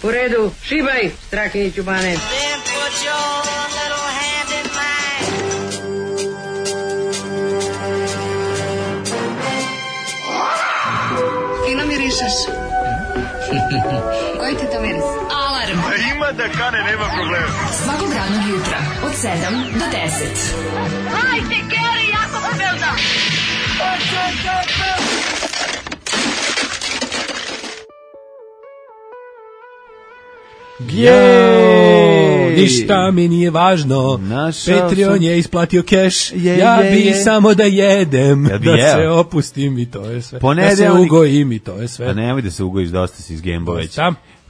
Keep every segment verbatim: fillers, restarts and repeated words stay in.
U redu, šibaj, Strakiniću Bane. Fino mirišeš. Koji ti to miris? Alarm. Ima da kane, nema problema. Svakog radnog jutra, od sedam do deset. Hajde, Geri, jako se velda. Jej, ništa mi nije važno. Našao Patreon sam... je isplatio keš. Je, ja je, bi je. samo da jedem, ja da jeo. se opustim i to je sve. Ponedeljnik... Da se ugojim i to je sve. Pa nemoj da se ugojiš, dosta si iz Gembo već.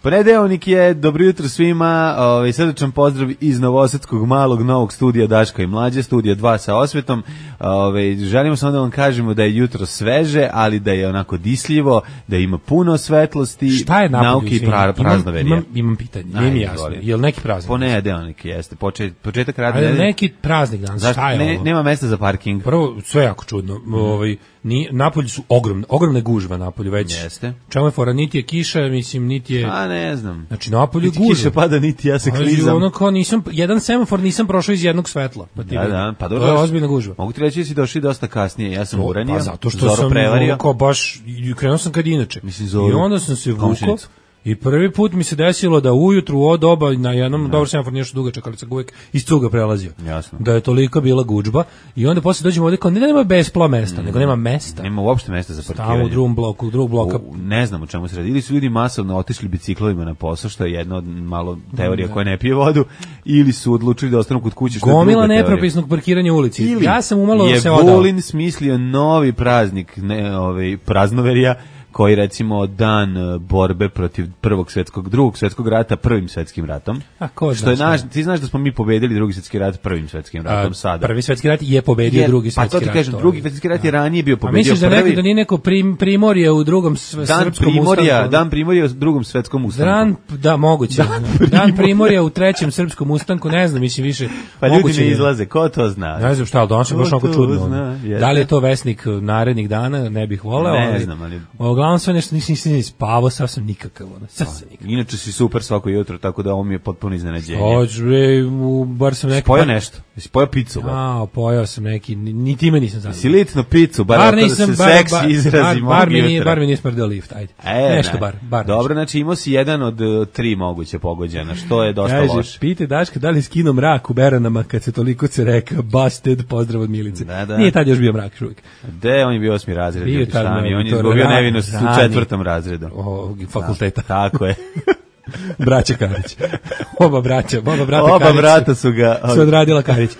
Ponedeljnik je, dobro jutro svima, ovaj, srdačan pozdrav iz novosadskog malog novog studija Daška i Mlađe, studija dva sa osvetom. Ovaj, želimo samo da vam kažemo da je jutro sveže, ali da je onako disljivo, da ima puno svetlosti, šta je nauke i pra, praznoverije. Imam, imam pitanje, nije mi jasno, je li neki praznik? Ponedeljnik jeste, počet, početak radne. Ali neki praznik danas, zašto? Šta je ne, ovo? Nema mesta za parking. Prvo, sve jako čudno, mm. ovaj, ni, napolju su ogromne, ogromne gužva napolju već. Jeste. Čemu je fora, niti je kiša, mislim, niti je... A ne znam. Znači, napolju je gužva. Niti kiša pada, niti ja se klizam. Ono kao nisam, jedan semafor nisam prošao iz jednog svetla. Pa ti da, da, pa dobro. To je ozbiljna gužva. Mogu ti reći da si došli dosta kasnije, ja sam uranio. Pa zato što sam prevario. Kao baš, krenuo sam kad inače. Mislim, zoru. I onda sam se vukao. I prvi put mi se desilo da ujutru u doba na jednom, dobro semafor nije što dugačak, ali sam uvijek iz cuga prelazio. Jasno. Da je toliko bila gužba. I onda posle dođemo ovdje kao, ne da nema bespla mesta, mm. nego nema mesta. Nema uopšte mesta za parkiranje. Stavimo u drugom bloku, u drugog bloka. U, ne znam o čemu se radi. Ili su ljudi masovno otišli biciklovima na posao, što je jedna od malo teorija mm, koja ne pije vodu, ili su odlučili da ostanu kod kuće, što je druga teorija. Gomila nepropisnog parkiranja u ulici. Ili ja sam umalo je se odao. Vulin smislio novi praznik, ne, ovaj, praznoverija, koji recimo dan borbe protiv prvog svetskog, drugog svetskog rata prvim svetskim ratom. A ko što je naš, ti znaš da smo mi pobedili drugi svetski rat prvim svetskim ratom. A, sada. Prvi svetski rat je pobedio je, drugi svetski rat. Pa to ti kažem, rat, drugi svetski rat je ranije bio pobedio. A misliš da prvi... nekako da nije neko prim, primorje u drugom dan srpskom primorja, ustanku? Dan primorja u drugom svetskom ustanku. Dan, da, moguće. Dan primorja. Dan primorja u trećem srpskom ustanku, ne znam, mislim više. Pa ljudi ne izlaze, ko to zna? Ne znam šta, ali danas je baš onako čudno. Da li je to vesnik narednih dana, ne bih voleo. Ne znam, ali... Uglavnom sve nešto nisam nisam spavao, sasvim nikakav. Ono, sasvim nikakav. Inače si super svako jutro, tako da ovo mi je potpuno iznenađenje. Hoć, bre, bar sam neki... Pojao nešto? Jesi pojao picu? A, pojao sam neki, ni time nisam zadovoljan. Jesi litno picu, bar, bar nisam, da se bar, seksi bar, izrazi bar, bar, mi nije, bar mi nije smrdeo lift, ajde. E, nešto ne. bar, bar. Dobro, znači imao si jedan od uh, tri moguće pogođena, što je dosta Kaže, loše. Pite Daška da li skino mrak u Beranama kad se toliko se reka busted, pozdrav od Milice. Da, da. Nije tad još bio mrak uvijek. De, on je bio osmi razred, bio šta mi, on je izgubio nevinost u četvrtom razredu. O, fakulteta. Da, tako je. Braća Karić. Oba braća, oba brata oba Karić. brata su ga su odradila Karić.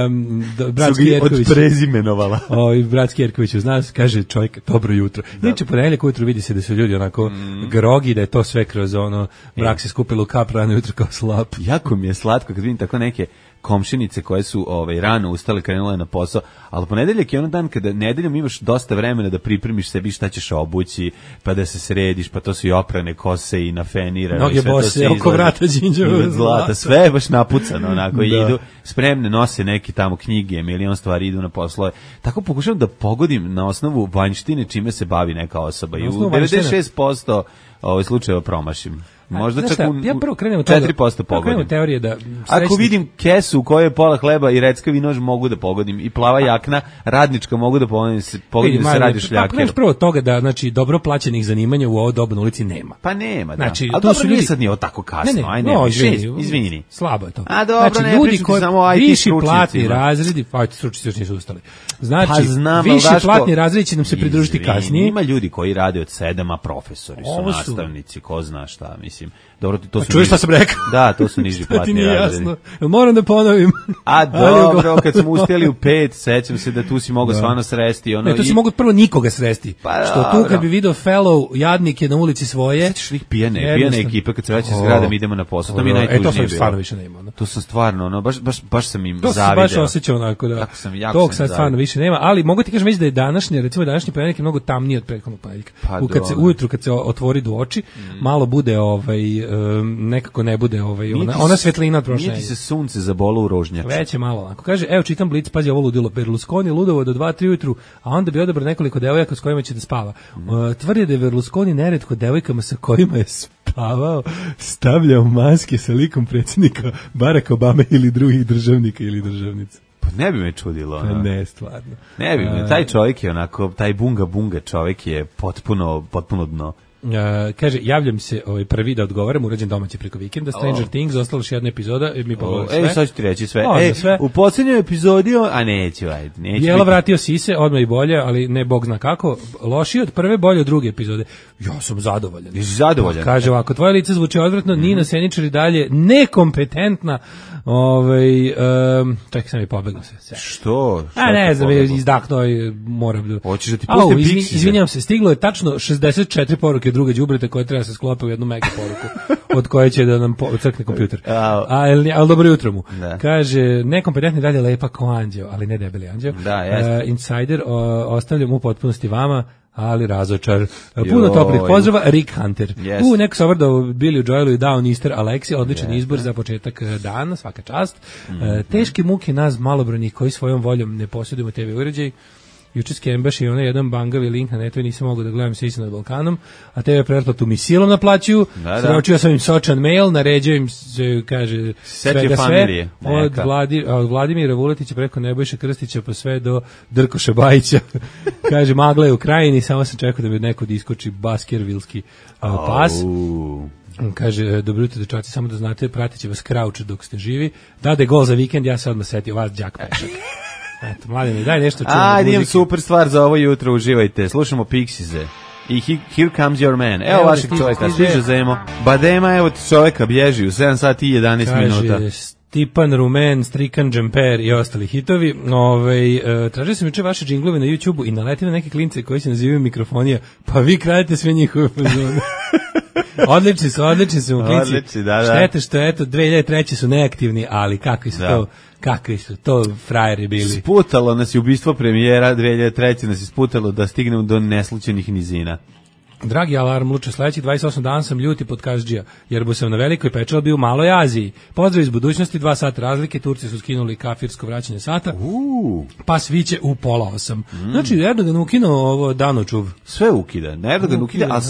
Um, bratski Jerković. Odprezimenovala. Ovaj bratski Jerković zna, kaže čovjek dobro jutro. Inače ponedjeljak ujutro vidi se da su ljudi onako mm. grogi, da je to sve kroz ono brak se skupilo u kap rano jutro kao slap. Jako mi je slatko kad vidim tako neke komšinice koje su ovaj rano ustale, krenule na posao, ali ponedeljak je ono dan kada nedeljom imaš dosta vremena da pripremiš sebi šta ćeš obući, pa da se središ, pa to su i oprane kose i nafenirane. Noge bose, oko vrata đinđeva zlata, sve je baš napucano, onako, i idu spremne, nose neki tamo knjige, milion stvari, idu na poslove. Tako pokušavam da pogodim na osnovu vanjštine čime se bavi neka osoba i u devedeset šest posto ovaj slučajeva promašim. Možda a, čak šta, u, ja prvo krenem od toga, četiri posto pogodim. Teorije da srećni... Ako vidim kesu u kojoj je pola hleba i reckavi nož mogu da pogodim i plava jakna radnička mogu da pogodim, pogodim da se radi šljaker. Pa prvo od toga da znači dobro plaćenih zanimanja u ovo dobu na ulici nema. Pa nema, da. Znači, a to dobro su ljudi... sad nije tako kasno, ne, ne, aj ne, no, šest, izvini, izvini. Slabo je to. A dobro, znači, ne, ljudi koji samo I T viši platni stručnicima. razredi, pa I T stručnici još nisu ustali. Znači, pa znam, viši Daško, platni razredi će nam se pridružiti izvini, kasnije. Ima ljudi koji rade od sedam, a profesori su Ovo nastavnici, ko zna šta, mislim. Dobro, to su čuješ šta sam rekao? Da, to su niži platni razredi. Moram da ponovim. A dobro, kad smo uspjeli u pet, sećam se da tu si mogao stvarno sresti. Ono, ne, tu si i... mogu prvo nikoga sresti. Pa, što tu kad bi video fellow jadnike na ulici svoje. Sećaš ih pijane, pijane ekipe kad se vraća s gradom idemo na posao. To mi je najtužnije bilo. E, to sam stvarno više nema. No. To sam stvarno, ono, baš, baš, baš sam im to zavideo. To sam baš osjećao onako da. Sam, jako tog sam sad stvarno više nema, ali mogu ti kažem već da je današnje, recimo današnji ponedeljak je mnogo tamniji od prethodnog ponedeljka. Pa, kad se ujutru kad se otvori do oči, mm. malo bude ovaj um, nekako ne bude ovaj ona, ona svetlina od prošle. Niti se sunce zabolo u rožnjaču. Već je malo onako. Kaže, evo čitam Blic, pazi ovo ludilo, Berlusconi ludovo do dva tri ujutru, a onda bi odabrao nekoliko devojaka s kojima će da spava. Mm. Uh, tvrdi da je Berlusconi neretko devojkama sa kojima je spavao spavao, stavljao maske sa likom predsjednika Baracka Obame ili drugih državnika ili državnica. Pa ne bi me čudilo. Pa ne, stvarno. Ne bi me, taj čovjek je onako, taj bunga bunga čovjek je potpuno, potpuno dno. Uh, kaže, javljam se ovaj prvi da odgovaram, urađen domaći preko vikenda, Stranger oh. Things, ostala još jedna epizoda, mi pogledali sve. Ej, sad ću ti reći sve. O, Ej, sve. U posljednjoj epizodi, a neću, ajde. Neću Bijela biti. vratio sise, odmah i bolje, ali ne bog zna kako. Lošije od prve, bolje od druge epizode. Ja sam zadovoljan. Jesi zadovoljan? Kaže ovako, tvoje lice zvuči odvratno, mm-hmm. Nina Seničar i dalje nekompetentna. Ovaj um, čekaj, sam i pobegao se. Što? A ne znam, izdahnuo i moram da... Hoćeš da ti pustim izvin, Pixize? Izvinjam se, stiglo je tačno šezdeset četiri poruke druga đubreta koje treba se sklope u jednu mega poruku, od koje će da nam po, crkne kompjuter. A, ali, ali dobro jutro mu. Da. Kaže, nekompetentni dalje lepa ko anđeo, ali ne debeli anđeo. Da, jeste. Uh, Insider, o, ostavljam u potpunosti vama, ali razočar. Puno toplih pozdrava, Rick Hunter. Yes. U, neko savrdo Billy Joelu i Down Easter Alexi, odličan yes. izbor za početak dana, svaka čast. Mm-hmm. Uh, teške muke nas malobrojnih koji svojom voljom ne posjedujemo te ve uređaj. Juče skembaš i onaj jedan bangavi link na netu i nisam mogao da gledam Sisi nad Balkanom, a te ve pretplatu mi silom naplaćuju. Da, sročio sam im sočan mail, naređujem im se, kaže, svega sve. Od, Vladi, od Vladimira Vuletića preko Nebojša Krstića pa sve do Drkoša Bajića. Kaže, magla je u krajini, samo sam čekao da mi neko iskoči Baskervilski uh, pas. Oh. Kaže, dobro jutro dečaci, samo da znate, pratit će vas Krauč dok ste živi. Dade gol za vikend, ja se odmah setio vas, đak Pešak. Eto, mladine, daj nešto čujem. Ajde, imam super stvar za ovo jutro, uživajte. Slušamo Pixize. I he, Here Comes Your Man. Evo, evo vašeg čovjeka, stiže Zemo. Badema, evo ti čovjeka, bježi u sedam sati i jedanaest minuta. Kaže, Stipan Rumen, Strikan Džemper i ostali hitovi. Ove, uh, tražio sam juče vaše džinglove na YouTubeu i naletim na neke klince koji se nazivaju mikrofonija, pa vi kradete sve njihove fazone. Odlični su, odlični su klinci. Odlični, da, da. Štete što, eto, dve hiljade treće su neaktivni, ali kakvi su da. to... Kakvi su to frajeri bili. Sputalo nas je ubistvo premijera, dve hiljade treće nas je sputalo da stignemo do neslučenih nizina. Dragi alarm, luče, sledećih dvadeset osam dana sam ljuti pod Kazdžija, jer bu sam na Velikoj Pečali bio u Maloj Aziji. Pozdrav iz budućnosti, dva sata razlike, Turci su skinuli kafirsko vraćanje sata, uh. pa sviće u pola osam. Mm. Znači, Erdogan ukinuo ovo danočuv. Sve ukida, Erdogan ukida, a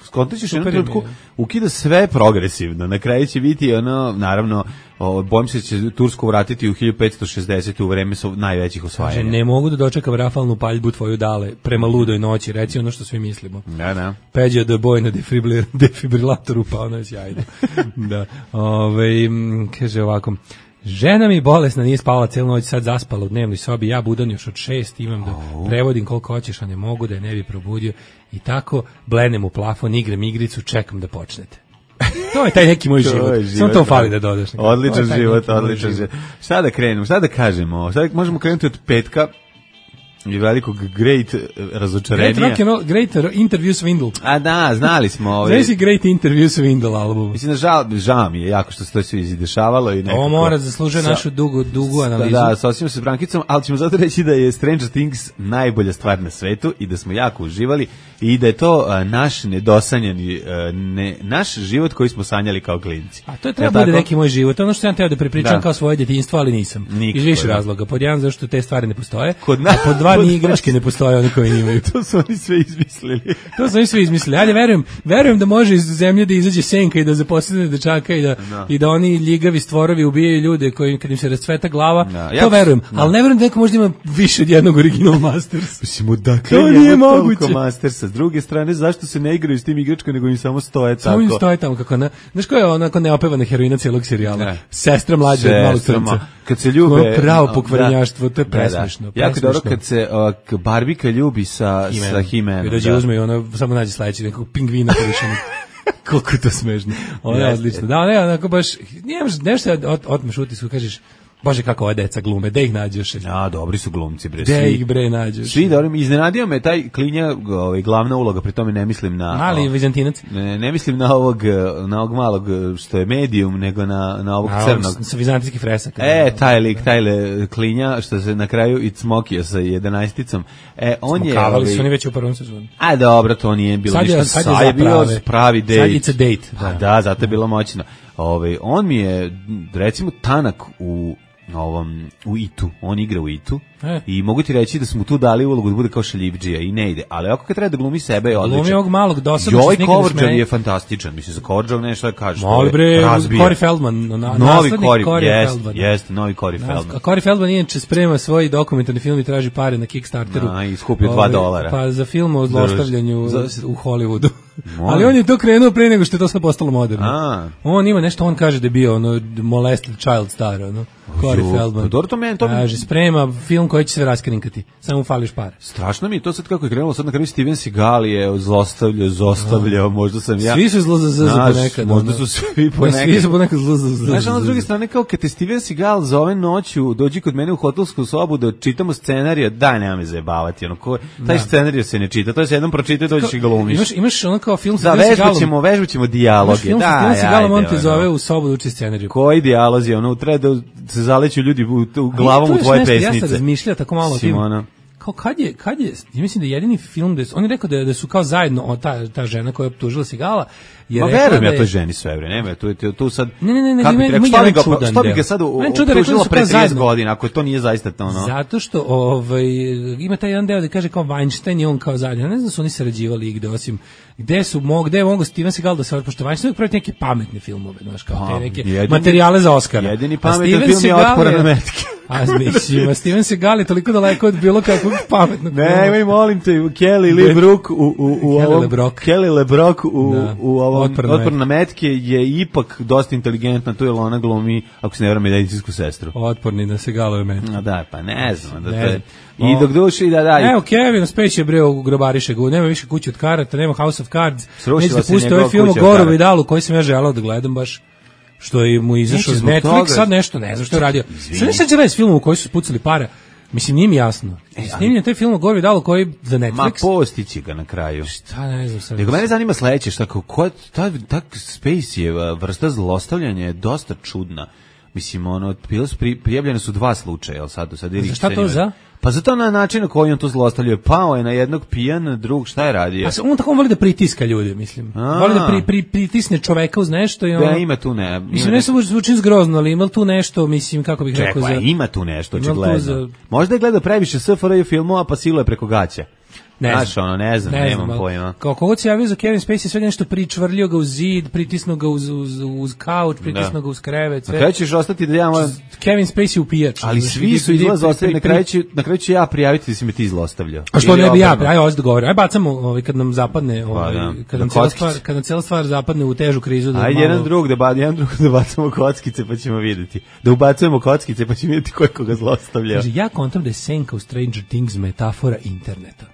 skontat ćeš jednu trenutku, ukida sve progresivno. Na kraju će biti ono, naravno, o, bojim se da će Tursku vratiti u hiljadu petsto šezdeset u vreme su najvećih osvajanja. Kaže, ne mogu da dočekam rafalnu paljbu tvoju dale prema ludoj noći, reci ono što svi mislimo. Da, da. Peđa da boj na defibri, defibrilatoru, pa ono je sjajno. Da. Ove, kaže ovako, žena mi bolesna, nije spavala celu noć, sad zaspala u dnevnoj sobi, ja budan još od šest, imam da prevodim koliko hoćeš, a ne mogu da je ne bi probudio. I tako, blenem u plafon, igram igricu, čekam da počnete. To je taj neki moj život. život. Samo to fali da dodaš. Odličan život, odličan život. Šta da krenemo? Šta da kažemo? Šta možemo krenuti od petka i velikog great razočarenja. Great rock and roll, great interview swindle. A da, znali smo ovaj. Znaš si great interview swindle album. Mislim da žal, žao mi je jako što se to sve izdešavalo i nekako. Ovo mora zaslužuje našu dugu dugu analizu. Da, da, sosimo se s Brankicom, ali ćemo zato reći da je Stranger Things najbolja stvar na svetu i da smo jako uživali i da je to uh, naš nedosanjani uh, ne, naš život koji smo sanjali kao klinci. A to je treba ja, bude neki moj život. Ono što sam teo da prepričam da. kao svoje djetinjstvo, ali nisam. Nikako, iz više razloga. Pod jedan, zašto te stvari ne postoje. Kod na, a pod dva, ni igračke ne postoje one koje imaju. To su oni sve izmislili. To su oni sve izmislili. Ali verujem, verujem da može iz zemlje da izađe senka i da zaposledne dečaka i da, no. i da oni ljigavi stvorovi ubijaju ljude koji kad im se rascveta glava. No. To ja, verujem. No. Ali ne verujem da neko možda ima više od jednog Original Masters. Mislim, odakle to nije moguće. Mastersa. S druge strane, zašto se ne igraju s tim igračkom, nego im samo stoje tako? Samo im stoje tamo, kako ne. Znaš koja je onako neopevana heroina cijelog serijala? Ne. Sestra mlađa od malog crnca. Kad se ljube... Pravo pokvarenjaštvo, to je presmišno. Da, da. Jako dobro kad se uh, Barbika ljubi sa He-Manom. I dođe da. uzme i ono, samo nađe sledeći nekog pingvina povišenog. Koliko je to smešno. Ono je odlično. Da, ne, onako baš, nemaš nešto da otmeš utisku, kažeš, Bože, kako ove deca glume, da ih nađeš. Ja, dobri su glumci, bre. Da ih bre nađeš. Svi dobri, iznenadio me taj Klinja, ovaj glavna uloga, pri tome ne mislim na mali Vizantinac. Ne, ne mislim na ovog na ovog malog što je medium, nego na na ovog a, crnog sa vizantijskih fresaka. E, taj lik, taj le, Klinja što se na kraju i cmokio sa jedanaesticom. E, on Smokavali je Smokavali su oni već u prvom sezoni. A dobro, to nije bilo sad ništa. Je, sad je, sad je bio pravi date. Sad je date. Da, da, zato je bilo moćno. Ovaj on mi je recimo tanak u ovom, u Itu, on igra u Itu E. i mogu ti reći da smo tu dali ulogu da bude kao šaljivdžija i ne ide, ali ako kad treba da glumi sebe je odličan. Glumi ovog malog dosadnog Joj, što se nikad ne Coverđan smeje. je fantastičan, mislim, za Coverđan nešto da kažeš. Moli bre, razbija. Corey Feldman, na, Novi naslednik Corey, Corey jest, Feldman. jeste, novi Corey Feldman. A Corey Feldman inače sprema svoj dokumentarni film i traži pare na Kickstarteru. A, i skupio dva Ovaj, dolara. Pa za film o zlostavljanju Za- u Hollywoodu. Molim. Ali on je to krenuo pre nego što je to sve postalo moderno. A. On ima nešto, on kaže da je bio ono, molested child star, ono. Corey Ju, Feldman. pa dobro, to meni- to mi- Kaže, sprema film koji će se raskrinkati. Samo mu fališ pare. Strašno mi je to sad kako je krenulo, sad na kraju Steven Seagal je zlostavljao, zostavljao, možda sam ja... Svi su zlo za z Znaš, ponekad. možda ono. su svi Pa ponekad. Svi su ponekad zlo za z. Znaš, ono s druge strane, kao kad te Steven Seagal zove noću, dođi kod mene u hotelsku sobu da čitamo scenarija, daj, nema me zajebavati, ono, ko, taj scenarij se ne čita, to je se jednom pročita i dođeš i ga glumiš. Imaš, imaš ono kao film sa Da, Steven vežbat Seagalom. ćemo, vežbat ćemo Imaš dijaloge, film sa da, Steven Seagalom, on te ajde, zove ono. u sobu da uči scenariju. Koji dijalozi, ono, treba da se zaleću ljudi u, u glavom To u je tvoje nešto, Ja pesnice. sam razmišljao tako malo o tim. Simona. Kao kad je, kad je, ja mislim da je jedini film da su, on je rekao da, da su kao zajedno, o, ta, ta žena koja je optužila Sigala, je Ma rekla verujem da ja je- toj ženi sve vreme, nema, tu, tu, tu sad... Ne, ne, ne, ne, kako ima- ti ima rekao, što bi jedan ga, čudan što bi deo. ga sad u- Meni čudan, rekao da optužilo su pre kao trideset zajedno. godina, ako to nije zaista to, ono... Zato što ovaj, ima taj jedan deo da kaže kao Weinstein i on kao zajedno. Ja ne znam da su oni sarađivali igde, osim gde su mog, gde je mogo Steven Seagal da se pošto Weinstein uvijek pravi neke pametne filmove, znaš, kao te Pa, neke jedini- materijale za Oscara. jedini A pametan Steven film je Seagal Otpora na metke. A mislim, a Steven Seagal je toliko daleko od bilo kakvog pametnog filma. Ne, imaj, molim te, Kelly Lee Brook u, u, u Kelly ovom... LeBrock. Kelly LeBrock u, Da. u ovom Otpor na Otpor na metke je ipak dosta inteligentna, tu je ona glumi, ako se ne vrame, medicinsku sestru. Otporni na Segalove metke. A da, pa ne znam. Da Ne to je, znam. I dok duši, da, da. Evo, Kevin Spacey je bre u grobariše ga, nema više kuće od karata, nema House of Cards, Srušila neće da se pusti njegova ovaj film o kuća od Goru karata. Vidalu koji sam ja želao da gledam baš, što je mu izašao Neće iz zbog Netflix, toga. sad nešto, ne znam što je radio. Izvini. Sad nešto će raditi s filmom u koji su spucali para, mislim, nije mi jasno. Snimljen je taj film o Goru Vidalu koji za Ma Netflix. postići ga na kraju. Šta ne znam sad. Nego mene zanima sledeće, šta kao, ko, ta, ta Spaceyjeva vrsta zlostavljanja je dosta čudna. Mislim, ono, bile su pri, prijavljene su dva slučaja, jel sad, sad ili Za šta to cenimo- za? Pa zato na način na koji on to zlostavljuje. Pao je na jednog pijan, drug, šta je radio? Pa se- on tako on voli da pritiska ljude, mislim. A. Voli da pri, pri, pritisne čoveka uz nešto i ono. Da, ima tu ne. Ima Mislim, ne ne- samo zvuči zgrozno, ali ima li tu nešto, mislim, kako bih rekao Čekaj, za... ima tu nešto, Ima tu očigledno. za- Možda je gledao previše S F R J filmova, pa siluje preko gaća. Ne Znaš, znam. ono, ne znam, nemam ali pojma. Kao kogod se javio za Kevin Spacey, sve nešto pričvrljio ga uz zid, pritisnuo ga uz, uz, uz kauč, pritisnuo Da. ga uz krevet, Na sve. kraju ćeš ostati da ja moram... Kevin Spacey upijač. Ali Znaš, svi vidi- su vidi- izlaz ostavili, pri- na pri- kraju, ću, na kraju ću ja prijaviti da si me ti zlostavljao. A što Ili ne bi ja, obrnuto. aj ovdje dogovorim. Aj bacamo, ovaj, kad nam zapadne, ovaj, da. kad, Na nam cijela kockice. stvar, kad nam cijela stvar zapadne u težu krizu. Da Ajde malo- jedan drug da ba, jedan drug da bacamo kockice pa ćemo vidjeti. Da ubacujemo kockice pa ćemo vidjeti ko je koga zlostavlja. Kaže, ja kontam da je senka u Stranger Things metafora interneta.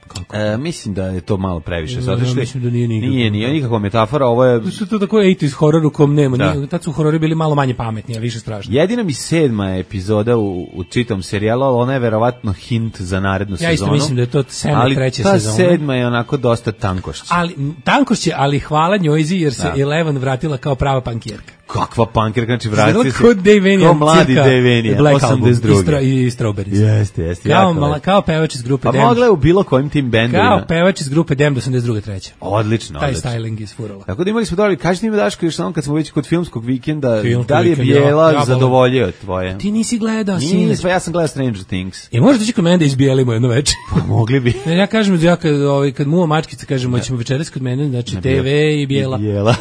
Kako? E, mislim da je to malo previše. Ja, Zato što je- mislim da nije nikako. Nije, nije nikakva metafora, ovo je... To su to tako eighties horor u kom nema. Da. Nije, tad su horori bili malo manje pametni, a više strašni. Jedina mi sedma epizoda u, u čitom serijalu, ali ona je verovatno hint za narednu Ja sezonu. isto mislim da je to sedma, ali treća ta sezona. sedma je onako dosta tankošća. Ali tankošće, ali hvala njojzi jer se Da. Eleven vratila kao prava pankjerka. Kakva pankirka, znači Izgledala vrati se. kao Dave Kao mladi cirka Dave Vanian, Black Album osamdeset druge. i, stro, i Strawberries. Jeste, jeste. Kao, jako mala, lepo. kao pevač iz grupe Pa Damned. mogla je u bilo kojim tim bendovima. Kao pevač iz grupe Damned osamdeset druga treća. Odlično, Taj odlično. styling isfurala. Tako da imali smo dobri, kaži ti mi Daško još samo kad smo već kod filmskog vikenda, Filmski da li je vikend, ja, Bijela ja, zadovoljio tvoje? Ti nisi gledao, Nije, sine. pa ja sam gledao Stranger Things. I možeš doći kod mene da izbijelimo jedno večer. Pa mogli bi. Ne, ja kažem, ja kad, ovaj, kad muva mačkica, kažemo, ćemo večeras kod mene, znači T V i bijela. Bijela.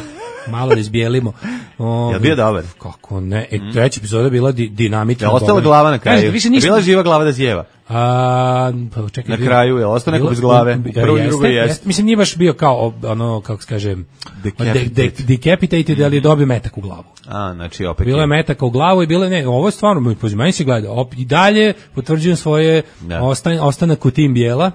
Malo da izbijelimo. Ovaj, Jel bio dobar? Kako ne? E, treća epizoda je bila di, dinamična. Je ostala dobra. glava na kraju? Kažete, više Je ništa. bila živa glava da sjeva? A, pa čekaj, Na bio- kraju je ostao neko bilo- bez glave. bi- Prvo i jeste, drugo jeste. Mislim, nije baš bio kao, ono, kako se kaže, Decapitated. de, de, decapitated, ali je dobio metak u glavu. A, znači opet. Bilo je metaka u glavu i bilo je, ne, ovo je stvarno, pođe, meni se gleda, op, i dalje potvrđujem svoje Da. ostan, ostanak u tim bijela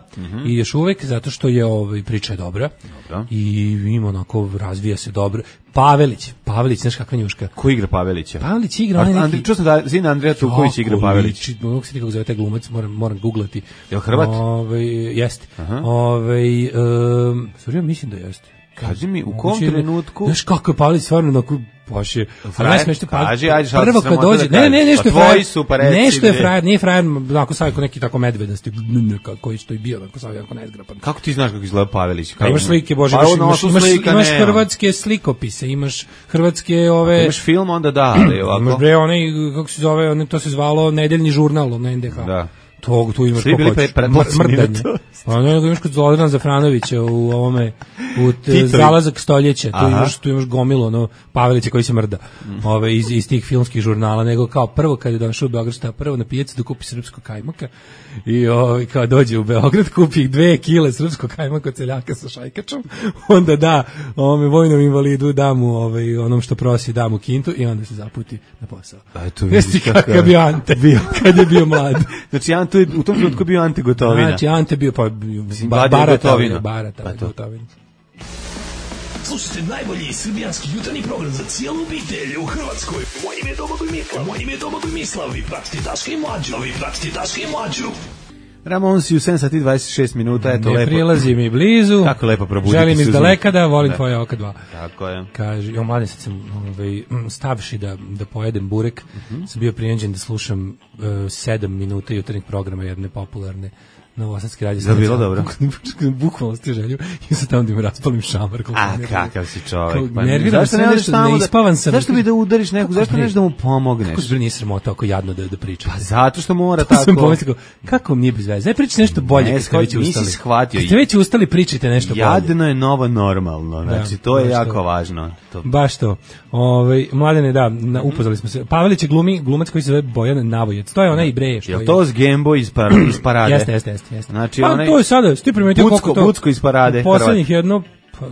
i još uvek, zato što je ovaj, priča je dobra Dobro. i ima onako, razvija se dobro. Pavelić, Pavelić, znaš kakva njuška? Ko igra Pavelića? Pavelić igra onaj neki... Andri, čuo sam da sin Andrija Tuković igra Pavelić. Mogu se nikako zove taj glumac, moram, moram googlati. Jel Hrvat? Ove, jeste. Ove, um, sorry, ja mislim da jeste. Kaži mi, u kom trenutku... Znaš kako je Pavelić stvarno onako... Baš je, frajer, nešto, kaži, ajde, šta prvo kad dođe, da ne, ne, nešto je pa frajer, su, pa reci, nešto je frajer, nije frajer, onako sad neki tako medvedasti, koji što je bio, onako sad jako nezgrapan. Kako ti znaš kako izgleda Pavelić? Pa imaš slike, Bože, pa, imaš, imaš, imaš, slika, imaš ne, hrvatske slikopise, imaš hrvatske ove... Ako imaš film, onda da, ali ovako. Imaš bre, onaj, kako se zove, onaj, to se zvalo Nedeljni žurnal, na N D H. Da. To, tu imaš svi bili pre, mrdanje. Pa ne, imaš kod Zolodana Zafranovića u ovome, u t, Zalazak stoljeća, tu imaš, tu imaš gomilu, ono, Pavelića koji se mrda, mm. ove, iz, iz tih filmskih žurnala, nego kao prvo kad je došao u Beograd, šta prvo na pijaci da kupi srpsko kajmaka i ove, kao dođe u Beograd, kupi dve kile srpsko kajmaka od seljaka sa šajkačom, onda da ove, vojnom invalidu, da mu ove, onom što prosi, da mu kintu i onda se zaputi na posao. Jesi kakav je bio Ante, bio. Kad je bio mlad. Znači, Ante je u tom trenutku bio Ante Gotovina. Znači, Ante bio, pa, ba, barata, barata, pa Gotovina. Slušajte najbolji srbijanski jutarnji program za cijelu obitelj u Hrvatskoj. Moje ime je Domagoj Mislav, moje ime je Domagoj Mislav, vi pratite Daška i Mlađu, vi pratite Daška i Mlađu. Ramonsi u sedam sati i dvadeset šest minuta, eto ne lepo. Ne prilazi mi blizu. Kako lepo probuditi. Želim iz daleka da volim da. Tvoje oka dva. Tako je. Kaže, jo mladen sad sam ovaj, stavši da, da pojedem burek, uh-huh. sam bio prijeđen da slušam uh, sedam minuta jutarnjeg programa jedne popularne novosadske radije. Da bilo dobro. Bukvalno ste želju i sad tamo da im raspalim šamar. A kakav si čovjek. Pa nerviram se nešto, ne ispavan sam. Zašto bi da udariš nekog, zašto nešto da mu pomogneš? Kako zbir nije sramota ako jadno da, da pričate? Pa zato što mora tako. Sam pomislio, kako mi nije bez veze? Aj pričajte nešto bolje kad ste već ustali. Nisi shvatio. Kad ste već ustali, pričajte nešto bolje. Jadno je novo normalno, znači to je jako važno. Baš to. Ovaj Mladene, da, upoznali smo se. Pavelić je glumi, glumac koji se zove Bojan Navojec. To je onaj Ibreje što je. Je to s Gembo iz parade? Jeste, jeste, jeste. Znači pa, to je sada, sti primetio koliko to... Bucko iz parade. Poslednjih jedno... Pa,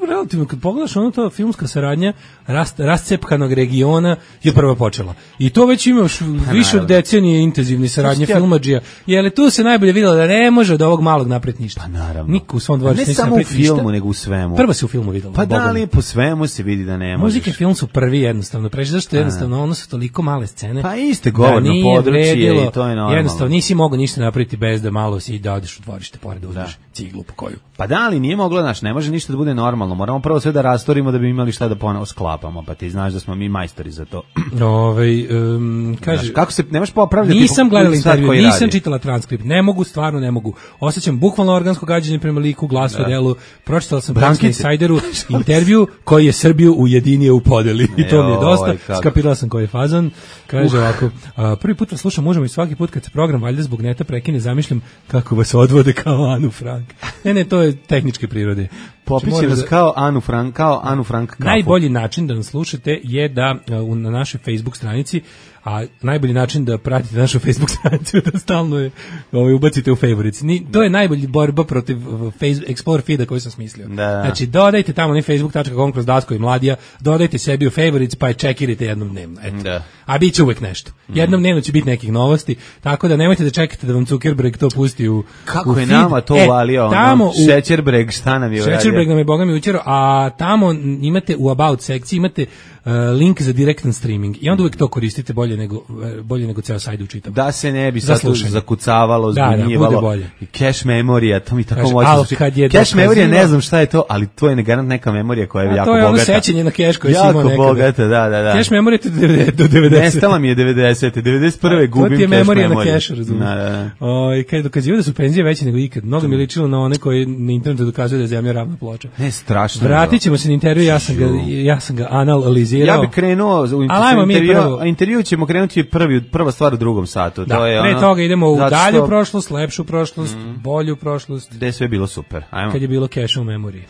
relativno, kad pogledaš ono to filmska saradnja rast, rascepkanog regiona je prva počela. I to već imaš pa, više od decenije intenzivni saradnje filmadžija. Je li tu se najbolje vidjelo da ne može od ovog malog napred ništa? Pa naravno. Niko u svom dvorištu ne samo u filmu, ništa, nego u svemu. Prvo se u filmu vidjelo. Pa da li po svemu se vidi da ne možeš. Muzike film su prvi jednostavno. Preći zašto je jednostavno ono su toliko male scene. Pa iste govorno da područje i to je normalno. Jednostavno nisi mogao ništa napraviti bez da malo si da odeš u dvorište pored da uzmeš ciglu po koju. Pa da li nije moglo, znaš, ne može ništa da bude normalno. Moramo prvo sve da rastorimo da bi imali šta da ponovo sklapamo, pa ti znaš da smo mi majstori za to. Ovaj um, kaže znaš, kako se nemaš popravljati. Nisam gledala intervju, nisam radi. Čitala transkript. Ne mogu, stvarno ne mogu. Osjećam bukvalno organsko gađenje prema liku, glasu, da. Delu. Pročitala sam Branski Insideru intervju koji je Srbiju ujedinio u podeli. I to mi je dosta. Skapirala sam koji je fazon. Kaže uh. ovako, a, prvi put vas slušam, možemo i svaki put kad se program valjda zbog neta prekine, zamišljam kako vas odvode kao Anu Frank. Ne, ne, to je tehničke prirode. Popiće nas kao Anu Frank, kao Anu Frank kafu. Najbolji način da nas slušate je da uh, na našoj Facebook stranici, a najbolji način da pratite našu Facebook stranicu da stalno je ovaj, ubacite u favorites. Ni, to je najbolji borba protiv Facebook, Explore feeda koji sam smislio. Da. Znači, dodajte tamo na facebook tačka com kroz Daško i Mladija, dodajte sebi u favorites pa je čekirajte jednom dnevno. Eto. Da. A bit će uvek nešto. Jednom dnevno će biti nekih novosti, tako da nemojte da čekate da vam Zuckerberg to pusti u Kako u je feed. nama to e, uvalio? Tamo Šećerbreg, šta nam je uradio? Šećerbreg nam je boga mi učero, a tamo imate u About sekciji, imate Uh, link za direktan streaming i onda uvijek to koristite bolje nego, bolje nego ceo sajt učitam. Da se ne bi sad zakucavalo, zbunjivalo. Da, da, bolje. I cache memorija, to mi tako Kaži, može. Cache memorija, ne znam šta je to, ali to je garant neka memorija koja je a jako bogata. To je ono sećanje na cache koje si imao nekada. Jako bogata, da, da, da. Cache memorija do devedeset. Nestala mi je devedeset. devedeset prve gubim cache memoriju. To ti je memorija na cache, razumiješ. Da, da. O, kad dokazivaju da su penzije veće nego ikad. Mnogo mi je ličilo na one koji na internetu dokazuju da je zemlja ravna ploča. Ne, strašno. Vratit ćemo se na intervju, ja sam ga, ja sam ga analizirao. Ja bih krenuo u intervju, a intervju ćemo krenuti prvi, prva stvar u drugom satu. Da, to je pre ono, toga idemo u dalju što... prošlost, lepšu prošlost, mm. bolju prošlost. Gde je sve bilo super. Ajmo. Kad je bilo cache u memoriji.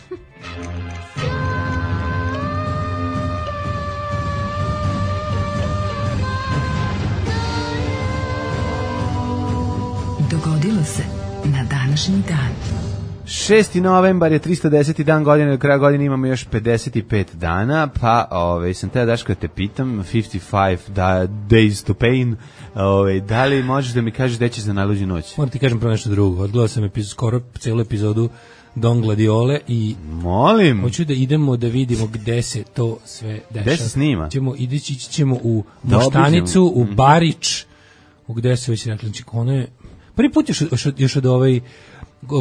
Dogodilo se na današnji dan. šesti novembar je tristo deseti dan godine, do kraja godine imamo još pedeset pet dana, pa ovaj, sam te Daško da te pitam, pedeset pet da, days to pain, ovaj, da li možeš da mi kažeš gde ćeš za najluđu noć? Moram ti kažem prvo nešto drugo, odgledao sam epizod, skoro celu epizodu Don Gladiole i molim, hoću da idemo da vidimo gde se to sve dešava. Gde se snima? Ćemo, ići ćemo u Moštanicu, u Barič, u gde se već rekli, ono je, prvi put još, još, još od ovaj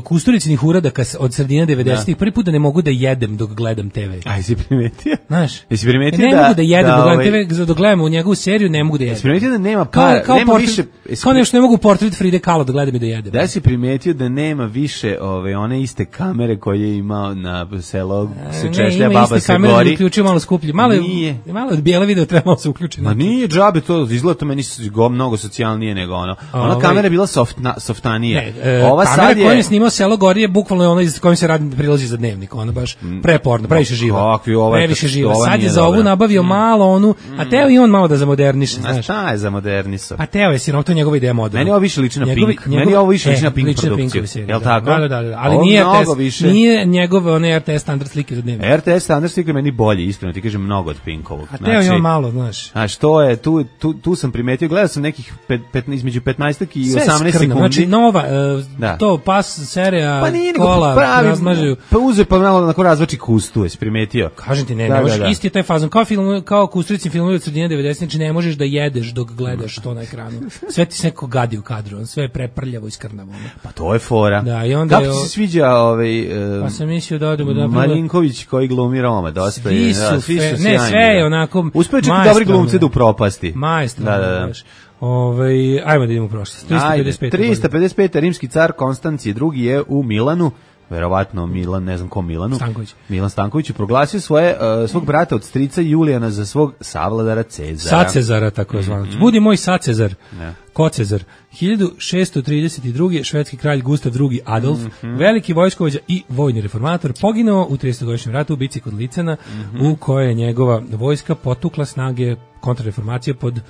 Kusturicinih uradaka od sredine devedesetih, prvi put da ne mogu da jedem dok gledam te ve. Aj, si primetio? Znaš, jesi primetio ne da... mogu da jedem da, dok gledam ovaj, te ve, dok gledam u njegovu seriju, ne mogu da jedem. Jesi primetio da nema para, kao, kao nema portret, više... Kao nešto ne mogu portret Fride Kahlo da gledam i da jedem. Da si primetio da nema više ove, one iste kamere koje je imao na selo se češlja, baba se kamere, gori. Uključio malo skuplje. Malo, nije. Malo od bijele video treba malo se uključiti. Ma nije džabe to, izgleda to meni go mnogo socijalnije nego ono. Ona ovaj, kamera je bila softna, softanija. Ne, e, ova kamera sad je... koju je snimao selo gori je bukvalno ona iz kojom se radi prilazi za dnevnik. Ona baš preporno, previše živa. Kakvi, ovaj, previše živa. ova Sad je za dobra. ovu nabavio mm. malo onu, a teo i on malo da zamoderniše, znaš. A šta je za moderniso? Pa teo je sirov, to je njegova ideja moderna. Meni ovo više liči na Njegovi, Pink. njegov, Meni ovo više liči e, na Pink produkciju. Jel tako? Da, da, da, da. Ali ovo nije R T S, više... nije njegov onaj R T S standard slike za dnevnik. R T S standard slike meni bolje, iskreno ti kažem, mnogo od Pinkovog. A teo je on malo, znaš. A što je, tu, tu, tu sam primetio, gledao sam nekih pet, pet, između petnaest i sve osamnaest skrno, sekundi. Znači nova, uh, da. to pas serija, pa nije kola, pravi, razmažaju. Pa uze pa malo onako razvači kustu, jesi primetio? Kažem ti, ne, da, ne možeš, da, da. isti je taj fazon, kao, film, kao Kusturici filmovi od sredine devedesetih, znači ne možeš da jedeš dok gledaš to na ekranu. Sve ti se neko gadi u kadru, sve je preprljavo i skrnavo. Pa to je fora. Da, i onda kako ti se sviđa ovaj, uh, pa sam mislio da odemo da... Marinković koji glumi Roma, dosta svi je. su, Da, svi fe, su ne, sve je onako... Uspeo čak dobri glumci da upropasti. Majstor. Da, da, da. Ove, ajmo da idemo u prošlost. trista pedeset pet. trista pedeset pet. Rimski car Konstancije drugi je u Milanu, verovatno Milan, ne znam ko Milanu. Stanković. Milan Stanković je proglasio svoje, uh, svog brata od strica Julijana za svog savladara Cezara. Sacezara, tako zvano. Mm -hmm. Budi moj Sacezar. Ne. Ko Cezar? hiljadu šessto trideset druge. švedski kralj Gustav drugi Adolf, mm -hmm. veliki vojskovođa i vojni reformator, poginuo u tridesetogodišnjem ratu u bici kod Licena, mm -hmm. u kojoj je njegova vojska potukla snage kontrareformacije pod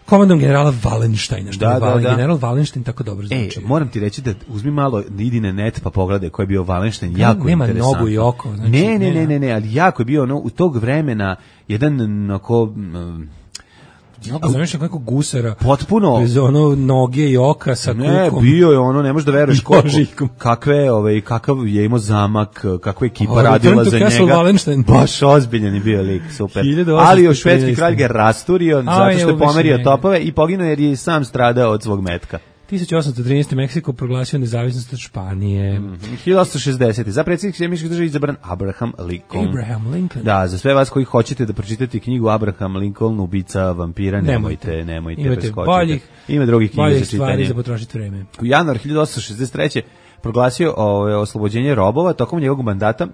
komandom generala Wallensteina, što da, je Valen, da, da. general Wallenstein tako dobro zvuči. E, moram ti reći da uzmi malo, idi na net pa pogledaj ko je bio Wallenstein, jako nema interesantno. Nema nogu i oko. Znači, ne, ne, ne, ne, ne, ali jako je bio ono, u tog vremena jedan onako... Um, Mnogo zamišljam kako gusara. Potpuno. Bez ono noge i oka sa kukom. Ne, bio je ono, ne možeš da veruješ koliko, kakve, ovaj, kakav je imao zamak, kakva ekipa oh, radila za njega. Wallenstein. Baš ozbiljan je bio lik, super. Ali još švedski kralj ga rasturio, zato što je pomerio topove i poginuo jer je sam stradao od svog metka. tisuću osamsto trinaeste. Meksiko proglasio nezavisnost od Španije. Mm -hmm. hiljadu osamsto šezdesete. Za predsjednik američke države izabran Abraham Lincoln. Abraham Lincoln. Da, za sve vas koji hoćete da pročitate knjigu Abraham Lincoln, ubica vampira, nemojte, nemojte, nemojte preskočiti. Boljih, ima drugih knjiga za čitanje. Stvari za potrošiti vreme. U januar hiljadu osamsto šezdeset treće. proglasio o, oslobođenje robova tokom njegovog mandata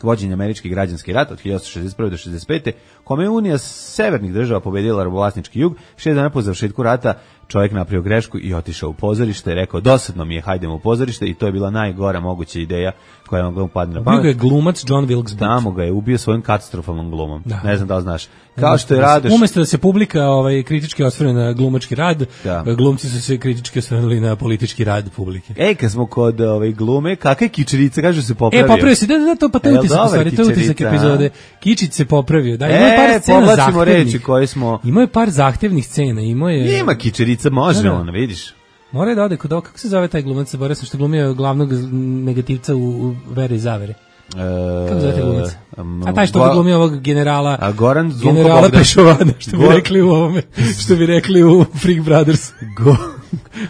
vođenja američki građanski rat od hiljadu osamsto šezdeset prve do šezdeset pete. kome je Unija severnih država pobedila robovlasnički jug. Šest dana po završetku rata čovjek napravio grešku i otišao u pozorište, rekao dosadno mi je, hajdemo u pozorište, i to je bila najgora moguća ideja koja vam ga upadne na pamet. Bio je glumac John Wilkes Booth. Tamo ga je ubio svojim katastrofalnom glumom. Da. Ne znam da li znaš. Kao umesto što je da Radoš... Umesto da se publika ovaj, kritički osvrne na glumački rad, da. glumci su se kritički osvrnuli na politički rad publike. Ej, kad smo kod ovaj, glume, kakva je kičerica, kaže se popravio. E, popravio se, da, da, to, pa to je utisak, stvari, to je utisak epizode. Kičić se popravio. Da, ima e, par scena zahtevnih. Reči koje smo... Ima je par zahtevnih scena. Ima je... Ima kičerica, može da, da. On, vidiš. Mora da ode kod ovog, kako se zove taj glumac, zaboravio sam što glumio glavnog negativca u, u Vere i zavere. E, kako zove taj glumac? A taj što go, glumio ovog generala, a Goran generala Bogdan. Pešovana, što bi Go, rekli u ovome, što bi rekli u Freak Brothers. Go.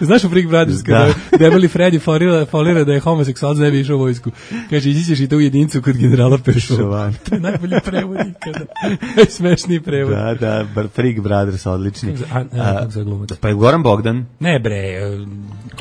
Znaš u Freak Brothers, kada da. Debeli Freddy folira, folira da je homoseksualac, ne bi išao u vojsku. Kaže, ići ćeš i to u jedincu kod generala Pešovana. To je najbolji prevod ikada. Najsmešniji prevod. Da, da, Freak Brothers, odlični. A, a, kako se glumac? Pa je Goran Bogdan. Ne bre.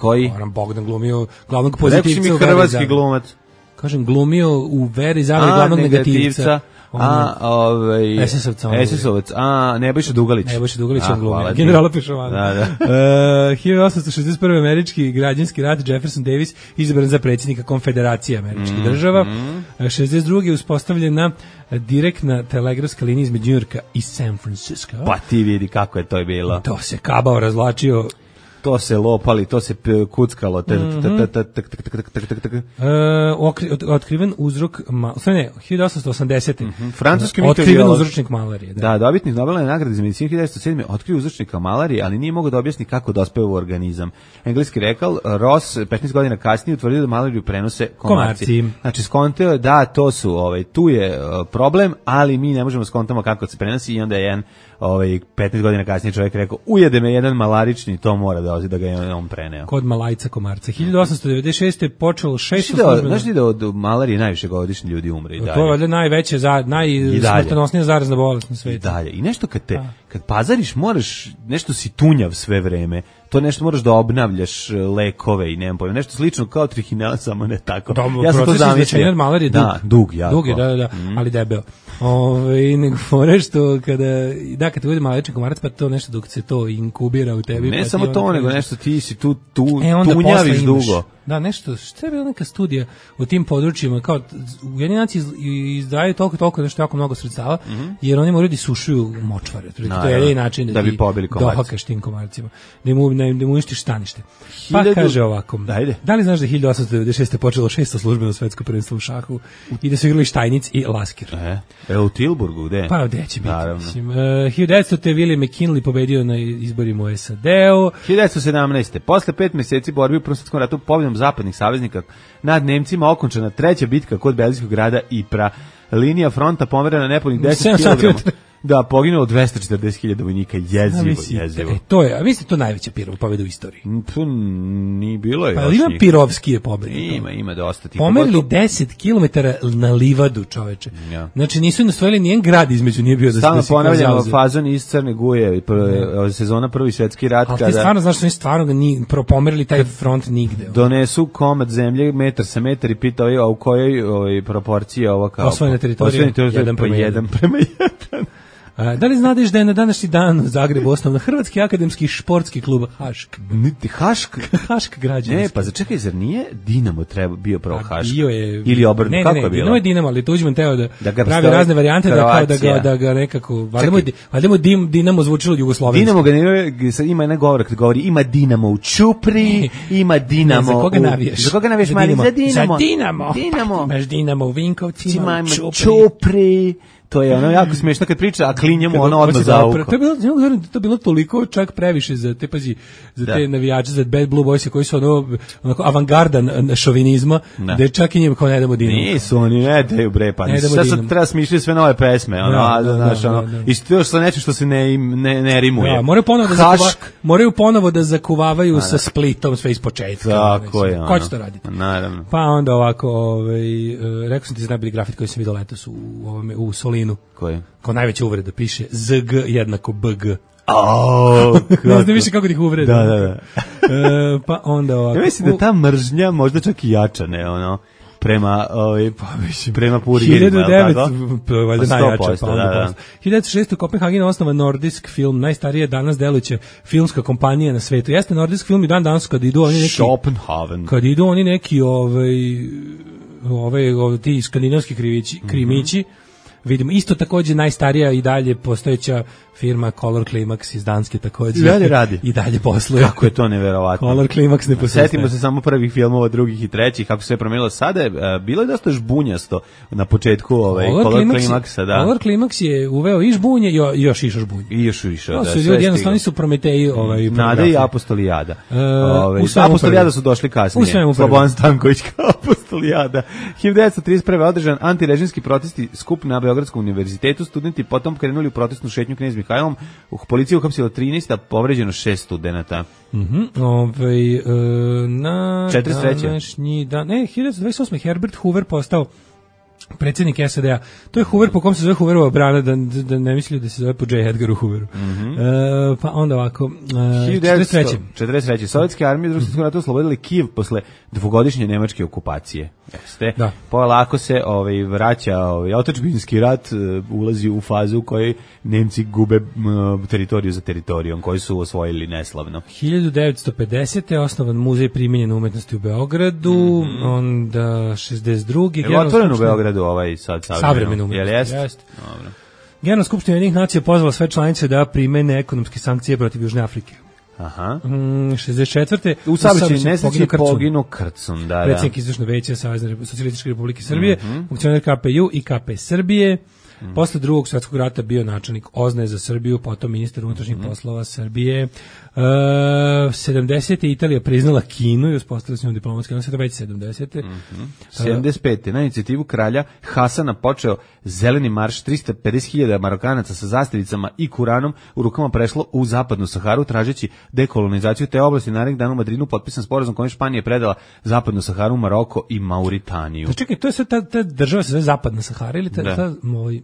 Koji? Goran Bogdan glumio glavnog pozitivca. Rekli mi hrvatski glumac. Kažem, glumio u Veri zavere glavnog negativca. A, ovaj... es es ovca. es es ovac. A, Nebojša Dugalić. Nebojša Dugalić on glumio. Generala Pešovana. Da, da. uh, hiljadu osamsto šezdeset prve. američki građanski rat, Jefferson Davis izabran za predsjednika Konfederacije američkih mm, država. Mm. šezdeset druge. uspostavljena direktna telegrafska linija između Njujorka i San Francisco. Pa ti vidi kako je to bilo. To se kabao razvlačio. To se lopali, to se kuckalo. Otkriven uzrok, ne, hiljadu osamsto osamdesete. Francuski otkriven uzročnik malarije. Da, da, dobitnik Nobelove nagrade za medicinu hiljadu devetsto sedme. otkrio uzročnika malarije, ali nije mogao da objasni kako dospeva u organizam. Engleski rekao, Ross petnaest godina kasnije utvrdio da malariju prenose komarci. komarci. Znači, skonteo je da to su, ovaj, tu je problem, ali mi ne možemo skontamo kako se prenosi, i onda je jedan ovaj, petnaest godina kasnije čovjek rekao, ujede me jedan malarični, to mora da da, da ga je on preneo. Kod Malajca Komarca. hiljadu osamsto devedeset šeste počelo šesto da, službeno. Znaš ti da od malarije najviše godišnji ljudi umre i dalje? To je valjda najveće, za, najsmrtonosnija zarazna bolest na svijetu. I dalje. I nešto kad te, kad pazariš, moraš, nešto si tunjav sve vreme. To nešto moraš da obnavljaš lekove i nemam pojma. Nešto slično kao trihinela, samo ne tako. Da, ja sam to zamislio. Malarije dug. Da, dug, jako. Dug je, da, da, da, mm. ali debeo. Ove, nego fore što kada, da, kad te bude malečni komarac, pa to nešto dok se to inkubira u tebi. Ne pa samo to, nego kažeš, nešto ti si tu, tu e, tunjaviš dugo. Da, nešto, šta je bila neka studija u tim područjima, kao Ujedinjeni naciji izdvajaju toliko, toliko, nešto jako mnogo sredstava, mm -hmm. jer oni moraju da sušuju močvare. No, to je jedini način da, da bi pobili komarci. Dohakaš tim komarcima, da mu, da mu uništiš stanište. Pa Hiljadu... kaže ovako, Dajde. Da li znaš da je hiljadu osamsto devedeset šeste počelo šesto službeno svetsko prvenstvo u šahu i da su igrali Štajnic i Lasker? E, e u Tilburgu, gde? Pa gde će biti? Mislim, uh, hiljadu devetsto William McKinley pobedio na izborima u S A D-u. hiljadu devetsto sedamnaeste Posle pet meseci borbi u Prvom svetskom ratu pobjedom zapadnih saveznika nad Nemcima okončana treća bitka kod belgijskog grada Ypres. Linija fronta pomerena nepunih deset kilograma. Da, poginulo dvesta četrdeset hiljada vojnika, jezivo, jezivo. E, to je, a vi ste to najveća pirova pobjeda u istoriji. To ni bilo je. Pa ima pirovskije pobjede. Ima, ima dosta. Pomerili deset kilometara na livadu, čoveče. Ja. Znači nisu nastojili nijen grad između, nije bio da se stalno ponavljamo fazon iz Crne Guje, prve, sezona Prvi svjetski rat. Ali kada ti stvarno znaš da nisu stvarno ni pomerili taj front nigde. Donesu komad zemlje, metar sa metar i pitao a u kojoj ovoj proporciji je ovo kao osvojena teritorija, jedan prema jedan. Prema jedan. A, da li znadeš da je na današnji dan u Zagrebu osnovan Hrvatski akademski športski klub Hašk? Niti Hašk? Hašk građanski. Ne, pa začekaj, zar nije Dinamo treba bio pravo Hašk? Bio je. Ili obrnuto, kako ne, je bilo? Dinamo je Dinamo, ali Tuđman teo da, da pravi razne varijante da, kao, da, ga, da ga nekako, valjda mu dim, Dinamo zvučilo jugoslovenski. Dinamo ga ne, ima jedna govora kad govori, ima Dinamo u Ćupri, ima Dinamo ne, za koga navijaš? Za koga navijaš, Mali? Za Dinamo. Za Dinamo. Dinamo. Imaš Dinamo u Vinkovcima, u Ćupri. Ćupri. To je ono jako smiješno kad priča, a klinjemo ono odmah za uko. To je bilo, to je bilo toliko čak previše za te, pazi, za te navijače, za Bad Blue Boys koji su ono, onako avangarda šovinizma, da je čak i njima kao ne damo Dinamo. Nisu, oni ne daju bre, pa nisu. Sad sad treba smišljati sve nove pesme, ono, a, znaš, ono, i što još sa nečim što se ne, ne, ne rimuje. Ja, moraju ponovo da, zakuva, moraju ponovo da zakuvavaju sa Splitom sve iz početka. Tako je, ono. Ko će to raditi? Naravno. Pa onda ovako, ovaj, rekao sam ti za najbolji grafit koji sam vidio letos u, ovome, u Solinu. Koji? Kao najveća uvreda piše Z G jednako B G. Oh, ne znam više kako ih uvreda. Da, da, da. e, pa onda ovako. Ja mislim da ta mržnja možda čak i jača, ne, ono, prema, ovaj, pa, mislim, prema purijerima. hiljadu devetsto valjda najjača, pa onda da, da. hiljadu devetsto šeste u Kopenhagenu osnova Nordisk film, najstarije danas delujuća filmska kompanija na svetu. Jeste Nordisk film i dan danas kad idu oni neki... Schopenhaven. Kad idu oni neki, ovaj, ovaj, ovaj ti skandinavski krivići, krimići, mm-hmm. Vidimo, isto takođe najstarija i dalje postojeća firma Color Climax iz Danske takođe. I dalje radi. I dalje posluje. Kako je to neverovatno. Color Climax ne postoje. Setimo se samo prvih filmova, drugih i trećih, kako se je promenilo. Sada je, bilo je dosta žbunjasto na početku ovaj, Color, Color Climaxa. Da. Color Climax je uveo i žbunje i još išao žbunje. I još išao, da. Su ljudi, jednostavno su Prometeji. Ovaj, Nada i Apostolijada. Uh, ovaj, Apostolijada su došli kasnije. Slobodan Stanković kao Apostolijada. hiljadu devetsto trideset prve održan antirežimski protesti skup na Beogradskom univerzitetu. Studenti potom krenuli u protestnu šetnju Knez Mihajlom. U policiji uhapsila trinaest, a povređeno šest studenata. Mhm. Mm ovaj e, na četrdeset treće današnji dan, ne, hiljadu devetsto dvadeset osme Herbert Hoover postao predsjednik S A D-a. To je Hoover po kom se zove Hooverova brana, da, da ne mislili da se zove po J. Edgaru Hooveru. Mm -hmm. e, pa onda ovako, e, četrdeset treće četrdeset treće Sovjetske armije u Drugom svjetskom ratu oslobodili Kijev posle dvogodišnje nemačke okupacije. Jeste. Da. Polako se ovaj vraća ovaj otadžbinski rat, uh, ulazi u fazu u kojoj Nemci gube uh, teritoriju za teritorijom koju su osvojili neslavno. hiljadu devetsto pedesete osnovan muzej primenjene umetnosti u Beogradu, mm -hmm. onda šezdeset druge Je otvoren u Beogradu ovaj sad savremeno umetnosti. Jeste. Dobro. Generalna skupština Ujedinjenih nacija pozvala sve članice da primene ekonomske sankcije protiv Južne Afrike. Aha. Mm, šezdeset četvrte U saobraćajnoj nesreći poginu Krcun, da, da. Predsjednik Izvršnog veća Savezne socijalističke Republike Srbije, mm -hmm. funkcioner K P U i K P Srbije. Mm. Posle drugog svjetskog rata bio načelnik Ozne za Srbiju, potom ministar unutrašnjih mm. poslova Srbije. Uh, sedamdesete Italija priznala Kinu i uspostavila s njom diplomatske odnose, to već sedamdesete Mm-hmm. sedamdeset pete Na inicijativu kralja Hasana počeo zeleni marš, tristo pedeset hiljada Marokanaca sa zastavicama i Kuranom u rukama prešlo u zapadnu Saharu tražeći dekolonizaciju te oblasti. Narednih dana u Madridu potpisan sporazum kojim Španija predala zapadnu Saharu, Maroko i Mauritaniju. Da čekaj, to je sve ta, ta država se zove zapadna Sahara ili ta, da. ta moj...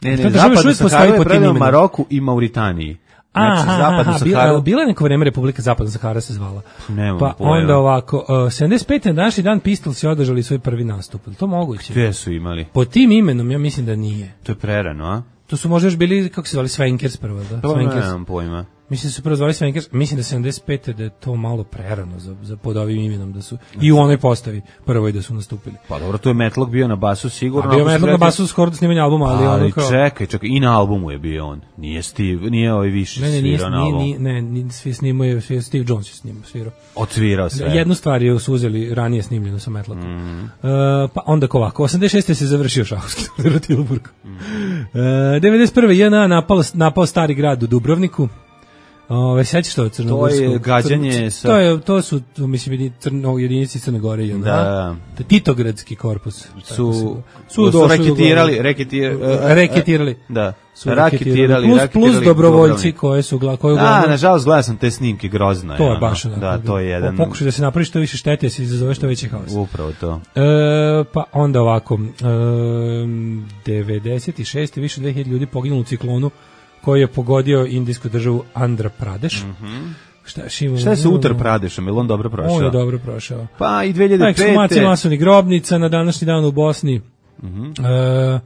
Ne, ne, zapadna Sahara je predala Maroku i Mauritaniji. Znači, aha, aha, bila, bila neko vreme Republika Zapadna Sahara se zvala. Nemam pa pojma. Onda ovako, uh, sedamdeset pete na današnji dan Pistolsi održali svoj prvi nastup. To moguće. Gde su imali? Po tim imenom ja mislim da nije. To je prerano, a? To su možda još bili, kako se zvali, Svenkers prvo, da? To nemam pojma. Mislim da su prvo zvali Svenkers, mislim da sedamdeset pete da je to malo prerano za, za pod ovim imenom, da su i u onoj postavi prvoj da su nastupili. Pa dobro, to je Metlog bio na basu sigurno. A bio Metlog na basu skoro do snimanja albuma, ali, ali ono kao... čekaj, čekaj, i na albumu je bio on. Nije Steve, nije ovaj više ne, ne, svirao na albumu. Ne, ne, ne, svi snimao je, Steve Jones je snimao, svirao. Odsvirao sve. Jednu stvar je uzeli ranije snimljeno sa Metlogom. Mm. Uh, pa onda ovako, osamdeset šeste se završio šahovski turnir u Tilburgu. Mm. Uh, devedeset prve J N A napao, napao stari grad u Dubrovniku. Ove, sećaš to crnogorsko? To je gađanje sa... To, je, to su, to, mislim, crno, jedinici Crne Gore. Da. da. Titogradski korpus. Su, su, su, su reketirali, reketir, uh, reketirali. Da. Su raketirali, plus, raketirali plus dobrovoljci koje su gla, koje da, nažalost gledao sam te snimke, grozno je. To je ono. baš ono. Da, to je jedan... Pokušaj da se napravi što više štete, se izazove što veći haos. Upravo to. E, pa onda ovako, e, devedeset šeste više od dve hiljade ljudi poginulo u ciklonu koji je pogodio indijsku državu Andhra Pradesh. Mm-hmm. Šta, šimo, Šta je sa Uttar Pradešom? Je li on dobro prošao? On je dobro prošao. Pa i dve hiljade pete Ekshumacija masovnih grobnica na današnji dan u Bosni. Mm-hmm. E,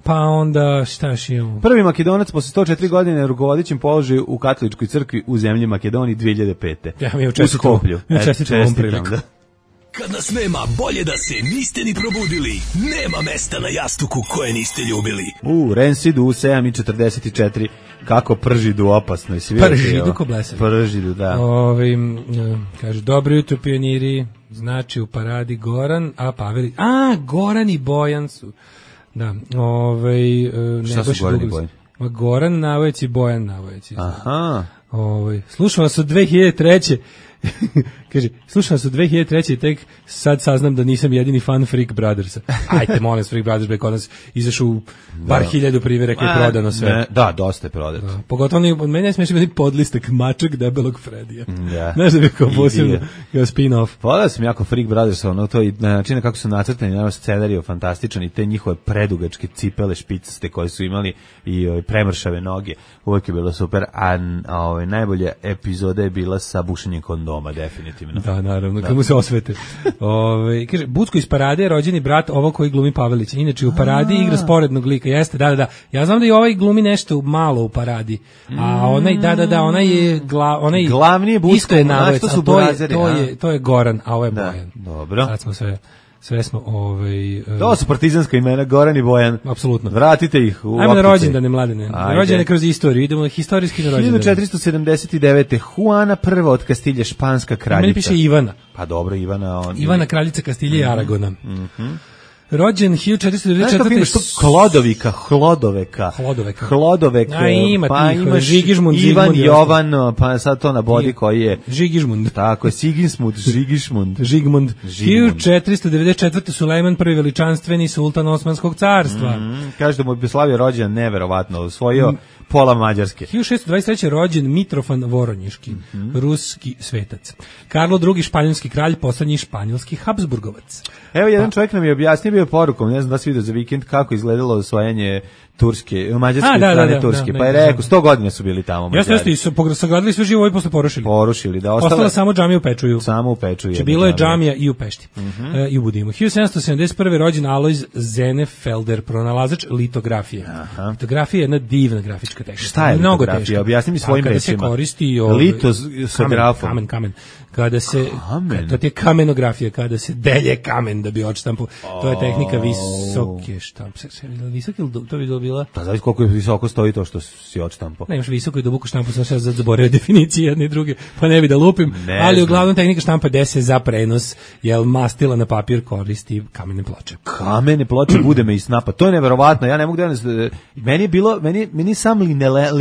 pa onda šta još imamo? Prvi Makedonac posle sto četiri godine rukovodećim položaju u katoličkoj crkvi u zemlji Makedoniji dve hiljade pete Ja mi je učestito. Mi je učestito ovom priliku. Da. Kad nas nema, bolje da se niste ni probudili. Nema mesta na jastuku koje niste ljubili. U, Rensidu, sedam i četrdeset četiri Kako pržidu opasno. Pržidu ko blesavi. Pržidu, da. Ove, kaže, dobro jutro pioniri, znači u paradi Goran, a Paveli, a, Goran i Bojan su. Da, ove, ne šta su Goran i Bojan? Goran Navojec i Bojan Navojec. Aha. Ove, slušao vas od dve hiljade treće Kaže, slušao sam dve hiljade treće i tek sad saznam da nisam jedini fan Freak Brothersa. Ajte, molim vas, Freak Brothers, kod nas izašu u bar da. hiljadu primjeraka i prodano sve. Ne, da, dosta je prodato. Da. Pogotovo oni, od mene je smiješao biti podlistak mačak debelog Fredija. Da. Znaš da bi kao posebno, kao spin-off. Pogledao sam jako Freak Brothers, ono to i na način kako su nacrtani, naravno scenarij fantastičan i te njihove predugačke cipele špicaste koje su imali i ove, premršave noge, uvijek je bilo super, a ove, najbolja epizoda je bila sa bušenjem kondoma, definitivno. Da, naravno, da. Kad mu se osvete. Ove, kaže, Bucko iz Parade je rođeni brat ovo koji glumi Pavelića. Inače, u Paradi igra sporednog lika. Jeste, da, da, da. Ja znam da i ovaj glumi nešto malo u Paradi. A onaj, da, da, da, onaj je, gla, onaj glavni je Bucko, isto je Navojec, to su to, je, burazeri, to, je, to je Goran, a ovo je da, Bojan. Dobro. Sad smo sve... Sve smo ovaj uh, to su partizanska imena Goran i Bojan. Apsolutno. Vratite ih u. Ajmo na rođendane mladene. Rođene kroz istoriju. Idemo historijski na rođendane. hiljadu četiristo sedamdeset devete Juana prva od Kastilje, španska kraljica. Meni piše Ivana. Pa dobro, Ivana on. Ivana kraljica Kastilje i Aragona. Mhm. Mm rođen hiljadu četiristo devedeset četvrte što Klodovika, Hlodoveka. Hlodoveka. Hlodoveka. A ima pa tih, imaš Žigižmund, Ivan Zigmund, Jovan, pa sad to na bodi koji je Žigižmund. Tako je, Sigismund, Žigišmund. Žigmund. hiljadu četiristo devedeset četvrte Sulejman prvi veličanstveni sultan Osmanskog carstva. Mm, kaže da mu je slavio rođen neverovatno, osvojio mm. pola Mađarske. hiljadu šessto dvadeset treće rođen Mitrofan Voronjiški, mm -hmm. ruski svetac. Karlo drugi španjolski kralj, poslednji španjolski Habsburgovac. Evo jedan pa. čovjek nam je objasnio bio porukom, ne znam da si vidio za vikend kako izgledalo osvajanje Turske, mađarske A, da, strane da, da, Turske, da, pa je rekao sto godina su bili tamo Mađari. Jeste, jeste, su sagradili sve živo i posle porušili. Porušili, da. Ostala, ostala samo džamija u Pečuju. Samo u Pečuju. Če bilo je džamija i u Pešti. Uh -huh. e, i u Budimu. hiljadu sedamsto sedamdeset prve rođen Alojz Zenefelder, pronalazač litografije. Aha. Litografija je jedna divna grafička tehnika. Šta je mnogo litografija? Objasni mi svojim rečima. Kada se koristi ovaj, lito sa grafom. Kamen, kamen. Kada se kamen. To je kamenografija, kada se delje kamen da bi odštampu. To je tehnika visoke štampe. Visoki, to bi bilo bila. Pa znaš koliko je visoko stoji to što si odštampo. Ne, imaš visoku i duboku štampu, sam še zaboravio definicije jedne i druge, pa ne bi da lupim, ne ali znam. uglavnom tehnika štampa gde se za prenos, jel mastila na papir koristi kamene ploče. Kamene ploče bude me i snapa. To je neverovatno. Ja ne mogu da ne, meni je bilo, meni meni sam linole,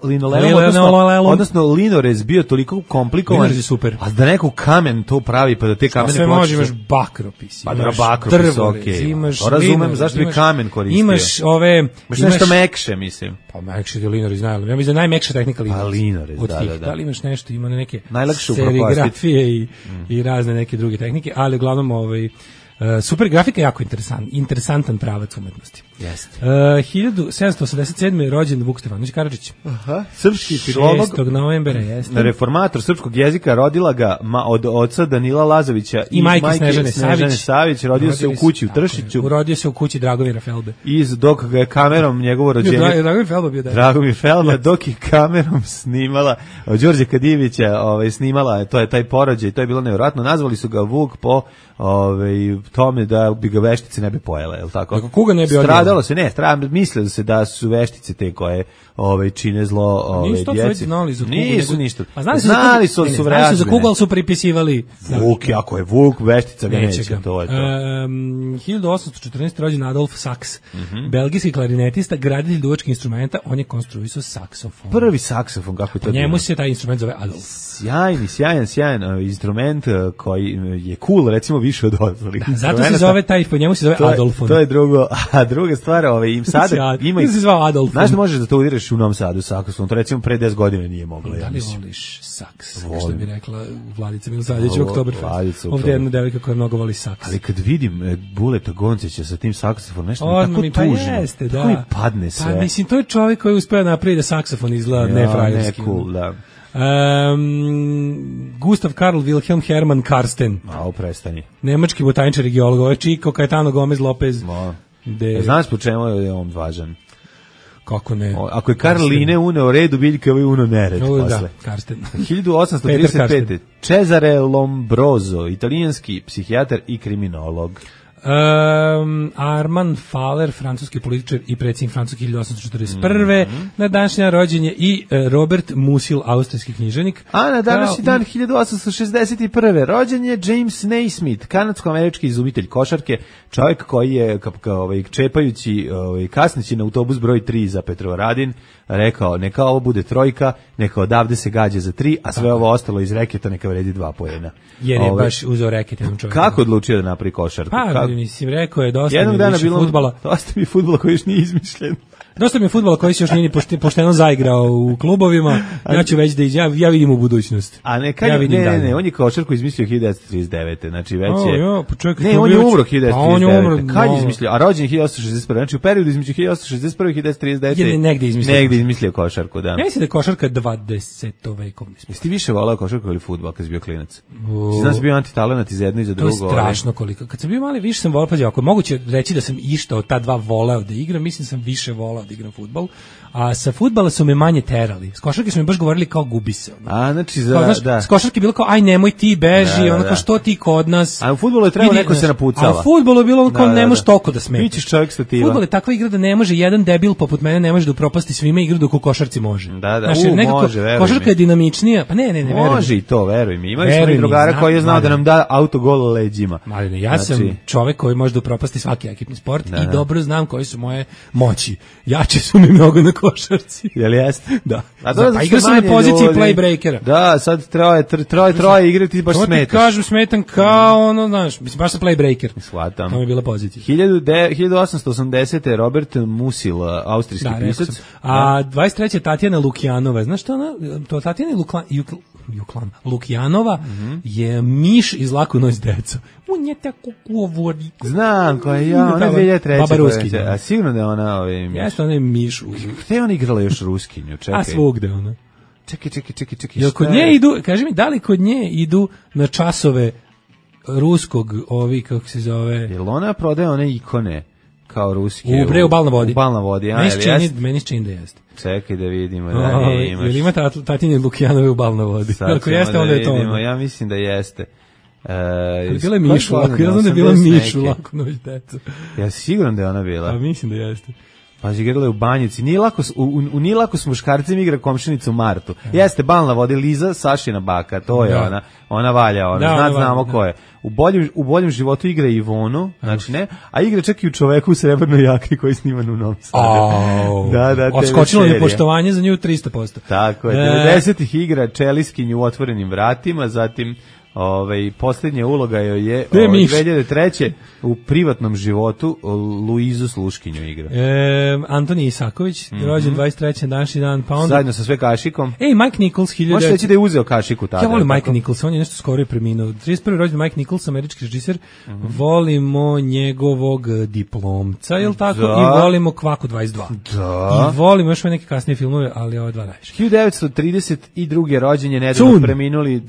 linoleum, odnosno, odnosno linorez bio toliko komplikovan. Linorez je super. A da neko kamen to pravi, pa da te kamene sve ploče. može, imaš bakropis, pa imaš bakropis, drvorez, okay. imaš to razumem, linorez, zašto bi imaš, kamen koristio. Imaš ove... Imaš, imaš nešto mekše, mislim. Pa mekše je linorez, najbolje. Ja mislim da je najmekša tehnika linorez. Pa linorez, od da, tih. da, da. Da li imaš nešto, ima neke najlakše serigrafije i, mm. i razne neke druge tehnike, ali uglavnom ovaj... Uh, super grafika je jako interesant, interesantan pravac umetnosti. Jeste. Uh, hiljadu sedamsto osamdeset sedme je rođen Vuk Stefanović Karadžić. Aha. Srpski filolog. šestog novembra jeste. Reformator srpskog jezika, rodila ga ma, od oca Danila Lazovića i, i majke Snežane, Snežane Savić. Savić. Rodio se u kući u Tršiću. Urodio se u kući Dragomira Felbe. Iz dok ga je kamerom njegovo rođenje. Dra, Dragomir Felba bio da. Dragomir Felba dok je kamerom snimala Đorđe Kadijevića, ovaj snimala, to je taj porođaj, to je bilo nevjerojatno. Nazvali su ga Vuk po ovaj tome da bi ga veštice ne bi pojele, je l' tako? Kako kuga ne bi stradalo se, ne, stradalo, mislilo se da su veštice te koje ovaj čine zlo ovaj djeci. Nisu ništa. A znali su, znali su, su znali su za kugu, ali su pripisivali. Vuk, ako je Vuk, veštica ga neće, to je to. Um, hiljadu osamsto četrnaeste. rođen Adolf Sachs, mm-hmm. belgijski klarinetista, graditelj duvačkih instrumenta, on je konstruisao saksofon. Prvi saksofon, kako je to? Njemu se taj instrument zove Adolf. Sjajni, sjajan, sjajan instrument koji je cool, recimo više od ostalih. Da, zato se zove taj, po njemu se zove to je, Adolfon. To je drugo, a druga stvar, ovaj, im sada ima i... se zvao Adolfon. Znaš da možeš da to udiraš u Novom Sadu saksofon, to recimo pre deset godina nije moglo. Da ja li mislim. voliš saks? Što bi rekla Vladica Milosavljević u Oktoberfest. Ovdje je jedna devojka koja mnogo voli saks. Ali kad vidim e, Buleta Goncića sa tim saksofonom, nešto On, mi tako mi, tužno. Pa jeste, da. Tako mi padne sve. Pa mislim, to je čovjek koji uspeo napraviti da saksofon izgleda ja, nefrajerski. Ne, cool, da. Um, Gustav Karl Wilhelm Hermann Karsten. A, prestani. Nemački botaničar i geolog, ovo je Chico Caetano Gomez Lopez. No. De... Znaš po čemu je on važan? Kako ne? O, ako je Karl Linne uneo redu, biljka je uno nered o, posle. Da, Karsten. hiljadu osamsto trideset pete. Cesare Lombroso, italijanski psihijatar i kriminolog. Um, Armand Faller, francuski političar i predsjednik Francuske hiljadu osamsto četrdeset prve. Mm-hmm. Na današnji rođen je i uh, Robert Musil, austrijski književnik. A na današnji dan hiljadu osamsto šezdeset prve. rođen je James Naismith, kanadsko-američki izumitelj košarke, čovjek koji je ka, ka, ovaj, čepajući ovaj, kasnići na autobus broj tri za Petrovaradin rekao neka ovo bude trojka, neka odavde se gađa za tri, a sve Tako. ovo ostalo iz reketa neka vredi dva poena. Jer je Ove, baš uzeo reket jednom čovjeku. Kako odlučio da napravi košarku? Pa, Kako? mislim, rekao je dosta Jednog mi dana više bilo, fudbala. Dosta mi fudbala koji još nije izmišljen. Dosta mi je fudbala koji se još nije pošteno zaigrao u klubovima. Ja ću već da iz, ja, ja vidim u budućnost. A ne, kad, ja vidim ne, ne, dalje. ne, on je košarku izmislio hiljadu devetsto trideset devete. Znači već je... O, jo, pa čovjek, ne, on je umro hiljadu devetsto trideset devete. Pa on je umro, kad je no. izmislio? A rođen je hiljadu osamsto šezdeset prve. Znači u periodu između hiljadu osamsto šezdeset prve i hiljadu devetsto trideset devete. Je negde izmislio. Negde izmislio košarku, da. Ja mislim da je košarka dvadesetom vekovni. Jesi ti više volao košarku ili fudbal kad si bio klinac? Si znaš bio antitalenat i za jedno i za drugo. To je strašno koliko. Kad sam bio mali, više sam volao, pa ako je moguće reći da sam išta od ta dva voleo da igram, mislim da sam više voleo da igram fudbal. A sa fudbala su me manje terali. S košarke su mi baš govorili kao gubi se. Ono. A, znači za, kao, znaš, da. S košarke je bilo kao, aj nemoj ti beži, da, da, ono kao što ti kod nas. A u fudbalu je trebalo neko se napucava. A u fudbalu je bilo ono kao, da, da, ne možeš da. toliko da smetiš. Bićeš čovjek stativa. Fudbal je takva igra da ne može jedan debil poput mene, ne može da upropasti svima igru dok u košarci može. Da, da, znaš, u, nekako, može, veruj košarka mi. je dinamičnija, pa ne, ne, ne, veruj može mi. i to, veruj mi. Imali smo Veruj i drugara mi, koji je znao znam, da nam da autogol leđima. Maline, ja znači... sam čovjek koji može da upropasti svaki ekipni sport da, i da. dobro znam koji su moje moći. Jače su mi mnogo na košarci. Jel jeste? Da. A to pa igra sam na poziciji ljudi. playbreakera. Da, sad troje, troje, troje igrati baš smetaš. To ti kažem, smetam kao ono, znaš, mislim, baš sam playbreaker. Shvatam. To mi je bila pozicija. hiljadu osamsto osamdesete. Robert Musil, austrijski da, pisac. A dvadeset treće. Tatjana Lukjanova. Znaš što ona? To Tatjana Luklan, Jukl, Juklan, Lukjanova mm-hmm. je miš iz Laku noć deca. On je tako govori. Znam koja je, ja, ona je dve hiljade treće. Baba Ruski. A sigurno da je ona... Ovaj, jeste, ona je miš. Gde je ona igrala još Ruskinju? Čekaj. A svugde ona. Čekaj, čekaj, čekaj, čekaj. Jel kod nje idu, kaži mi, da li kod nje idu na časove ruskog, ovi, kako se zove? Jel ona prodaje one ikone kao ruske? U bre, u Bal na vodi. U Bal na vodi, a, meni jel čini, jest? meni čini da jeste. Čekaj da vidimo, da nije imaš. Jel ima Tatjine Lukjanove u Bal na vodi? Ako jeste, onda je to ono. Ja mislim da jeste. Uh, je bila Mišu, ako ja znam da je bila Mišu, Laku noć deca. Ja siguran da je ona bila. A mislim da jeste. Pa igrala je u Banjici. Nije lako, u, u, u nije lako s muškarcem igra komšinicu Martu. Jeste, balna vodi Liza, Sašina baka, to je da. ona. Ona valja, ona. Da, Zna, ona znamo valja, ko je. U boljem, u boljem životu igra Ivonu, znači ne, a igra čak i u Čoveku u srebrnoj jakni koji sniman u Novom Sadu. Oh, da, da, odskočilo je poštovanje za nju tristo posto. Tako je, devedesetih igra Čeliskinju u Otvorenim vratima, zatim ovaj posljednja uloga joj je ovaj, dve hiljade treće u privatnom životu Luizu Sluškinju igra. E, Antoni Isaković, mm-hmm. rođen dvadeset treći današnji dan, pa onda zajedno sa sve kašikom. Ej, Mike Nichols hiljadu. Možete reći da je uzeo kašiku tada. Ja volim Mike Nichols, on je nešto skoro je preminuo. trideset prvi rođen Mike Nichols, američki režiser. Mm-hmm. Volimo njegovog Diplomca, je l' tako? Da. I volimo Kvaku dvadeset dva. Da. I volimo još neke kasnije filmove, ali ove dva najviše. hiljadu devetsto trideset druge rođen je nedavno preminuli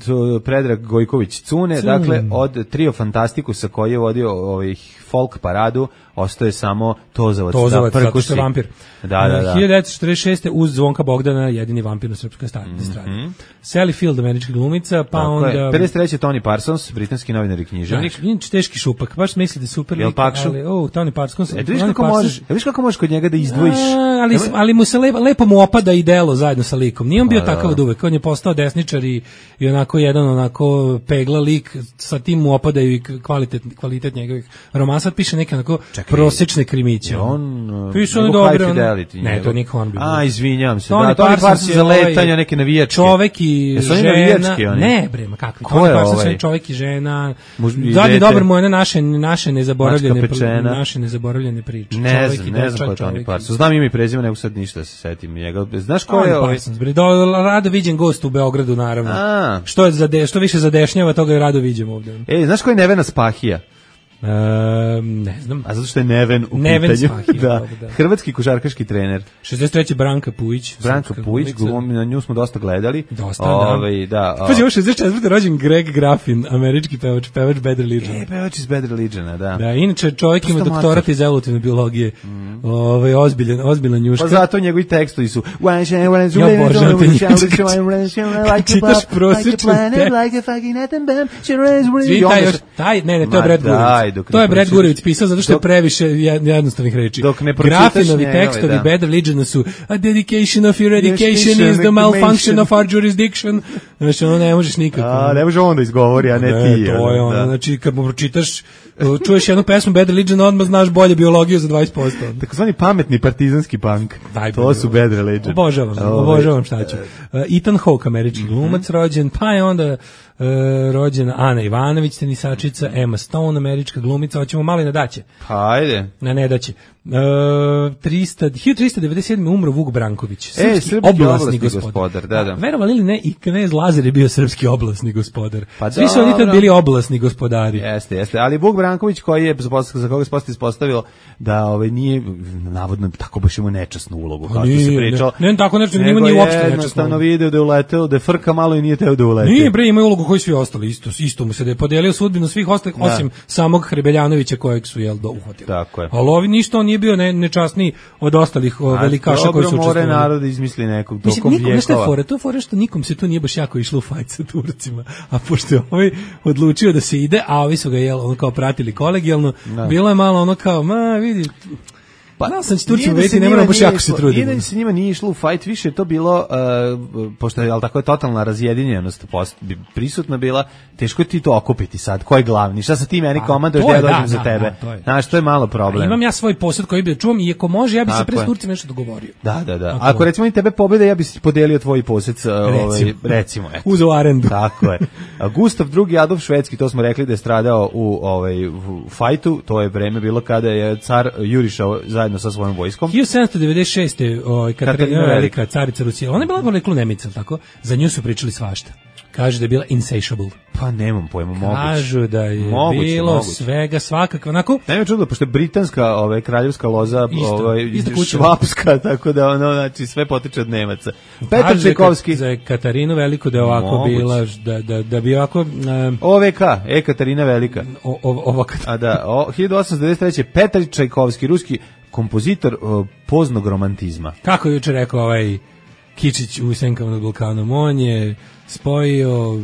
Predrag Gojković Cune, Cun. Dakle, od Trio Fantastikusa koji je vodio ovih folk paradu, ostaje samo Tozavac, Tozavac da zato što je vampir. Da, da, da. hiljadu devetsto četrdeset šeste uz Zvonka Bogdana, jedini vampir na srpskoj strani. Mm-hmm. Sally Field, američka glumica, pa tako onda... Je. pedeset treći Tony Parsons, britanski novinar i književnik. Znači, inače teški šupak, baš misli da je super lik, ali, o, oh, Tony Parsons... E, viš kako, možeš, viš kako možeš kod njega da izdvojiš... A, ali, ali mu se lepo, lepo mu opada i delo zajedno sa likom. Nije on bio a, takav od uvek, on je postao desničar i, i onako jedan onako pegla lik, sa tim mu opadaju i kvalitet, kvalitet njegovih romana. Sad piše neke onako čekaj, prosječne krimiće. On, piše on dobro. Fidelity, ne, to Nick Hornby. A, izvinjam se. Tony da, Tony Parsons za letanja, neke navijačke. Čovek i žena. Ne, bre, ma kakvi. Tony Parsons je čovek i žena. Zadnji dobar mu je naše, naše nezaboravljene, naše nezaboravljene priče. Ne znam, ne znam ko je Tony Parsons. Znam ime i prezime, nego sad ništa se setim njega. Znaš ko je ovaj? Parsons, bre, rado viđen gost u Beogradu, naravno. Što je za što više zadešnjava, toga je rado viđemo ovde. Ej, znaš ko je Nevena Spahija? Um, ne znam. A zato što je Neven u Neven pitanju. Spahija, da. Da. Hrvatski košarkaški trener. šezdeset treći Branka Pujić. Branka Pujić, glumi, na nju smo dosta gledali. Dosta, Ove, da. da. Pazi, ovo šezdeset četvrti rođen Greg Graffin, američki pevač, pevač Bad Religion. E, pevač iz Bad Religiona, da. Da, inače čovjek ima doktorat iz evolutivne biologije. Mm. Ove, ozbiljan, ozbiljan njuška. Pa zato njegovi tekstovi su ja obožavam te čitaš prosječan Svi taj još, taj, ne, ne, to je Brad Gurewitz. To je Brad Gurewitz pisao zato što je previše jednostavnih reči. Graffinovi tekstovi da. Bad Religion su a dedication of your education is the malfunction of our jurisdiction. Znači, ono ne možeš nikako. A, ne može on da izgovori, a ne, ne ti. To je ono, da. Znači, kad mu pročitaš, čuješ jednu pesmu Bad Religion, odmah znaš bolje biologiju za dvadeset posto. Takozvani pametni partizanski punk. Daj, to su Bad Religion. Obožavam, obožavam šta ću. Uh, Ethan Hawke, američki glumac, rođen, pa je onda uh, rođena Ana Ivanović, tenisačica, Emma Stone, američka glumica, hoćemo malo i na daće. Pa ajde. Na ne daće. Uh, hiljadu tristo devedeset sedme umro Vuk Branković, srpski, e, srpski oblasni, oblasni gospodar. gospodar da, da. Verovali ili ne, i knez Lazar je bio srpski oblasni gospodar. Pa svi su oni tad bili oblasni gospodari. Jeste, jeste, ali Vuk Branković koji je, za koga se posto ispostavilo da ovaj, nije, navodno, tako baš ima nečasnu ulogu, kao što se pričalo. Ne, ne, tako nečasno, nima nije uopšte nečasno. Jednostavno video da je uleteo, da je frka malo i nije teo da ulete. Nije, bre, ima ulogu koji svi ostali, isto, isto mu se da je podelio sudbinu svih ostalih, da. Osim samog Hrebeljanovića kojeg su, jel, do uhvatili. Tako je. Ali ovi ništa, on nije bio ne, nečasniji od ostalih o, velikaša koji su učestvovali. Dobro, more narod izmisli nekog tokom Mislim, nikom, vjekova. Fore, to je fore što nikom se tu nije baš jako išlo u fajt sa Turcima, a pošto je ovaj odlučio da se ide, a ovi su ga, jel, ono kao pratili kolegijalno, da. Bilo je malo ono kao, ma, vidi... Pa da sam Turcima da veti, ne moram baš jako se truditi. Nije da se njima nije išlo u fight, više je to bilo, uh, pošto je, ali tako je totalna razjedinjenost post, prisutna bila, teško je ti to okupiti sad, ko je glavni, šta sa ti meni komanduješ da ja dođem da, za tebe. Da, da, znaš, to je malo problem. A imam ja svoj posjed koji bi da čuvam i ako može, ja bi se pre s Turcima nešto dogovorio. Da, da, da. Ako, ako recimo i tebe pobede, ja bi si podelio tvoj posjed, ovaj, recimo. Uzo arendu. Tako je. Gustav drugi Adolf Švedski, to smo rekli da je stradao u, ovaj, u fajtu, to je vreme bilo kada je car jurišao zajedno sa svojom vojskom. hiljadu sedamsto devedeset šeste ovaj Katarina Velika, carica Rusije. Ona je bila poreklo Nemica, tako? Za nju su pričali svašta. Kaže da je bila insatiable. Pa nemam pojma, moguće. Kažu da je moguće, bilo moguće. Svega, svakako, onako. Nema čudo, pošto je britanska, ovaj, kraljevska loza, isto, ovaj, isto švapska, tako da ono, znači, sve potiče od Nemaca. Petar Čajkovski. Za Katarinu Veliku da je ovako moguće. Bila, da, da, da bi ovako... Um, O V K, E Katarina Velika. O, o, ovo A da, o, hiljadu osamsto devedeset treće. Petar Čajkovski, ruski kompozitor o, poznog romantizma. Kako je juče rekao ovaj... Kičić u Senkama nad Balkanom. On je spojio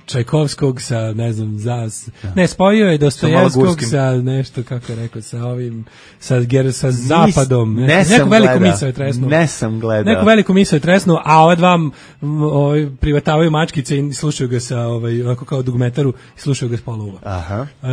Čajkovskog sa, ne znam, za, ne, spojio je Dostojevskog sa, sa nešto, kako je rekao, sa ovim, sa, ger, sa zapadom. Ne, ne neku veliku misao je tresnuo. Ne sam gledao. Neku veliku misao je tresnuo, a ova dva ovaj, privatavaju mačkice i slušaju ga sa, ovaj, ovako kao dugmetaru, i slušaju ga s pola uva. Aha. E,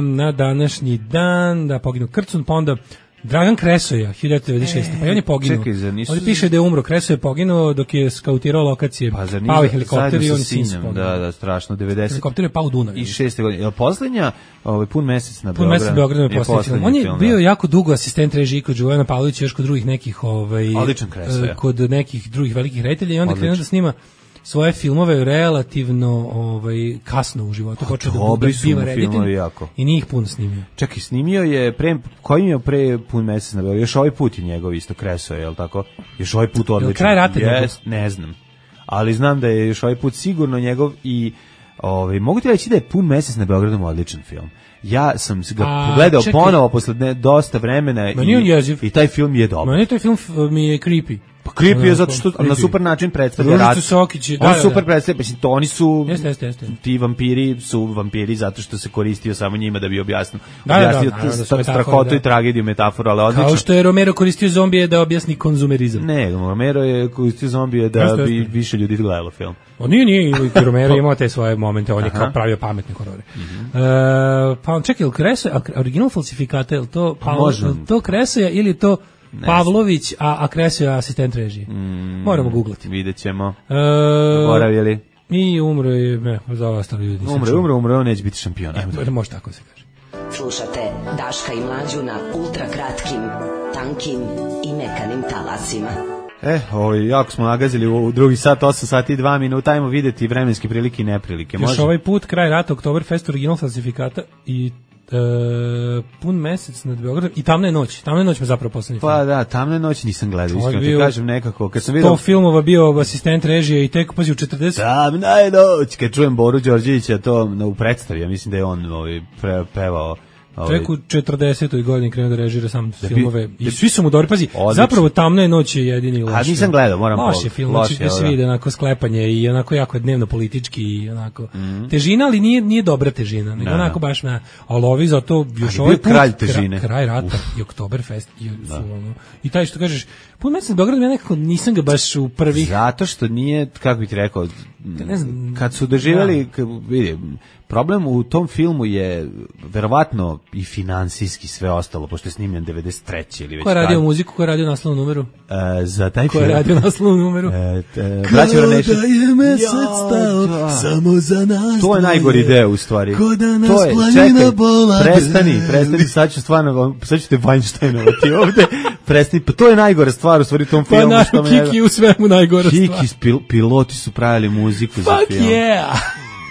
na današnji dan, da poginu Krcun, pa onda Dragan Kresoja, hiljadu devetsto devedeset šeste. Pa i on je poginuo. Čekaj, zar nisu... Ovdje piše da je umro. Kresoja je poginuo dok je skautirao lokacije. Pa zar pao je helikopter i on je sinom, da, da, strašno, devedeset Helikopter je pao u Dunav. I šeste godine. Je li poslednja, ovaj, pun mesec na Beogradu? Pun mesec na Beogradu je poslednji film. On je film, bio da. jako dugo asistent režiji kod Đuvana Pavlovića, još kod drugih nekih, ovaj, odličan Kresoja. Kod nekih drugih velikih reditelja i onda krenuo da snima svoje filmove relativno ovaj kasno u životu, počeo da bude biva reditelj i nije ih puno snimio. Čekaj, snimio je pre koji je pre pun mesec na Beogradu, još ovaj put je njegov isto Kresoja, je l' tako? Još ovaj put odličan. Kraj rata yes, ne znam. Ali znam da je još ovaj put sigurno njegov i ovaj mogu ti reći da je pun mesec na Beogradu odličan film. Ja sam ga A, pogledao čekaj. ponovo posle ne, dosta vremena i, i taj film je dobar. Meni taj film mi je creepy. Pa creepy je zato što creepy. Na super način predstavlja rat. Sokić, on da, super da. predstavlja, mislim, to oni su, jeste, jeste, jeste. ti vampiri su vampiri zato što se koristio samo njima da bi objasnio, da, objasnio da, da, da, strahotu da. i tragediju metaforu, ali odlično. Kao što je Romero koristio zombije da objasni konzumerizam. Ne, Romero je koristio zombije da jeste, bi jeste. više ljudi gledalo film. On nije, nije, Romero imao te svoje momente, on je kao pravio pametne horore. Mm-hmm. E, pa on čekaj, Kresoja, original falsifikata, je li to, Pavlo, to Kresoja ili to Ne Pavlović, a, a Kresoja asistent režije. Mm, Moramo googlati. Vidjet ćemo. E, Zaboravili. I umro je, ne, za ostali ljudi. Umro je, umro, umro, on neće biti šampion. E, može tako se kaže. Slušate Daška i Mlađu na ultra kratkim, tankim i mekanim talasima. E, ovaj, jako smo nagazili u drugi sat, osam sati i dva minuta, ajmo vidjeti vremenske prilike i neprilike. Još ovaj put, kraj rata, Oktoberfest, original falsifikata i e, pun mesec nad Beogradom i Tamna je noć. Tamna je noć me zapravo poslednji film. Pa da, Tamna je noć nisam gledao, iskreno ti kažem nekako. Kad sam vidio sto filmova bio asistent režije i tek pazi u četrdeset. Tamna je noć, kad čujem Boru Đorđevića to u predstavi, ja mislim da je on ovaj, pre, pevao. Tek u četrdesetoj godini krenuo da režira sam da filmove i svi su mu dobri, pazi, odlično. Zapravo Tamna je noć je jedini loš. A nisam gledao, moram pogledati. Loš je film, loš je, svi ide onako sklepanje i onako jako dnevno politički i onako mm. težina, ali nije nije dobra težina, nego da, onako baš na, ali ovi zato još ovaj put, kralj težine. Kraj, kraj rata Uf. i Oktoberfest i, su, ono, i taj što kažeš, pun mesec Beograd ja nekako nisam ga baš u prvih. Zato što nije, kako bih ti rekao, ne znam, kad su doživjeli, kad, vidi, problem u tom filmu je verovatno i finansijski sve ostalo, pošto je snimljen devedeset treće ili već. Ko je radio muziku, ko je radio naslovnu numeru? E, za taj ko film. Ko je radio naslovnu numeru? E, te, Braćo Ranešin. Kada je mesec stao, ja, samo za nas. To je najgori deo u stvari. Ko da nas to je, planina bola. Prestani, prestani, sad ću stvarno, sad ću te Weinsteinovati ovde. Prestani, pa to je najgore stvar u stvari u tom pa filmu. Pa naš Kiki u svemu najgore stvar. Kiki, pil, piloti su pravili muziku Fuck za film. Yeah!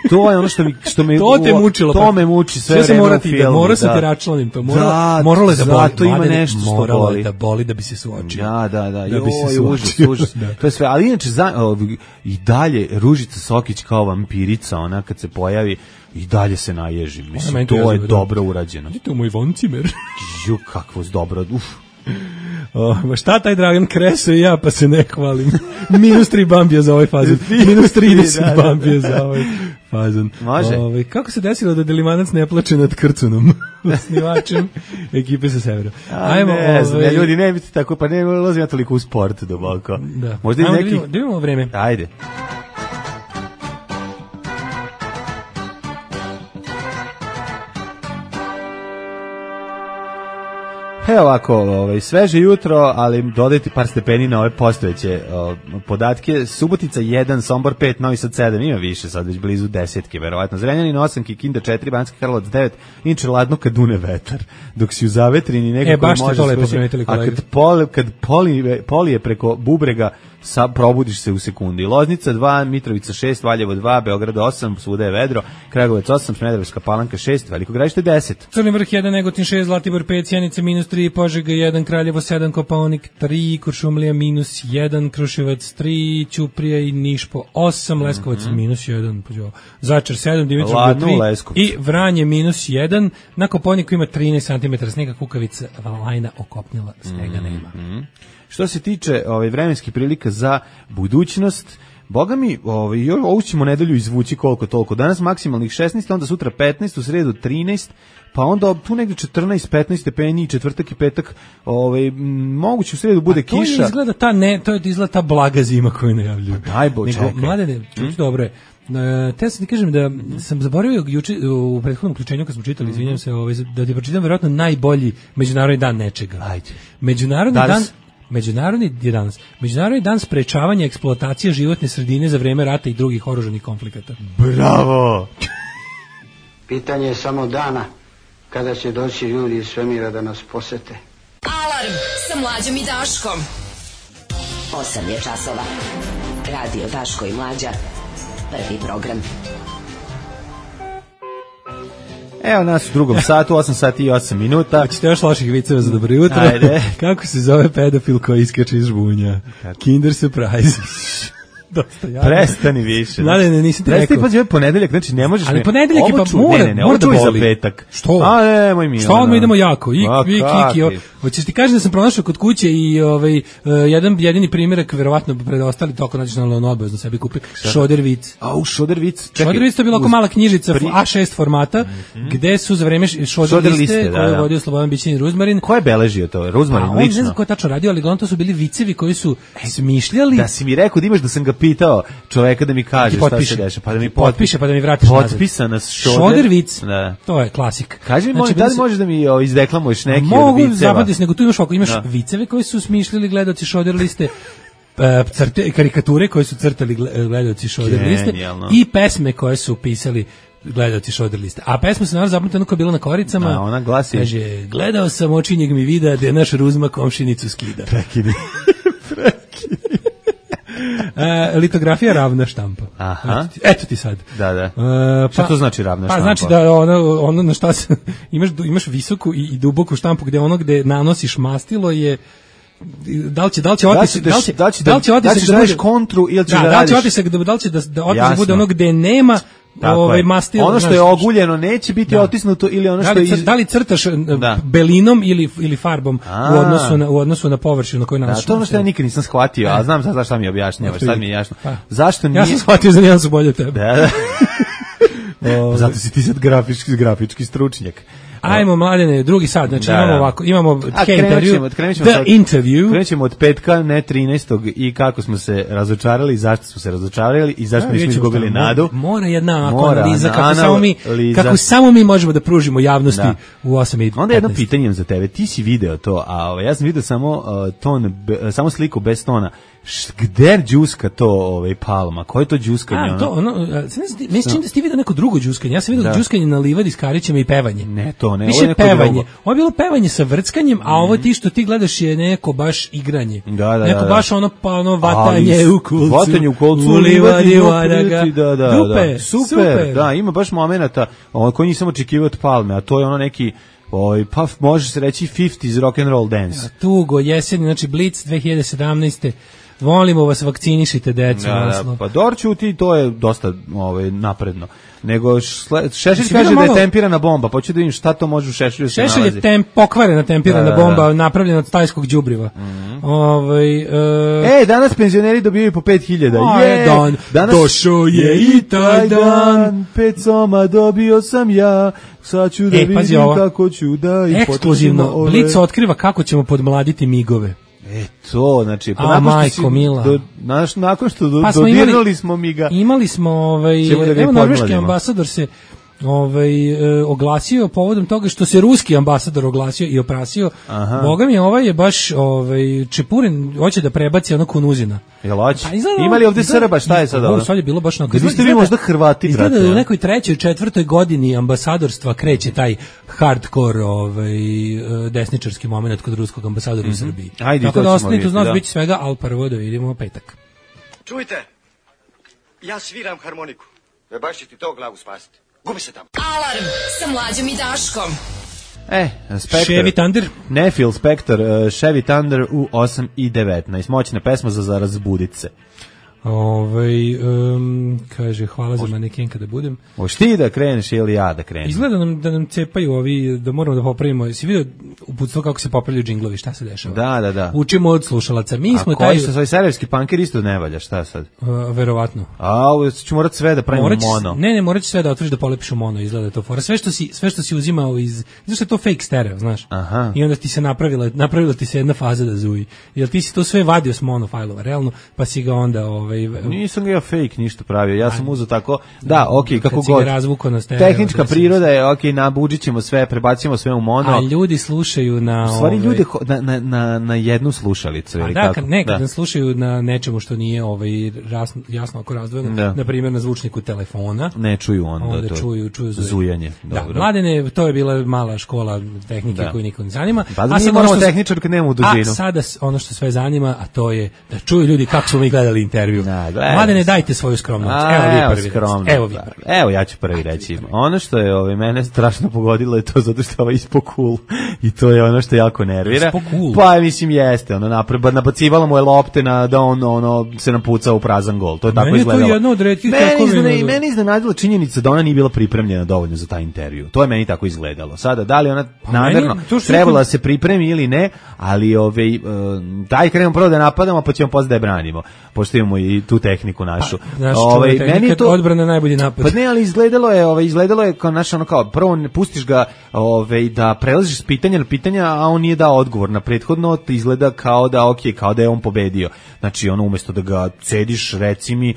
To je ono što mi što me to te mučilo, to me muči sve, sve vreme u filmu. Mora se te račlanim to, mora, moralo je da boli. To ima nešto što moralo boli. da boli da bi se suočio. Da, da, da. Da jo, bi se suočio. Užas, da. To je sve, ali inače za, o, i dalje Ružica Sokić kao vampirica, ona kad se pojavi i dalje se naježi. Mislim, to je dobro urađeno. Idite u moj voncimer. Ju, kakvo dobro. Uf. O, ma šta taj Dragan Kreso i ja, pa se ne hvalim. Minus tri bambija za ovaj fazon. Minus trideset bambija za ovaj fazon. Može. Ove, kako se desilo da Delimanac ne plače nad Krcunom? Snivačem ekipe sa severa. Ajmo, ne znam, ove... ja, ljudi, ne biti tako, pa ne ulazim ja toliko u sport duboko. Da. Možda i Ajmo, neki... Da vidimo, da vidimo vreme. Ajde. Evo ovako, ovaj, sveže jutro, ali dodajte par stepeni na ove postojeće o, podatke. Subotica jedan, Sombor pet, Novi Sad sedam, ima više, sad već blizu desetke, verovatno. Zrenjanin osam, Kikinda četiri, Banski Karlovac devet, inče ladno kad dune vetar. Dok si u zavetrini nekako e, baš može... to lepo primetili kolega. A kad, pol, kad poli, polije preko bubrega, sa, probudiš se u sekundi. Loznica dva, Mitrovica šest, Valjevo dva, Beograd osam, svuda je vedro, Kragujevac osam, Smederevska Palanka šest, Veliko Gradište deset. Crni vrh jedan, Negotin šest, Zlatibor pet, Sjenica minus tri, Požega jedan, Kraljevo sedam, Kopaonik tri, Kuršumlija minus jedan, Kruševac tri, Ćuprija i Niš po osam, Leskovac mm -hmm. minus jedan, Zaječar sedam, Dimitrovgrad tri i Vranje minus jedan, na Kopaoniku ima trinaest centimetara snega, Kukavica, Valajna okopnila, snega nema. Mm -hmm. Što se tiče ovaj, vremenskih prilika za budućnost, boga mi, ovaj, ovu ćemo nedelju izvući koliko toliko. Danas maksimalnih šesnaest, onda sutra petnaest, u sredu trinaest, pa onda tu negde četrnaest petnaest stepeni, četvrtak i petak, ovaj, moguće u sredu bude to kiša. To izgleda ta, ne, to je izgleda ta blaga zima koju najavljuju. Daj bo, čekaj. Mladene, hmm? dobro je. Uh, te sam ti kažem da sam zaboravio juče u prethodnom uključenju kad smo čitali, izvinjam se, ovaj, da ti pročitam verovatno najbolji međunarodni dan nečega. Ajde. Međunarodni danas? dan Međunarodni je danas. Međunarodni dan sprečavanja eksploatacije životne sredine za vreme rata i drugih oružanih konflikata. Bravo. Pitanje je samo dana kada će doći ljudi iz svemira da nas posete. Alarm sa Mlađom i Daškom. osam je časova. Radio Daško i Mlađa. Prvi program. Evo nas u drugom satu, osam sati i osam minuta. Hoćete još loših viceva za dobro jutro? Ajde. Kako se zove pedofil koji iskače iz žbunja? Kinder Surprise. Dosta ja. Prestani više. Ne, ne, nisam ti rekao. Prestani, rekao. pa ponedeljak, znači ne možeš... Ali ponedeljak je pa ču, mora, ne, ne, ne, mora da boli. boli. Za petak. Što? A ne, moj mi. Što odmah idemo jako? Ik, vik, ik, hoćeš ti kažem da sam pronašao kod kuće i ovaj, uh, jedan jedini primjerak, verovatno predostali toko nađeš na ono obavezno sebi kupi, Šodervic. A, u Šodervic. Šodervic to je bila oko mala knjižica pri... A šest formata, mm-hmm. gde su za vreme Šoderliste, koje je vodio Slobodan Bićanin Ruzmarin. Ko je beležio to? Ruzmarin, lično? On ne znam ko je tačno radio, ali glavno to su bili vicevi koji su smišljali. Da si mi rekao da imaš da sam ga pitao čoveka da mi kaže šta se deša, pa da mi potpiše, pa da mi vratiš nazad. Potpisana Šoder. Šodervic, da. To je klasik. Kaži mi, znači, molim, da li možeš da mi o, izdeklamuješ neki mogu od viceva? Mogu zapamtiti, nego tu imaš ovako, imaš da. viceve koji su smišljali gledaoci Šoderliste, crte, karikature koje su crtali gledaoci Šoderliste i pesme koje su pisali gledaoci Šoderliste. A pesma se naravno zapamtila ono koja je bila na koricama. Da, ona glasi. Kaže, gledao sam očinjeg mi vida da je naš Ruzma komšinicu skida. Prekini. Prekini. E, litografija ravna štampa. Aha. Eto ti sad. Da, da. E, pa, šta to znači ravna štampa? Pa znači da ono, ono na šta se, imaš, imaš visoku i, i duboku štampu gde ono gde nanosiš mastilo je da li će da li će otisak da li će da li će da li će otisak da radiš kontru ili ćeš da, da radiš da li će otisak da da li će da da otisak bude ono gde nema ovaj mastilo. Ono što je oguljeno neće biti da. otisnuto ili ono što da li, je iz... da li crtaš da. belinom ili ili farbom a. u odnosu na u odnosu na površinu na kojoj nalaziš. Da, to ono što ja nikad nisam shvatio, a znam sad šta mi objašnjavaš, sad mi je jasno. Pa. Zašto nije? Ja sam shvatio za jedan su bolje od tebe. Da, da. Zato si ti sad grafički grafički stručnjak. Ajmo, Mladene, drugi sad, znači da, imamo da. ovako, imamo A, intervju, krenut ćemo the od, interview. Krenut ćemo od petka, ne trinaestog i kako smo se razočarali, zašto smo se razočarali i zašto nismo izgubili nadu. Mora jedna Mora, analiza, kako, analiza. Samo mi, kako samo mi možemo da pružimo javnosti da. u osam i petnaest. Onda jedno pitanje za tebe, ti si video to, a ovaj, ja sam video samo, uh, ton, be, samo sliku bez tona. Gde đuska to ovaj Palma? Ko je to đuskanje? A, to ono, meni se čini da ste vidio neko drugo đuskanje. Ja sam vidio da. đuskanje na livadi s Karićima i pevanje. Ne, to ne, ovo je neko pevanje. Drugo. Ovo je bilo pevanje sa vrckanjem, a ovo ti što ti gledaš je neko baš igranje. Da, da, neko da, baš ono pa ono vatanje ali, u kolcu. Vatanje u kolcu, u livadi, vadaga. Da, da, Dupe, da. Super, super, da, ima baš momenata koji nisam očekivao od Palme, a to je ono neki Oj, pa može se reći fifties rock and roll dance. Ja, tugo, jesen, znači Blitz dve hiljade sedamnaeste. Volimo vas, vakcinišite decu. Da, da, pa Dorću ti to je dosta ovaj, napredno. Nego Šešelj kaže malo... da je tempirana bomba, pa ću da vidim šta to može u Šešelju se nalazi. Šešelj je temp, pokvarena tempirana da, da, da. bomba, napravljena od tajskog đubriva. Mm-hmm. Ovaj, uh... E, danas penzioneri dobijaju po pet hiljada. Je, dan, danas došao je i taj dan. Pet soma dobio sam ja. Sad ću da e, vidim kako ću da... I ekskluzivno, Blic otkriva kako ćemo podmladiti migove. E to, znači, pa a, majko, mila. Do, naš, nakon što do, pa smo dodirnuli imali, smo mi ga. Imali smo, ovaj, da evo norveški ambasador se ovaj, e, oglasio povodom toga što se ruski ambasador oglasio i oprasio. Aha. Boga mi, ovaj je baš ovaj, Čepurin, hoće da prebaci ono Kunuzina. Jel hoće? Ima li ovdje Srba, šta je sad ovo? Sad je bilo baš na... Izgleda, vi možda Hrvati, izgleda brate. Izgleda u nekoj trećoj, četvrtoj godini ambasadorstva kreće taj hardcore ovaj, desničarski moment kod ruskog ambasadora mm-hmm. u Srbiji. Ajde, tako to da ostanite vidjeti, uz nas, da. bit će svega, ali prvo da vidimo petak. Čujte, ja sviram harmoniku. Ne baš će ti to glavu spasiti. Gubi se tamo. Alarm sa Mlađom i Daškom. E, Spectre. Chevy Thunder. Ne, Phil Spector, uh, Chevy Thunder u osam i devetnaest. Moćna pesma za, za razbudit se. Ovaj um, kaže hvala za maneken kada budem. Hoćeš ti da kreneš ili ja da krenem? Izgleda nam da nam cepaju ovi, da moramo da popravimo. Jesi vidio uputstvo kako se popravljaju džinglovi, šta se dešava? Da, da, da. Učimo od slušalaca. Mi smo a taj koji su svoj serverski punker isto ne valja, šta sad? Uh, verovatno. A, ovo ću morat sve da pravimo Morać, mono. Ne, ne, morat ću sve da otvoriš da polepiš u mono, izgleda to fora. Sve što si, sve što si uzimao iz, znaš što je to fake stereo, znaš? Aha. I onda ti se napravila, napravila ti se jedna faza da zuji. Jel ti si to sve vadio s mono fajlova, realno, pa si ga onda ovaj Nisam ga ja fake ništa pravio. Ja sam uzeo tako. Da, okej, okay, kako kad god. Razvuko na stereo. Tehnička priroda je okej, okay, nabuđićemo sve, prebacimo sve u mono. A ljudi slušaju na u stvari ovaj, ljudi na, na, na, na jednu slušalicu ili da, kako? Kad, ne, kad da. slušaju na nečemu što nije ovaj jasno, jasno ako razdvojeno, da. Na primjer na zvučniku telefona. Ne čuju onda, onda to. čuju, čuju zujanje. zujanje. Da, mladene, to je bila mala škola tehnike da. Koju nikog ne zanima. Pa a sad moramo tehničar kad nemamo dužinu. A sada ono što sve zanima, a to je da čuju ljudi kako smo mi gledali intervju. Da, mladene, dajte svoju skromnost. A, evo vi evo, prvi. skromno, Evo vi prvi. Evo ja ću prvi reći. Ono što je ove mene strašno pogodilo je to zato što je ispod cool i to je ono što jako nervira. Cool. Pa mislim jeste, ono napred nabacivalo mu je lopte na da on ono se napucao u prazan gol. To je tako izgledalo. Meni je to jedno od retkih tekovina. Meni, meni iznenadila činjenica da ona nije bila pripremljena dovoljno za taj intervju. To je meni tako izgledalo. Sada da li ona pa namerno trebala da se pripremi ili ne, ali ovaj daj krenemo prvo da napadamo, pa ćemo posle da je branimo. Pošto imamo i tu tehniku našu. Pa, ovaj meni je to odbrana najbolji napad. Pa ne, ali izgledalo je, ovaj izgledalo je kao naš ono kao prvo ne pustiš ga ovaj da prelaziš s pitanja na pitanja, a on nije dao odgovor na prethodno, izgleda kao da okej, okay, kao da je on pobedio. Znači ono umesto da ga cediš, reci mi,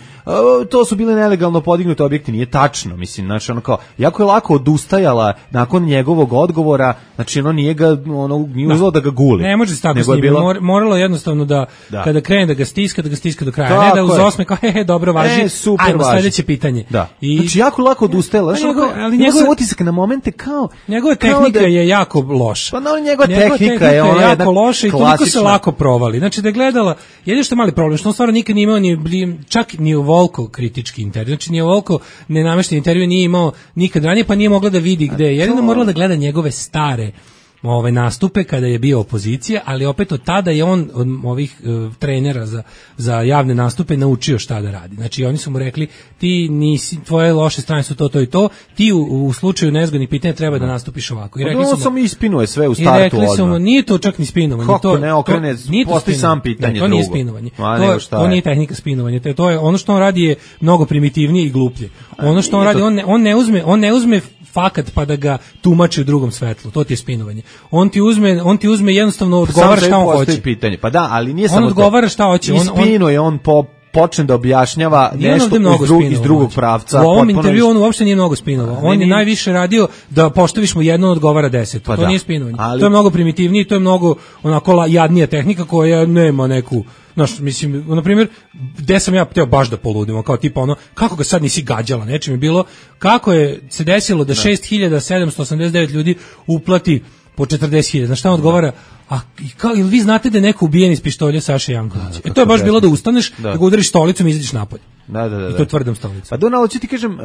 to su bile nelegalno podignuti objekti, nije tačno, mislim, znači ono kao jako je lako odustajala nakon njegovog odgovora, znači ono nije ga ono nije uzelo da ga guli. Ne može se tako s njim, bilo... moralo jednostavno da, da kada krene da ga stiska, da ga stiska do kraja, tako ne da uz osme kao he he dobro važi, e, super, ajmo važi. Sledeće pitanje. Da. I znači jako lako odustajala, znači njegov, ali njegov utisak na momente kao njegova tehnika da, je jako loša. Pa no, njegova, njegova tehnika, tehnika je ona jako loša i toliko se klasična. Lako provali. Znači da je gledala, jedino što je mali problem, što on stvarno nikad nije imao ni čak ni ovoliko kritički intervju, znači ni ovoliko nenamešten intervju nije imao nikad ranije, pa nije mogla da vidi gde je. Jedino morala da gleda njegove stare ove nastupe kada je bio opozicija, ali opet od tada je on od ovih uh, trenera za, za javne nastupe naučio šta da radi. Znači oni su mu rekli ti nisi, tvoje loše strane su to, to i to, ti u, u slučaju nezgodnih pitanja treba da nastupiš ovako. I rekli su mu, sam ispinuje sve u startu odmah. I rekli su mu, nije to čak ni spinovanje. Kako to, ne okrene, postoji sam pitanje ne, to drugo. nije spinovanje. Ma, to, to nije tehnika spinovanja. To, to je, ono što on radi je mnogo primitivnije i gluplje. Ono što on radi, on ne, on ne uzme, on ne uzme fakat pa da ga tumači u drugom svetlu. To ti je spinovanje. On ti uzme, on ti uzme jednostavno odgovara šta on hoće. Pitanje. Pa da, ali nije on samo odgovara šta hoće. On ispinuje, on po počne da objašnjava nešto iz, drug, iz drugog pravca. U ovom intervju on uopšte nije mnogo spinovao. On je najviše radio da poštoviš mu jedno odgovara deset. Pa to da. Nije spinovanje. Ali... To je mnogo primitivnije, to je mnogo onako jadnija tehnika koja nema neku, znaš, mislim, na primjer, gde sam ja hteo baš da poludim, kao tipa ono, kako ga sad nisi gađala, nečim je bilo, kako je se desilo da šest hiljada sedamsto osamdeset devet ljudi uplati po četrdeset hiljada. Znaš šta on odgovara? A kao, ili vi znate da je neko ubijen iz pištolja Saše Jankovića? E to je baš bilo da ustaneš, da, da ga udariš stolicom i izađeš napolje. Da, da, da. I to tvrdom stolicom. Pa Donald, hoću ti kažem uh,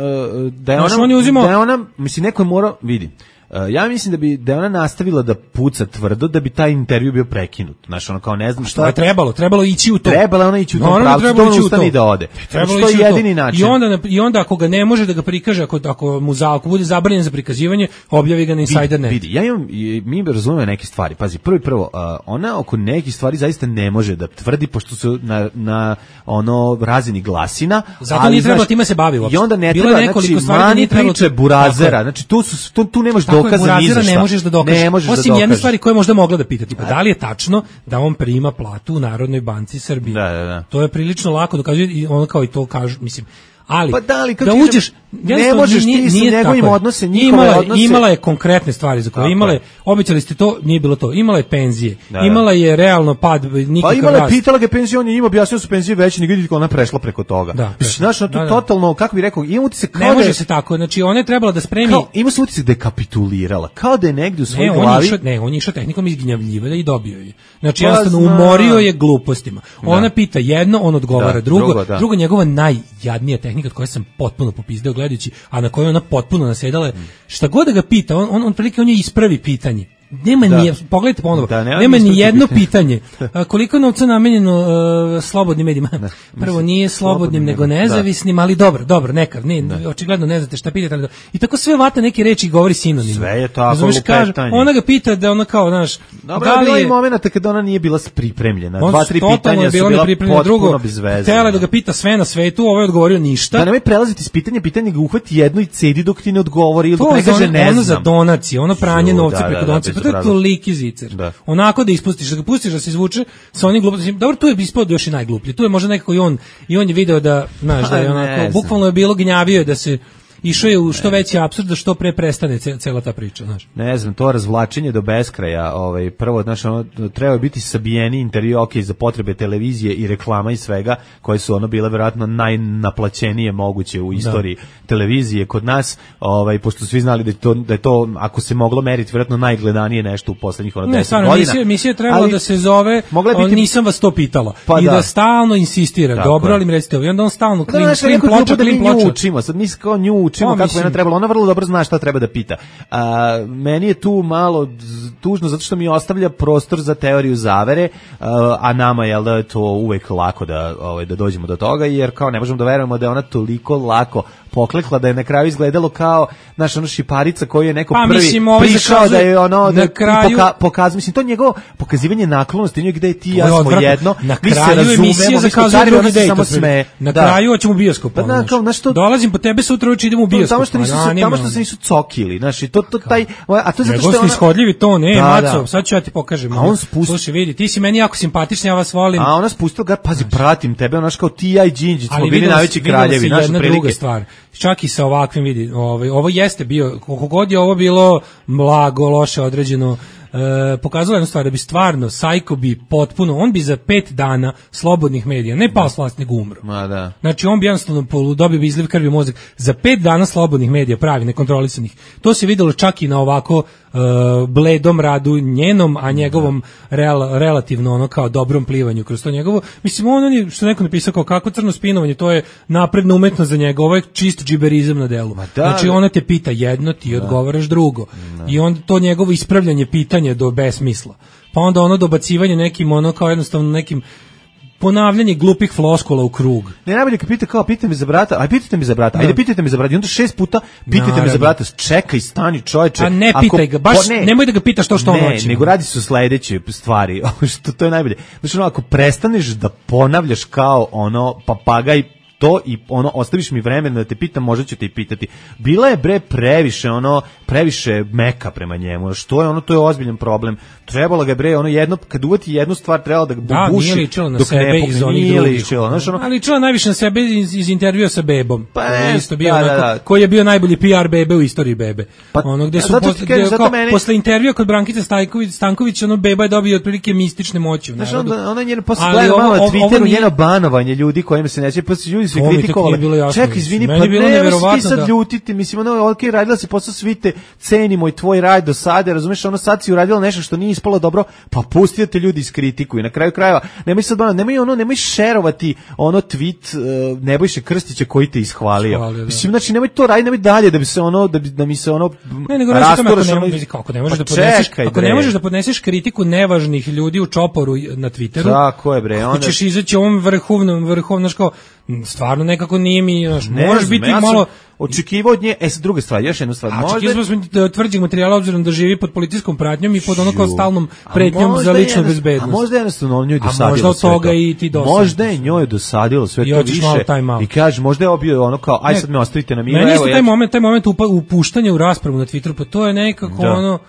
da je znaš, ona, on je uzimao... da je ona, mislim, neko je morao, vidi, Uh, ja mislim da bi da je ona nastavila da puca tvrdo da bi taj intervju bio prekinut. Znaš, ono kao ne znam šta. To je trebalo, trebalo ići u to. Trebala ona ići u to, pravcu, to ustani da ode. Trebalo što je jedini način. I onda i onda ako ga ne može da ga prikaže, ako ako mu za ako bude zabranjen za prikazivanje, objavi ga na Insider net. Vidi, ja imam mi razumemo neke stvari. Pazi, prvo i prvo, uh, ona oko nekih stvari zaista ne može da tvrdi pošto su na na ono razini glasina, zato ali nije trebalo time se bavi uopšte. I onda ne treba znači mani priče burazera. Znači tu su tu, tu nemaš dokaza ni za možeš da dokažeš. Osim jedne stvari koje možda mogla da pita, tipa da li je tačno da on prima platu u Narodnoj banci Srbije. Da, da, da. To je prilično lako dokazuje i on kao i to kaže, mislim, ali pa da, ali da uđeš, ne možeš ti sa njegovim odnose, njihove imala, odnose. Imala je konkretne stvari za koje imala je, obećali ste to, nije bilo to. Imala je penzije, da, da. Imala je realno pad, nikakav rast. Pa imala je, pitala ga penzije, on je njima objasnio su penzije veće, nego vidite kako ona prešla preko toga. Da, znaš, to da, da. Totalno, kako bih rekao, ima utisak kao ne da može je, se tako, znači ona je trebala da spremi. Kao, ima se utisak da je kapitulirala, kao da je negdje u svojoj ne, glavi. On išao, ne, on je išao tehnikom izgnjavljivanja i dobio je. Znači, jednostavno umorio je glupostima. Ona pita jedno, on odgovara drugo, drugo njegova najjadnija tehnika od koje sam potpuno popizdeo gledajući, a na kojoj ona potpuno nasedala, šta god da ga pita, on on on prilike on je ispravi pitanje. nema da. ni pogledajte ponovo. Da, nema, nema ni jedno pitanje. pitanje. A, koliko je novca namenjeno uh, slobodnim medijima? Da, prvo nije slobodnim nego nezavisnim, da. ali dobro, dobro, nekav, ne, da. očigledno ne znate šta pitate, ali i tako sve vata neke reči govori sinonim. Sve je tako Znaš, kaže, ona ga pita da ona kao, znaš, dobro, da li bilo je momenata kada ona nije bila pripremljena. Dva, tri pitanja su bila potpuno bez veze. Htela da ga pita sve na svetu, ovaj odgovorio ništa. Da nemoj prelaziti s pitanja, pitanje ga uhvati jedno i cedi dok ti ne odgovori ili dok ne kaže ne znam. Ono za donacije, ono pranje novca preko donacije, pa to je toliki zicer. Onako da ispustiš, da ga pustiš da se izvuče sa onim glupostima. Dobro, tu je ispod još i najgluplji. Tu je možda nekako i on, i on je video da, znaš, da je onako, bukvalno je bilo gnjavio da se išao je u što veći apsurd da što pre prestane cela ta priča, znaš. Ne znam, to razvlačenje do beskraja, ovaj prvo, znaš, ono treba biti sabijeni intervju, ok, za potrebe televizije i reklama i svega, koje su ono bile verovatno najnaplaćenije moguće u istoriji da. televizije kod nas, ovaj pošto svi znali da je to da je to ako se moglo meriti verovatno najgledanije nešto u poslednjih ono deset godina. Ne, stvarno, misija je trebalo da se zove biti... nisam vas to pitala. Pa I da. da stalno insistira. Tako dobro, ali mi recite, i onda on stalno klim, da, klim ploča, klim ploča. Učimo, sad mi kao nju učimo kako je ona trebala. Ona vrlo dobro zna šta treba da pita. A, meni je tu malo tužno zato što mi ostavlja prostor za teoriju zavere, a, a nama je da je to uvek lako da ovaj da dođemo do toga, jer kao ne možemo da verujemo da je ona toliko lako poklekla da je na kraju izgledalo kao naša ono šiparica koju je neko pa, prvi mislim, prišao da je ono da kraju... poka, pokaz mislim to njegovo pokazivanje naklonosti, gde je ti ja smo odvratno. jedno, na mi kraju se razumemo, zakazuje drugi dejt, samo sme. Na da. kraju hoćemo u bioskop. Pa, na, kao, znaš, to, dolazim po tebe sutra uči idemo u bioskop. Tamo što nisu tamo što se nisu cokili, znači to to taj a to je zato što ona ishodljivi to ne, da, Maco, da. sad ću ja ti pokažem. A on spusti, slušaj, vidi, ti si meni jako simpatičan, ja vas volim. A ona spustila ga, pazi, pratim tebe, onaš kao ti ja i Đinđić smo bili najveći kraljevi, naša prilike. Druga stvar. Čak i sa ovakvim vidi, ovaj ovo jeste bio koliko god je ovo bilo blago, loše određeno. E, pokazalo jednu stvar, da bi stvarno Sajko bi potpuno, on bi za pet dana slobodnih medija, ne pao s vlasti, nego umro. Ma da. Znači on bi jednostavno dobio bi izliv krvi u mozak. Za pet dana slobodnih medija, pravi, nekontrolisanih. To se videlo čak i na ovako e, bledom radu njenom, a njegovom real, relativno ono kao dobrom plivanju kroz to njegovo. Mislim, on, on je, što neko napisao kao kako crno spinovanje, to je napredna umetnost za njega, ovo je čist džiberizam na delu. Da, znači ona te pita jedno, ti da. odgovaraš drugo. Da. I onda to njegovo ispravljanje pitanja do besmisla. Pa onda ono dobacivanje nekim ono kao jednostavno nekim ponavljanje glupih floskula u krug. Ne, najbolje kad pita kao pitajte me za brata, aj pitajte me za brata, ajde pitajte me za brata. I onda šest puta pitajte Naravno. me za brata. Čekaj, stani, čoveče. A ne pitaj ga, baš po, ne, nemoj da ga pitaš to što on hoće. Ne, nego radi se o sledeće stvari. što to je najbolje. Znači ono, ako prestaneš da ponavljaš kao ono papagaj to i ono ostaviš mi vremena da te pitam, možda ću te i pitati. Bila je bre previše ono previše meka prema njemu. Što je ono, to je ozbiljan problem. Trebalo ga bre ono jedno kad uvati jednu stvar trebalo da ga da, buši. Nije ličilo na dok sebe ne iz onih drugih. Znači ono, ali ličilo najviše na sebe iz, iz intervjua sa bebom. Pa ne, isto bio da, onako, da, da. koji je bio najbolji P R bebe u istoriji bebe. Pa, ono gde su posle, gde, kao, meni... posle intervjua kod Brankice Stajković Stanković ono beba je dobio otprilike mistične moći u narodu. Znači ona njena posle gleda malo na Twitteru njeno banovanje ljudi kojima se neće pa ljudi su kritikovali. Čekaj, izvini, pa ne možeš ti sad da. ljutiti, mislim, ono, ok, radila si posao, svi te cenimo i tvoj rad do sada, razumeš, ono, sad si uradila nešto što nije ispalo dobro, pa pusti da te ljudi iskritikuju. Na kraju krajeva, nemoj sad, ono, nemoj, ono, nemoj šerovati ono tweet uh, Nebojše Krstića koji te ishvalio. Hvalio, mislim, znači, nemoj to raditi, nemoj dalje da bi se ono, da, bi, da mi se ono ne, nego rasturaš, ono, kako ne možeš pa da podneseš, čekaj, ako ne možeš da podneseš kritiku nevažnih ljudi u čoporu na Twitteru, tako je, bre, onda hoćeš izaći ovom vrhovnom, vrhovnom, kao stvarno nekako nije mi, znaš, ne moraš biti ja malo očekivao od nje, e, druga stvar, još jedna stvar. A očekivao smo da tvrđih materijala obzirom da živi pod policijskom pratnjom i pod ono kao stalnom pretnjom za ličnu bezbednost. A možda jednostavno on njoj dosadilo. A možda od toga i ti dosadilo. Možda je njoj dosadilo sve to više. I kaže, možda je obio ono kao, aj sad me ostavite na miru. Meni isto taj moment, taj moment upuštanja u raspravu na Twitteru, pa to je nekako ono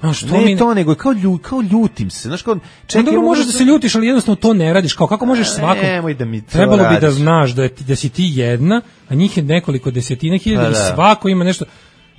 Znaš, to ne mi... to, nego kao, lju, kao ljutim se. Znaš, kao, čekaj, dobro, možeš da se ljutiš, ali jednostavno to ne radiš. Kao, kako možeš svakom... Nemoj da mi to Trebalo radiš. bi da znaš da, je, da si ti jedna, a njih je nekoliko desetina hiljada i svako ima nešto...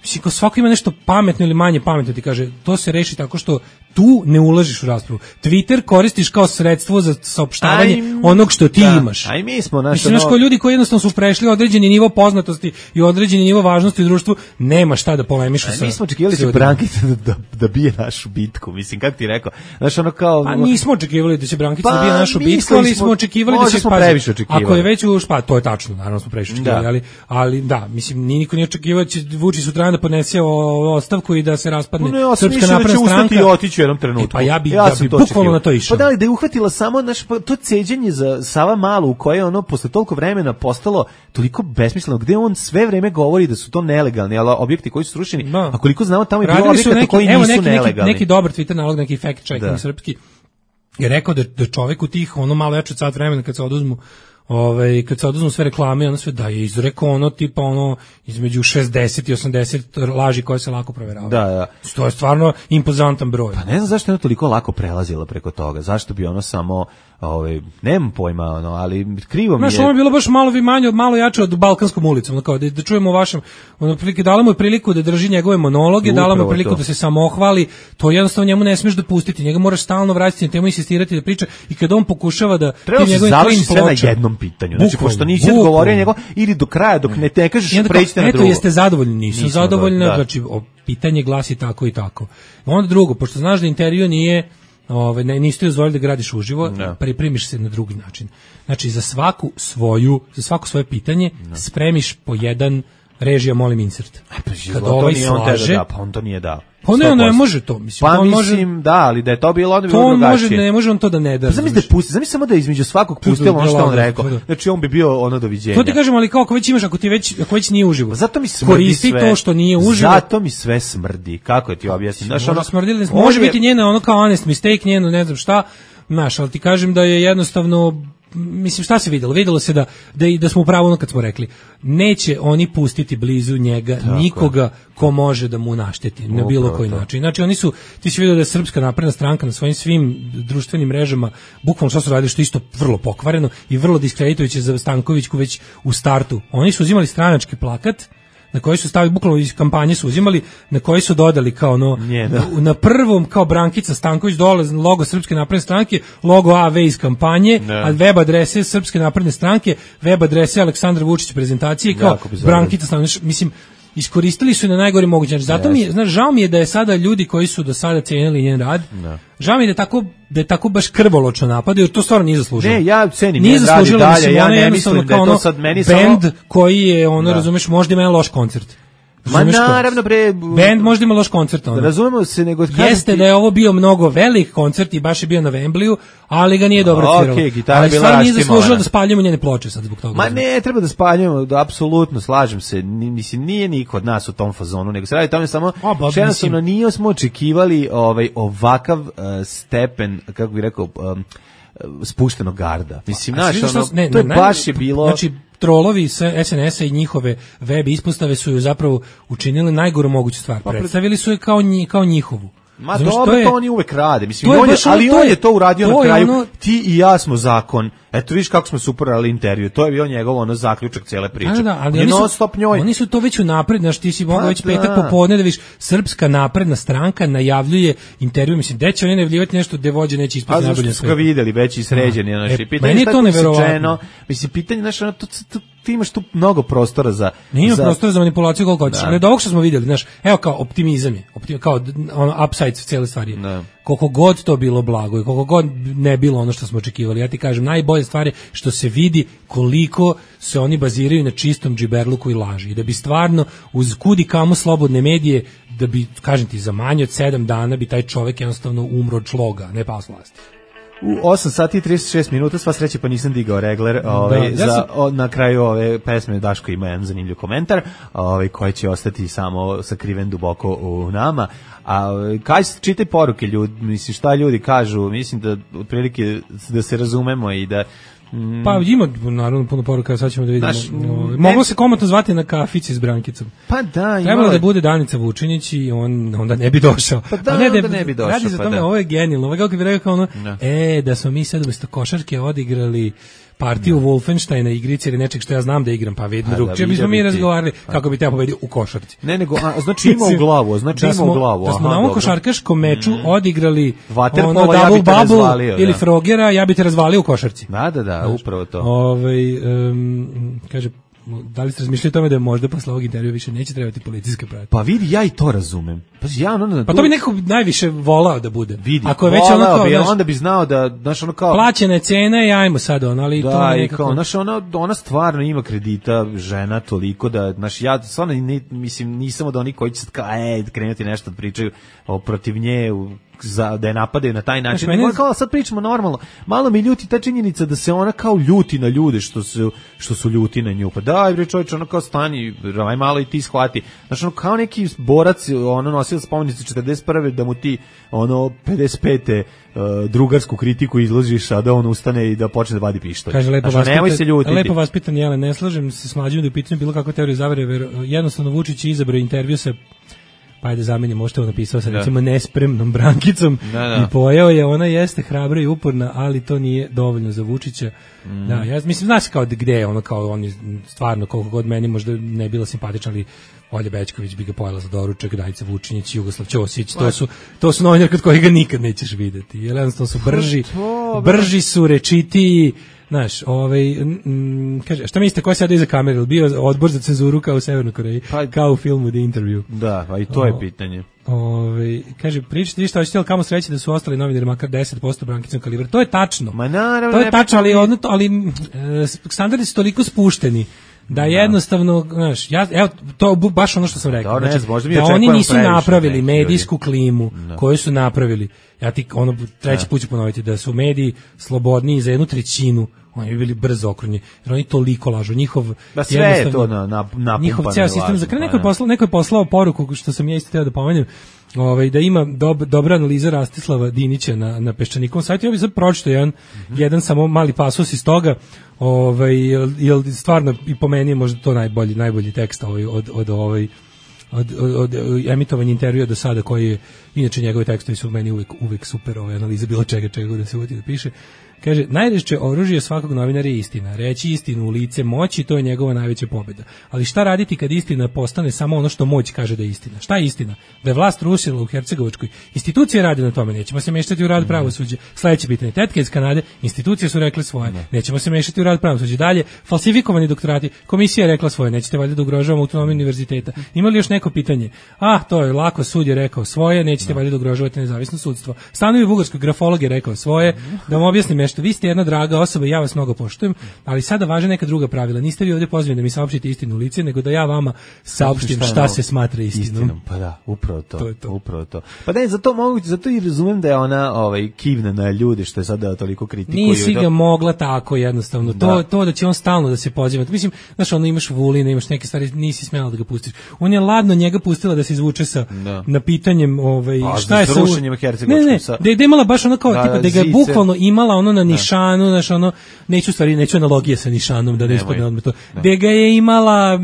Mislim, kao svako ima nešto pametno ili manje pametno, ti kaže, to se reši tako što tu ne ulažiš u raspravu. Twitter koristiš kao sredstvo za saopštavanje aj, onog što ti da, imaš. Aj mi smo naš Mislim, naš kao ljudi koji jednostavno su prešli određeni nivo poznatosti i određeni nivo važnosti u društvu, nema šta da polemišu sa. Mi smo očekivali da će Brankica da, da bije našu bitku, mislim, kako ti rekao. Znaš, ono kao... Pa nismo očekivali da će Brankica pa, da bije našu bitku, ali smo očekivali da će... Smo previše očekivali. Ako je već u špa, to je tačno, naravno smo previše očekivali, da. ali, ali da, mislim, ni niko nije očekivao da će Vučić sutra da podnese o, ostavku i da se raspadne no, ja Srpska napredna da stranka. I otići u jednom trenutku. E, pa ja bi, ja ja bi bukvalno na to išao. Pa da li da je uhvatila samo naš, pa, to ceđenje za Sava Malu, u koje ono posle toliko vremena postalo toliko besmisleno, gde on sve vreme govori da su to nelegalni ali objekti koji su srušeni, no. A koliko znamo tamo je bilo objekata koji nisu neki, nelegalni. Neki, neki dobar Twitter nalog, neki fact checking srpski, je rekao da, da čovek u tih ono malo veće od sat vremena kad se oduzmu Ovaj kad se oduzmu sve reklame, ono sve da je izrekao ono tipa ono između šezdeset i osamdeset laži koje se lako proveravaju. Da, da. To je stvarno impozantan broj. Pa ne znam zašto je ono toliko lako prelazila preko toga. Zašto bi ono samo ovaj nemam pojma ono, ali krivo mi je. Znaš, ono je bilo baš malo vi manje, malo jače od Balkanskom ulicom, kao da, da čujemo vašem, ono prilike dala mu je priliku da drži njegove monologe, dala mu je priliku to. Da se samohvali, to jednostavno njemu ne smeš dopustiti, njega moraš stalno vratiti na temu, insistirati da priča i kada on pokušava da ti njegove završi sve na jednom pitanju. Znači pošto nisi odgovorio njego ili do kraja dok ne te kažeš pređite na drugo. Eto, jeste zadovoljni, nisam zadovoljna, da. Znači o, pitanje glasi tako i tako. Onda drugo, pošto znaš da intervju nije Ove, ne, niste dozvolili da gradiš uživo, no. pripremiš se na drugi način. Znači, za svaku svoju, za svako svoje pitanje no. spremiš po jedan režija, molim insert. Pa, kad ovaj slaže, da, pa on to nije dao. Pa ne, on ne može to, mislim. Pa on mislim, može, da, ali da je to bilo, onda bi bilo drugačije. To on može, ne može on to da ne da. Pa zamisli da pusti, zamisli samo da između svakog pustilo ono što on rekao. Znači on bi bio ono doviđenja. To ti kažem, ali kao ako već imaš, ako ti već, ako već nije uživo. Zato mi smrdi koristi sve. To što nije uživo. Zato mi sve smrdi. Kako je ti objasnim? Znaš, ono smrdili, može biti njena ono kao honest mistake, njeno ne znam šta. Znaš, ali ti kažem da je jednostavno, mislim, šta se videlo? Videlo se da, da, da smo u pravu ono kad smo rekli, neće oni pustiti blizu njega tako nikoga ko može da mu našteti na bilo koji to. način. Znači, oni su, ti si vidio da je Srpska napredna stranka na svojim svim društvenim mrežama, bukvalno što su radili, što isto vrlo pokvareno i vrlo diskreditujuće za Stankovićku već u startu. Oni su uzimali stranački plakat, na koji su stavili, bukvalno iz kampanje su uzimali, na koji su dodali kao ono, Nje, da. na prvom kao Brankica Stanković dole logo Srpske napredne stranke, logo A V iz kampanje, ne. a web adrese Srpske napredne stranke, web adrese Aleksandar Vučić prezentacije kao Brankica Stanković, mislim, iskoristili su na najgori mogući način. Zato mi je, znaš, žao mi je da je sada ljudi koji su do sada cenili njen rad, ne. žao mi je da je tako, da je tako baš krvoločno napadaju, jer to stvarno nije zaslužilo. Ne, ja cenim njen rad i dalje, mislim, ja ne mislim da je to sad meni samo bend koji je, ono, da. razumeš, možda ima loš koncert. Ma naravno bre, bend možda ima loš koncert, ono. Razumemo se, nego jeste ti da je ovo bio mnogo velik koncert i baš je bio na Wembleyu, ali ga nije dobro svirao. Okej, gitara ali bila stvarno nije zaslužilo da spaljujemo njene ploče sad zbog toga. Ma ne, treba da spaljujemo, da apsolutno slažem se. Mislim nije niko od nas u tom fazonu, nego se radi tome samo jednostavno nije smo očekivali ovaj ovakav uh, stepen, kako bih rekao, um, spuštenog garda. Mislim, znaš, ono, ne, to je ne, baš je bilo. Znači, trolovi sa S N S-a i njihove web ispostave su ju zapravo učinili najgoru moguću stvar. Pa, predstavili su je kao, nji, kao njihovu. Ma Znaš, dobro, to, je, to oni uvek rade. Mislim, on je, ali on je to uradio na kraju. Ono, ti i ja smo zakon. Eto, vidiš kako smo super radili intervju. To je bio njegov ono zaključak cele priče. Da, da, ali oni su, oni su to već unapred, znaš, ti si mogao već petak popodne da vidiš Srpska napredna stranka najavljuje intervju. Mislim, gde će oni najavljivati nešto gde vođe neće ispati najbolje sve. A zašto su ga videli, već i sređeni. E, naši. Pitanje je to neverovatno. Mislim, pitanje, znaš, ono, to, to, ti imaš tu mnogo prostora za... Nije za... prostora za manipulaciju koliko hoćeš. Ali od ovog što smo vidjeli, znaš, evo kao optimizam je, optim, kao ono, upside cijele stvari. Ne. Koliko god to bilo blago i koliko god ne bilo ono što smo očekivali. Ja ti kažem, najbolje stvari što se vidi koliko se oni baziraju na čistom džiberluku i laži. I da bi stvarno uz kudi kamo slobodne medije, da bi, kažem ti, za manje od sedam dana bi taj čovjek jednostavno umro od šloga, ne pao s vlasti. U osam sati i trideset šest minuta, sva sreća pa nisam digao regler, ovaj, da, ja za, sam... o, na kraju ove pesme Daško ima jedan zanimljiv komentar, ovaj, koji će ostati samo sakriven duboko u nama. A kaj čitaj poruke ljudi, mislim šta ljudi kažu, mislim da otprilike da se razumemo i da Mm. Pa ima naravno puno poruka, sad ćemo da vidimo. Znaš, moglo se komotno zvati na kafici s Brankicom. Pa da, trebalo da bude Danica Vučinić i on onda ne bi došao. Pa da, ne, onda ne bi došao. Radi se o tome, ovo je genijalno. Ovo je kako bi rekao ono, no. e, da smo mi sad umjesto košarke odigrali partiju no. Wolfensteina igrice ili nečeg što ja znam da igram, pa vidim drug. Če bismo mi razgovarali kako bi te pobedio u košarci. Ne, nego, a, znači ima u glavu, znači ima u glavu. Da smo na ovom košarkaškom meču mm. odigrali ono double ja bubble razvalio, ili da. Frogera, ja bi te razvalio u košarci. Da, da, da, upravo to. Ovaj, um, kaže, da li ste razmišljali o tome da možda posle ovog intervjua više neće trebati policijska pratnja? Pa vidi, ja i to razumem. Pa ja ono, pa to bi neko najviše volao da bude. Vidi, ako je već ono kao, bi, znaš, onda bi znao da, znaš, ono kao plaćena je cena i ajmo sad ono, ali da, to i nekako... kao, znaš, ona, ona stvarno ima kredita, žena toliko da, znaš, ja stvarno ni, mislim, nisam od onih koji će sad kao, e, krenuti nešto da pričaju o, protiv nje, u, za, da je napadaju na taj način. Znaš, mene... kao, sad pričamo normalno. Malo mi ljuti ta činjenica da se ona kao ljuti na ljude što su, što su ljuti na nju. Pa daj, bre, čovječe, ono kao stani, aj malo i ti shvati. Znaš, ono kao neki borac, ono nosio spomenicu četrdeset prve da mu ti, ono, pedeset pete Uh, drugarsku kritiku izložiš, a da on ustane i da počne da vadi pištolj. Kaže, lepo znači, vas nemoj pita, se ljutiti. Lepo vas pitan, jele, ne slažem se s mlađim da je pitanje bilo kakva teorija zavere, ver, jednostavno Vučić je izabrao intervju sa, pa ajde zamenim, možete ovo napisao sa, da, recimo, nespremnom Brankicom, da, da. I pojao je, ona jeste hrabra i uporna, ali to nije dovoljno za Vučića. Mm. Da, ja mislim, znaš kao gde je ono, kao on je stvarno, koliko god meni možda ne bila simpatična, ali Olja Bećković bi ga pojela za doručak, Dajica Vučinić, Jugoslav Ćosić, to su, to su novinari kod kojih ga nikad nećeš videti. Jer jednostavno su brži, brži su, rečitiji, znaš, ovaj, m, kaže, šta mislite, ko je sada iza kamere? Bio odbor za cenzuru kao u Severnoj Koreji, pa, kao u filmu The Interview. Da, pa i to o, je pitanje. Ovaj, kaže, pričate vi šta hoćete, ali kamo sreće da su ostali novinari makar deset posto Brankicom kalibra. To je tačno. Ma naravno, to je tačno, ali, odno, ali e, standardi su toliko spušteni da jednostavno, znaš, ja, evo, to baš ono što sam rekao, da, znači, da oni nisu napravili medijsku klimu no. koju su napravili. Ja ti ono treći put ću ponoviti da su mediji slobodniji za jednu trećinu, oni bi bili brzo okrunjeni, jer oni toliko lažu. Njihov da sve je to na, na, na njihov ceo sistem, za kraj neko je poslao, neko je poslao poruku, što sam ja isto teo da pomenem, ovaj, da ima dob, dobra analiza Rastislava Dinića na, na Peščanikovom sajtu. Ja bih sad pročitao jedan, mm-hmm. jedan samo mali pasus iz toga, ovaj, jel stvarno i po meni je možda to najbolji, najbolji tekst ovaj, od, od, ovaj, od, od, od emitovanja intervjua do sada, koji je, inače njegove tekstovi su meni uvek, uvek super, ovaj, analiza bilo čega, čega da se uveti da piše. Kaže, najređe oružje svakog novinara je istina. Reći istinu u lice moći, to je njegova najveća pobjeda. Ali šta raditi kad istina postane samo ono što moć kaže da je istina? Šta je istina? Da je vlast rušila u Hercegovačkoj. Institucije rade na tome, nećemo se mešati u rad pravosuđa. Sledeće pitanje, tetke iz Kanade, institucije su rekle svoje, nećemo se mešati u rad pravosuđa. Dalje, falsifikovani doktorati, komisija je rekla svoje, nećete valjda da ugrožavamo autonomiju univerziteta. Imali još neko pitanje? Ah, to je lako, sud je rekao svoje, nećete valjda da ugrožavate nezavisno sudstvo. Stanovi bugarskog grafolog je rekao svoje, da vam objasnim nešto. Vi ste jedna draga osoba i ja vas mnogo poštujem, ali sada važe neka druga pravila. Niste vi ovdje pozvani da mi saopštite istinu u lice, nego da ja vama saopštim šta, šta se smatra istinom. istinom. Pa da, upravo to. to, je to. Upravo to. Pa da, zato mogu, zato i razumem da je ona ovaj kivna na ljude što je sada toliko kritikuju. Nisi ga mogla tako jednostavno. To da. to da će on stalno da se poziva. Mislim, znaš, ono imaš Vulina, imaš neke stvari, nisi smela da ga pustiš. On je ladno njega pustila da se izvuče sa da. na pitanjem ovaj pa, šta je sa rušenjem Hercegovačkog. Ne, ne, sa... da je imala baš ono kao da, tipa da ga je bukvalno imala ono na nišanu, znaš, ono, neću stvari, neću analogije sa nišanom, da ne ispadne odmah to. Gde ga je imala,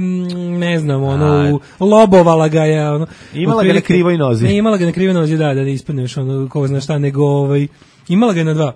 ne znam, ono, u, lobovala ga je, ono. Imala ga na krivoj nozi. Ne, imala ga na krivoj nozi, da, da ne ispadne još, ono, ko zna šta, nego, ovaj, imala ga je na dva.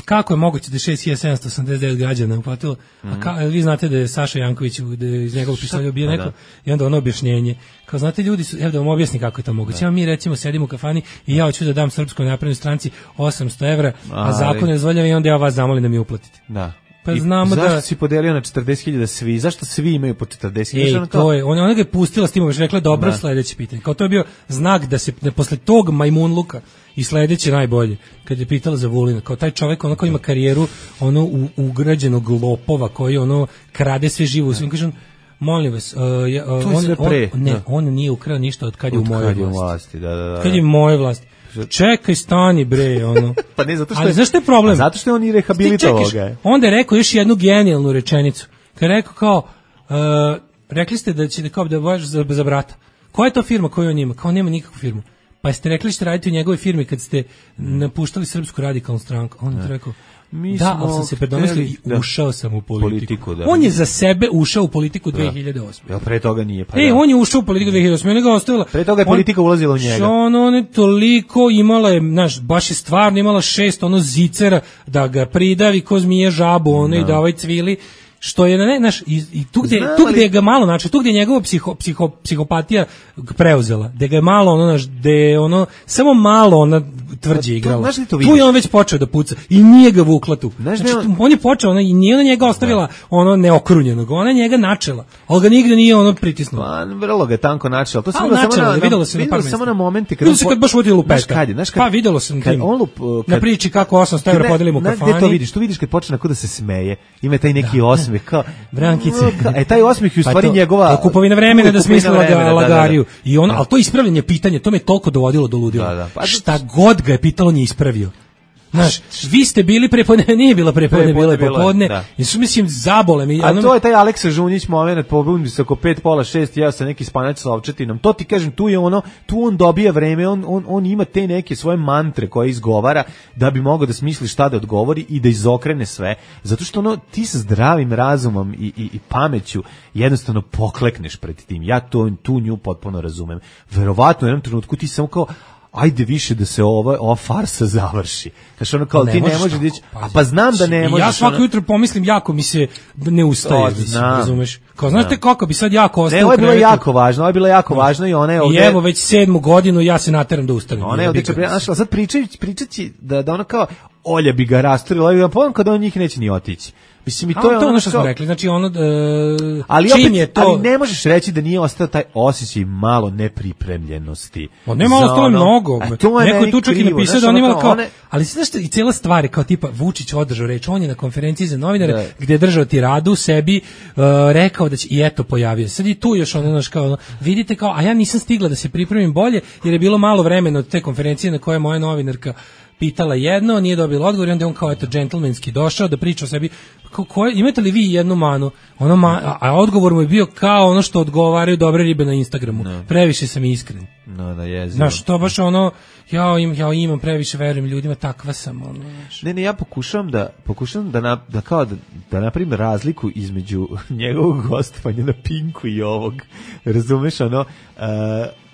Kako je moguće da šest hiljada sedamsto osamdeset devet građana uplatilo? Mm-hmm. A ka, vi znate da je Saša Janković da je iz njegovog pištolja bio neko, i onda ono objašnjenje. Kao znate, ljudi su, evo da vam objasni kako je to moguće. Ja mi recimo sedimo u kafani i ja hoću da dam Srpskoj naprednoj stranci osamsto evra, a zakon ne dozvoljava i onda ja vas zamolim da mi uplatite. Da. Pa znamo zašto da si podelio na četrdeset hiljada svi? Zašto svi imaju po četrdeset hiljada? Ej, to je, ona, ona ga je pustila s tim, već rekla dobro, sledeće pitanje. Kao to je bio znak da se da posle tog majmunluka i sledeće najbolje, kad je pitala za Vulina, kao taj čovjek ono koji ima karijeru ono u, ugrađenog lopova koji ono krade sve živo u svim, kažem, molim vas, uh, ja, uh, on, on, ne, on nije ukrao ništa od kad je u mojoj vlasti. vlasti da, da, da. Kad je u mojoj vlasti. Čekaj, stani bre, ono. Pa ne, zato što ali je, zašto je problem? Zato što je on i rehabilitovao ga. Onda je rekao još jednu genijalnu rečenicu. Kad je rekao kao, uh, rekli ste da ćete kao da vaš za, za brata. Koja je to firma koju on ima? Kao nema nikakvu firmu. Pa jeste rekli što radite u njegovoj firmi kad ste napuštali Srpsku radikalnu stranku. On je rekao, Mi da, ali sam se predomislio i ušao sam u politiku. politiku da. On je za sebe ušao u politiku dve hiljade osme. Jel pre toga nije? Pa e, da. on je ušao u politiku dve hiljade osme, ona ga ostavila. Pre toga je politika on, ulazila u njega. On, on je toliko imala je, znaš, baš je stvarno imala šest ono zicera da ga pridavi ko zmije žabu, ono no. i da ovaj cvili. što je ne znaš i, i tu gde tu gde ga malo znači tu gde je njegova psiho, psiho, psihopatija preuzela da ga je malo ono naš da ono samo malo ona tvrđe igrala tu, tu je on već počeo da puca i nije ga vukla tu znači, on, on je počeo ona i nije ona njega ostavila da. ono neokrunjenog ona njega načela al ga nigde nije ono pritisnula pa vrlo ga tanko načela to se samo na videlo se na par samo na momente kad se kad baš vodi lupeta kad, znaš kad, pa videlo sam kad on lup, kad, na priči kako osamsto evra podelimo u kafani gde to vidiš tu vidiš kad počne kako da se smeje ima taj neki da. osmeh kao Brankice e taj osmeh je u stvari pa to, njegova to kupovina vremena da smisli lagariju i on al to ispravljanje pitanja to me toliko dovodilo do ludila da, da. Pa, šta god ga je pitalo nije ispravio. Znaš, vi ste bili prepodne, nije bilo prepodne, bilo je popodne. Da. I su mislim zabole mi. A to je taj Aleksa Žunjić momenat, pobudi se oko pet pola šest, ja sa neki spanjac sa ovčetinom. To ti kažem, tu je ono, tu on dobija vreme, on on on ima te neke svoje mantre koje izgovara da bi mogao da smisli šta da odgovori i da izokrene sve. Zato što ono ti sa zdravim razumom i i i pameću jednostavno poklekneš pred tim. Ja to tu nju potpuno razumem. Verovatno u jednom trenutku ti samo kao ajde više da se ova ova farsa završi. Kaže ono kao ne ti ne možeš dići, a pa znam da ne možeš. Ja svako ono... jutro pomislim jako mi se ne ustaje, to, mislim, razumeš? Kao znaš te kako bi sad jako ostao. Ne, ovo je bilo jako važno, ovo je bilo jako no. važno i ona je ovdje. I evo već sedmu godinu ja se nateram da ustanem. Ona je ovdje našla, sad pričajući pričaći da da ona kao Olja bi ga rasturila, ja potom kada on njih neće ni otići. Mislim i to a, je ono, ono što smo rekli, znači ono e, ali čim opet, je to ali ne možeš reći da nije ostao taj osjećaj malo nepripremljenosti. On nema ostalo ono, mnogo. To je neko je tu čak i napisao da on ima kao, one... ali znaš što i cijela stvar kao tipa Vučić održao reč, on je na konferenciji za novinare da. gdje je držao tiradu sebi uh, rekao da će i eto pojavio. Sad i tu još ono naš kao vidite kao, a ja nisam stigla da se pripremim bolje jer je bilo malo vremena od te konferencije na kojoj je moja novinarka pitala jedno, nije dobila odgovor i onda on kao eto džentlmenski došao da priča o sebi. Ko, ko, imate li vi jednu manu? Ono ma, a, a odgovor mu je bio kao ono što odgovaraju dobre ribe na Instagramu. No. Previše sam iskren. No, da je. Znaš, to baš ono, ja, im, ja imam previše, verujem ljudima, takva sam. Ono, ne, ne, ja pokušavam da, pokušavam da, na, da kao da, da napravim razliku između njegovog gostovanja na Pinku i ovog. Razumeš, ono, uh,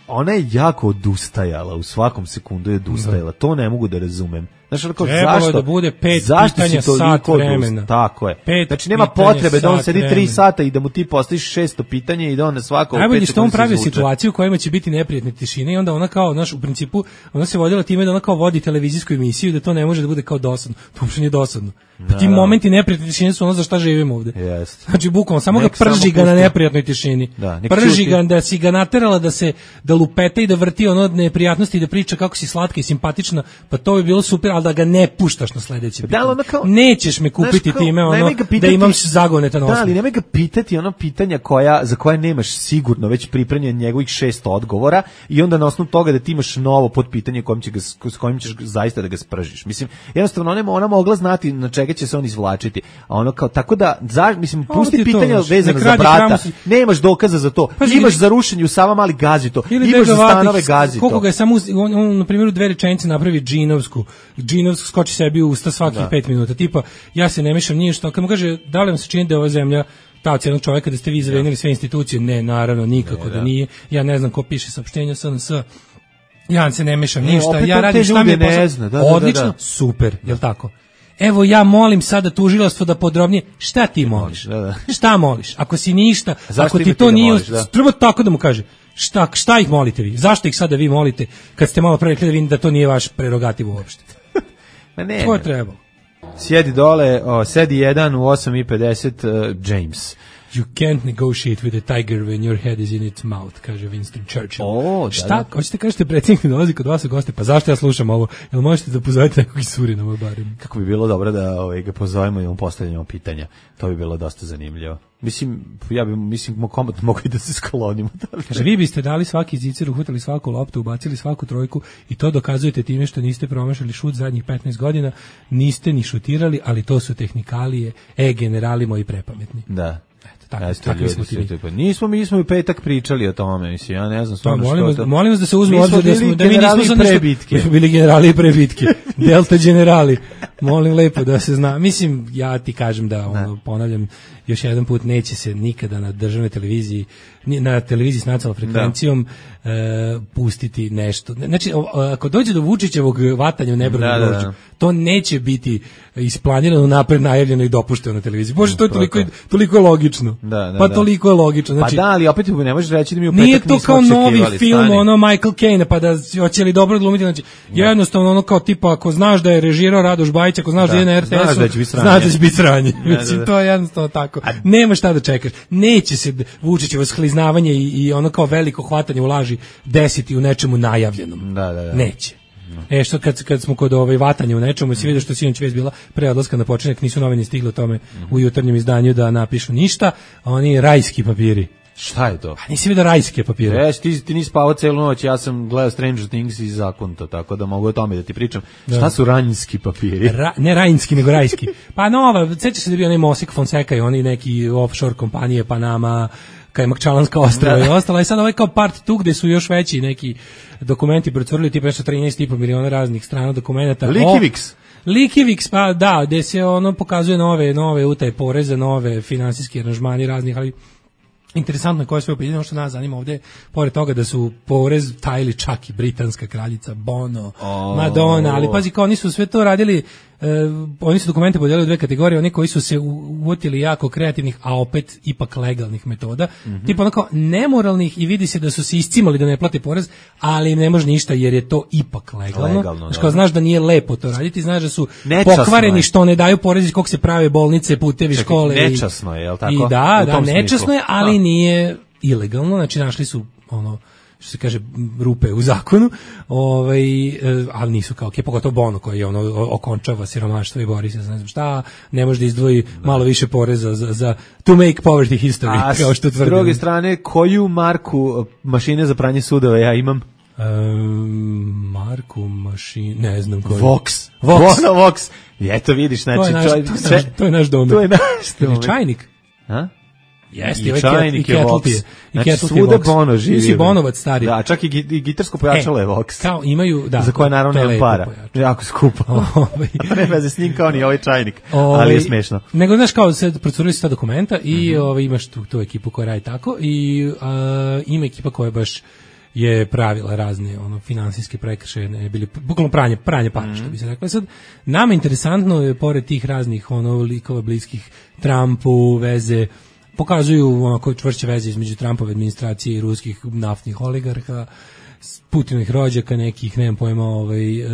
ona je jako odustajala, u svakom sekundu je odustajala, to ne mogu da razumem. Znaš, ako, zašto? da bude pet pitanja sat vremena. Tako je. Pet znači, nema potrebe da on sedi vremena. tri sata i da mu ti postaviš šesto pitanje i da on na svako... Najbolje što on pravi situaciju u kojima će biti neprijatne tišine i onda ona kao, znaš, u principu, ona se vodila time da ona kao vodi televizijsku emisiju da to ne može da bude kao dosadno. To uopšte nije dosadno. Pa ti momenti neprijatne tišine su ono za šta živimo ovde. Yes. Znači, bukvalno, samo nek ga prži ga na neprijatnoj tišini. Da, prži ga da si ga naterala da se, da lupete i da vrti ono neprijatnosti i da priča kako si slatka i simpatična, pa to bi bilo super, ali da ga ne puštaš na sledeće pitanje. Kao, nećeš me kupiti kao, time ono pitati, da imam zagoneta na osnovu. Da, ali nemoj ga pitati ono pitanja koja, za koje nemaš sigurno već pripremljen njegovih šest odgovora i onda na osnovu toga da ti imaš novo podpitanje kojim, će ga, s kojim ćeš zaista da ga spržiš. Mislim, jednostavno ona, ona mogla znati na čega će se on izvlačiti. A ono kao, tako da, za, mislim, pusti pitanja vezano za brata, si... nemaš dokaza za to. Pa, imaš za rušenje u Sava Mali, gazi to. Imaš za stanove, gazi to. Koliko ga je samo, on, on na primjer u dve rečenice napravi džinovsku, džinovsku skoči sebi u usta svakih da. pet minuta. Tipa, ja se ne mešam ništa. Kad mu kaže, da li vam se čini da je ova zemlja taoc jednog čovjeka, da ste vi zavenili sve institucije? Ne, naravno, nikako ne, da. da nije. Ja ne znam ko piše saopštenja S N S. Ja se ne mešam ništa. Ja radim šta mi je posao. Da, da, odlično, da, da. super, jel tako? Evo ja molim sada tužilaštvo da podrobnije, šta ti moliš? Da, da. Šta moliš? Ako si ništa, zašto ako ti to nije, moliš, da. treba tako da mu kaže. Šta, šta ih molite vi? Zašto ih sada vi molite kad ste malo pre rekli da vidim da to nije vaš prerogativ uopšte? Ma ne. To je trebalo. Sjedi dole, o, sedi jedan u osam i pedeset uh, James. You can't negotiate with a tiger when your head is in its mouth, kaže Winston Churchill. O, šta? Da, da. Hoćete kažete predsjednik ne dolazi kod vas u goste, pa zašto ja slušam ovo? Jel možete da pozovete nekog iz Surinama barem? Kako bi bilo dobro da ovaj, ga pozovemo i on postavljamo pitanja. To bi bilo dosta zanimljivo. Mislim, ja bi, mislim, komotno mogu i da se sklonimo. Kaže, vi biste dali svaki zicer, uhvatili svaku loptu, ubacili svaku trojku i to dokazujete time što niste promašali šut zadnjih petnaest godina, niste ni šutirali, ali to su tehnikalije, e, generali moji prepametni. Da. Tako, tako smo ti. Nismo mi smo u petak pričali o tome, mislim, ja ne znam stvarno što to. Molim vas da se uzme obzir da smo da mi nismo za prebitke. Bili generali prebitke. Delta generali. Molim lepo da se zna. Mislim, ja ti kažem da, ono, ponavljam, još jedan put neće se nikada na državnoj televiziji, na televiziji s nacionalnom frekvencijom e, pustiti nešto. Znači, ako dođe do Vučićevog vatanja u nebranu da, da, grožđu, to neće biti isplanirano, napred najavljeno i dopušteno na televiziji. Bože, to je toliko, toliko logično. Da, da, pa da. toliko je logično. Znači, pa da, ali opet ne možeš reći da mi u petak nije to kao novi film, stani. ono Michael Caine, pa da hoće li dobro glumiti. Znači, jednostavno ono kao tipa, ako znaš da je režirao Radoš Bajić, ako znaš da, da je na er te esu, znaš da će biti sranje. Mislim, to je jednostavno tako. A, nema šta da čekaš. Neće se Vučićevo skliznavanje i, i ono kao veliko hvatanje u laži desiti u nečemu najavljenom. Da, da, da. Neće. E što kad, kad smo kod ovaj vatanja u nečemu, si vidio što sinoć već bila pre odlaska na počinak, nisu novine stigle o tome u jutarnjem izdanju da napišu ništa, a oni rajski papiri. Šta je to? Pa nisi vidio rajske papire. Ješ, ti, ti nisi spavao celu noć, ja sam gledao Stranger Things i zakonto, tako da mogu o tome da ti pričam. Da. Šta su ranjski papiri? Ra, ne rajinski, nego rajski. Pa nova, sećaš se da je bio onaj Mosik Fonseca i oni neki offshore kompanije, Panama, Kajmakčalanska ostrava i ostala. I sad ovaj kao part tu gde su još veći neki dokumenti procurili, tipa nešto trinaest i po miliona raznih strana dokumenta. Likiviks. Likiviks, pa da, gde se ono pokazuje nove, nove utaje poreza, nove finansijski aranžmani raznih, ali interesantno je koje sve opet, ono što nas zanima ovde, pored toga da su porez tajili čak i britanska kraljica, Bono, oh. Madonna, ali pazi kao oni su sve to radili, eh, oni su dokumente podelili u dve kategorije, oni koji su se uvotili jako kreativnih, a opet ipak legalnih metoda, mm-hmm. tipa onako nemoralnih i vidi se da su se iscimali da ne plate porez, ali ne može ništa jer je to ipak legalno. legalno znaš, kao, znaš da nije lepo to raditi, znaš da su nečasno pokvareni je. Što ne daju porez iz kog se prave bolnice, putevi, čekaj, škole. Nečasno je, je li tako? I da, u da, nečasno smislu. je, ali a. nije ilegalno, znači našli su ono što se kaže rupe u zakonu, ovaj, ali nisu kao, pogotovo Bono koji je ono okončava siromaštvo i bori se za ne znam šta, ne može da izdvoji da. malo više poreza za, za to make poverty history, a kao što tvrdim. S druge strane, koju marku mašine za pranje sudova ja imam? Um, marku mašine, ne znam koju. Vox. Vox. Bono Vox. Eto vidiš, znači, to je naš, čoj, to je naš, to je naš domet. To je naš domet. Čajnik. A? Jeste, i ovaj čajnik je Vox. Znači, svuda Bono živi. Ti si Bonovac stari. Da, čak i, i gitarsko pojačalo e, je Vox. Kao imaju, da. Za koje naravno nema para. Pojačalo. Jako skupo. A ne veze s njim kao ni ovaj čajnik. Ove, ali je smešno. Nego, znaš, kao sad procurili su ta dokumenta i mm-hmm. ove, imaš tu, tu ekipu koja radi tako i a, ima ekipa koja baš je pravila razne ono finansijske prekršaje, ne bili bukvalno pranje pranje para, mm-hmm. što bi se reklo. Sad nama interesantno je pored tih raznih ono likova bliskih Trumpu, veze pokazuju onako čvršće veze između Trumpove administracije i ruskih naftnih oligarha, Putinovih rođaka, nekih, nemam pojma, ovaj, e,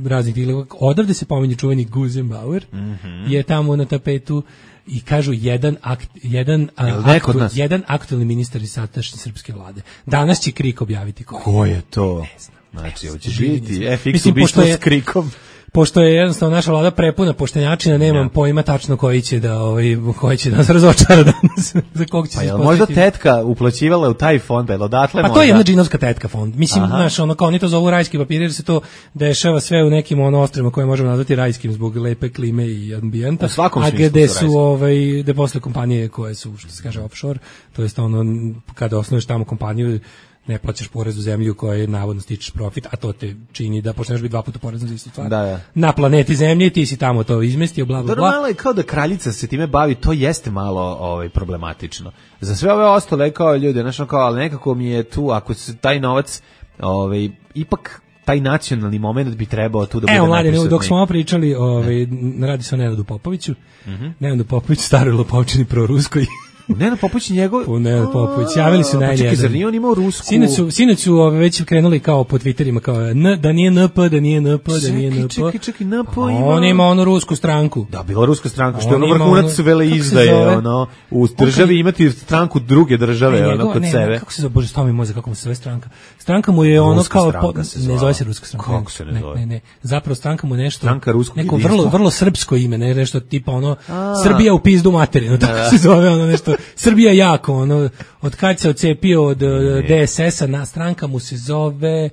raznih dileva. Odavde se pominje čuveni Guzenbauer, mm-hmm. je tamo na tapetu i kažu jedan akt, jedan, aktu, jedan aktualni ministar iz sadašnje srpske vlade. Danas će Krik objaviti ko je. Ko je to? Ne znam. Znači, hoće biti F X ubistvo s Krikom. Pošto je jednostavno naša vlada prepuna poštenjačina, nemam ja. pojma tačno koji će da ovaj koji će nas razočara danas. Za kog će pa se jel možda tetka uplaćivala u taj fond, pa odatle pa možda. To je jedna džinovska tetka fond. Mislim, znaš, ono kao oni to zovu rajski papiri, jer se to dešava sve u nekim ono ostrvima koje možemo nazvati rajskim zbog lepe klime i ambijenta. A gde su ovaj gde posle kompanije koje su, što se kaže, offshore, to jest ono kada osnuješ tamo kompaniju ne plaćaš porez u zemlju koja navodno stičeš profit, a to te čini da počneš biti dva puta porezno za istu stvar. Da, da. Na planeti Zemlji ti si tamo to izmestio, bla, bla, bla. Malo je kao da kraljica se time bavi, to jeste malo ovaj, problematično. Za sve ove ostale kao ljude, znači kao, ali nekako mi je tu, ako se taj novac, ovaj, ipak taj nacionalni moment bi trebao tu da bude. Evo, mladine, dok smo ovo pričali, ovaj, radi se o Nenadu Popoviću. Mm-hmm. Nenadu Popoviću, staroj lopovčini proruskoj. Nenad Popović njegov? U Nenad Popović. Javili su na N jedan. Zar nije on imao rusku? Sinoć su, sinoć su ove, već krenuli kao po Twitterima, kao N, da nije N P, da nije N P, da nije N P. Čekaj, čekaj, N P ima. On ima onu rusku stranku. Da, bila ruska stranka, što je ono vrhunac vele izdaje, ono, u državi imati stranku druge države, ne, ono, kod ne, sebe. Ne, kako se zove, bože, stavi mozak, kako mu se zove stranka? Stranka mu je ono kao, po, ne zove se ruska stranka. Kako se ne zove? Ne, ne, ne, zapravo stranka mu nešto, stranka ruskog neko vrlo, vrlo srpsko ime, ne, nešto tipa ono, Srbija u pizdu materinu, tako se zove, ono nešto, Srbija ja ono, od kad se ocepio od D S S-a, na stranka mu se zove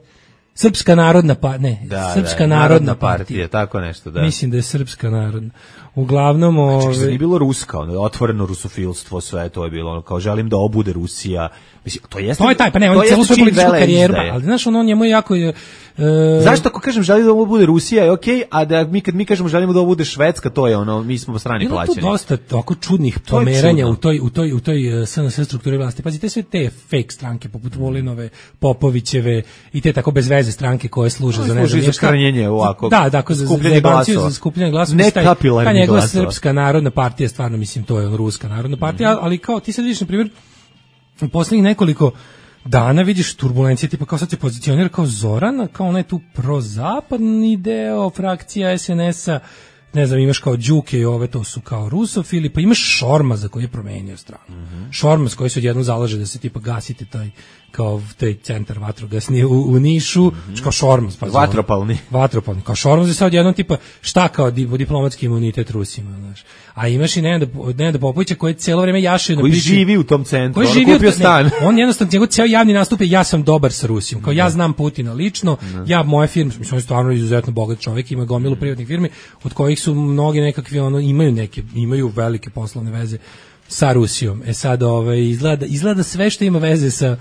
Srpska narodna pa ne, da, Srpska da, narodna narodna partija. partija, tako nešto, da. Mislim da je Srpska narodna. uglavnom Znači, ove... nije bilo ruska, ono, otvoreno rusofilstvo, sve to je bilo, ono, kao želim da obude Rusija. Mislim, to jeste... To je taj, pa ne, on je celu svoju političku karijeru, ali znaš, ono, njemu je jako... Je, e... Zašto ako kažem želim da ovo bude Rusija je okej, okay, a da mi kad mi kažemo želimo da ovo bude Švedska, to je ono, mi smo strani plaćeni. Ima tu dosta tako čudnih pomeranja u toj, u toj, u toj S N S strukturi vlasti. Pazite, sve te fake stranke, poput Volinove, Popovićeve i te tako bez veze stranke koje služe no, za ne znam za skranjenje ovako. Da, dakle, za skupljanje glasova. Za skupljanje glasova. Ne kapilarni ta njegova Srpska narodna partija, stvarno mislim, to je on Ruska narodna partija, mm-hmm. ali kao ti sad vidiš, na primjer, u poslednjih nekoliko dana vidiš turbulencije, tipa kao sad se pozicionira kao Zoran, kao onaj tu prozapadni deo frakcija S N S-a, ne znam, imaš kao Đuke i ove, to su kao rusofili, pa imaš Šormaza koji je promenio stranu. Mm-hmm. Šormaz koji se odjednom zalaže da se tipa gasite taj kao taj centar vatrogasni u, u Nišu, mm-hmm. kao Šormaz. Pa Vatropalni. Vatropalni. Kao Šormaz je sad jednom tipa šta kao diplomatski imunitet Rusima, znaš. A imaš i Nenada, Nenada Popovića koji cijelo vrijeme jaše na priči. Koji živi u tom centru, koji on živi kupio stan. Ne, on jednostavno, njegov cijel javni nastup je ja sam dobar sa Rusijom. Kao ja znam Putina lično, ne. ja moje firme, mislim, on je stvarno izuzetno bogat čovjek, ima gomilu privatnih firmi, od kojih su mnogi nekakvi, ono, imaju neke, imaju velike poslovne veze sa Rusijom. E sad, ovaj, izgleda, izgleda sve što ima veze sa